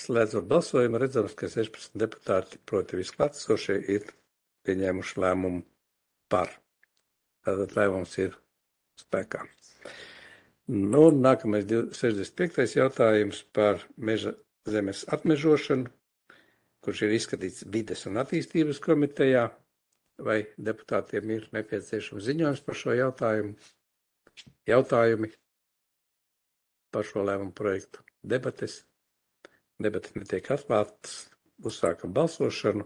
Slēdzot balsojumu, redzams, ka 16 deputāti, proti visklātsošie, ir pieņēmuši lēmumu par. Tātad lēmums ir spēkā. Nu, nākamais 65. jautājums par meža zemes atmežošanu, kurš ir izskatīts Vides un attīstības komitejā. Vai deputātiem ir nepieciešams ziņojums par šo jautājumu? Jautājumi par šo lēmumu projektu? Debates? Debates netiek atklātas. Uzsākam balsošanu.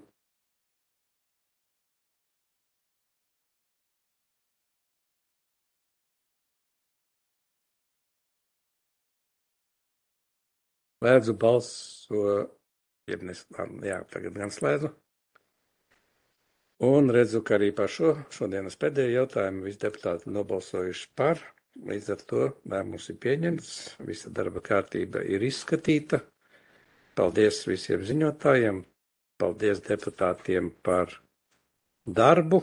Slēdzu tagad gan slēdzu. Un redzu, ka arī par šodienas pēdējo jautājumu visi deputāti nobalsojuši par. Līdz ar to lēmums ir pieņemts, visa darba kārtība ir izskatīta. Paldies visiem ziņotājiem, paldies deputātiem par darbu.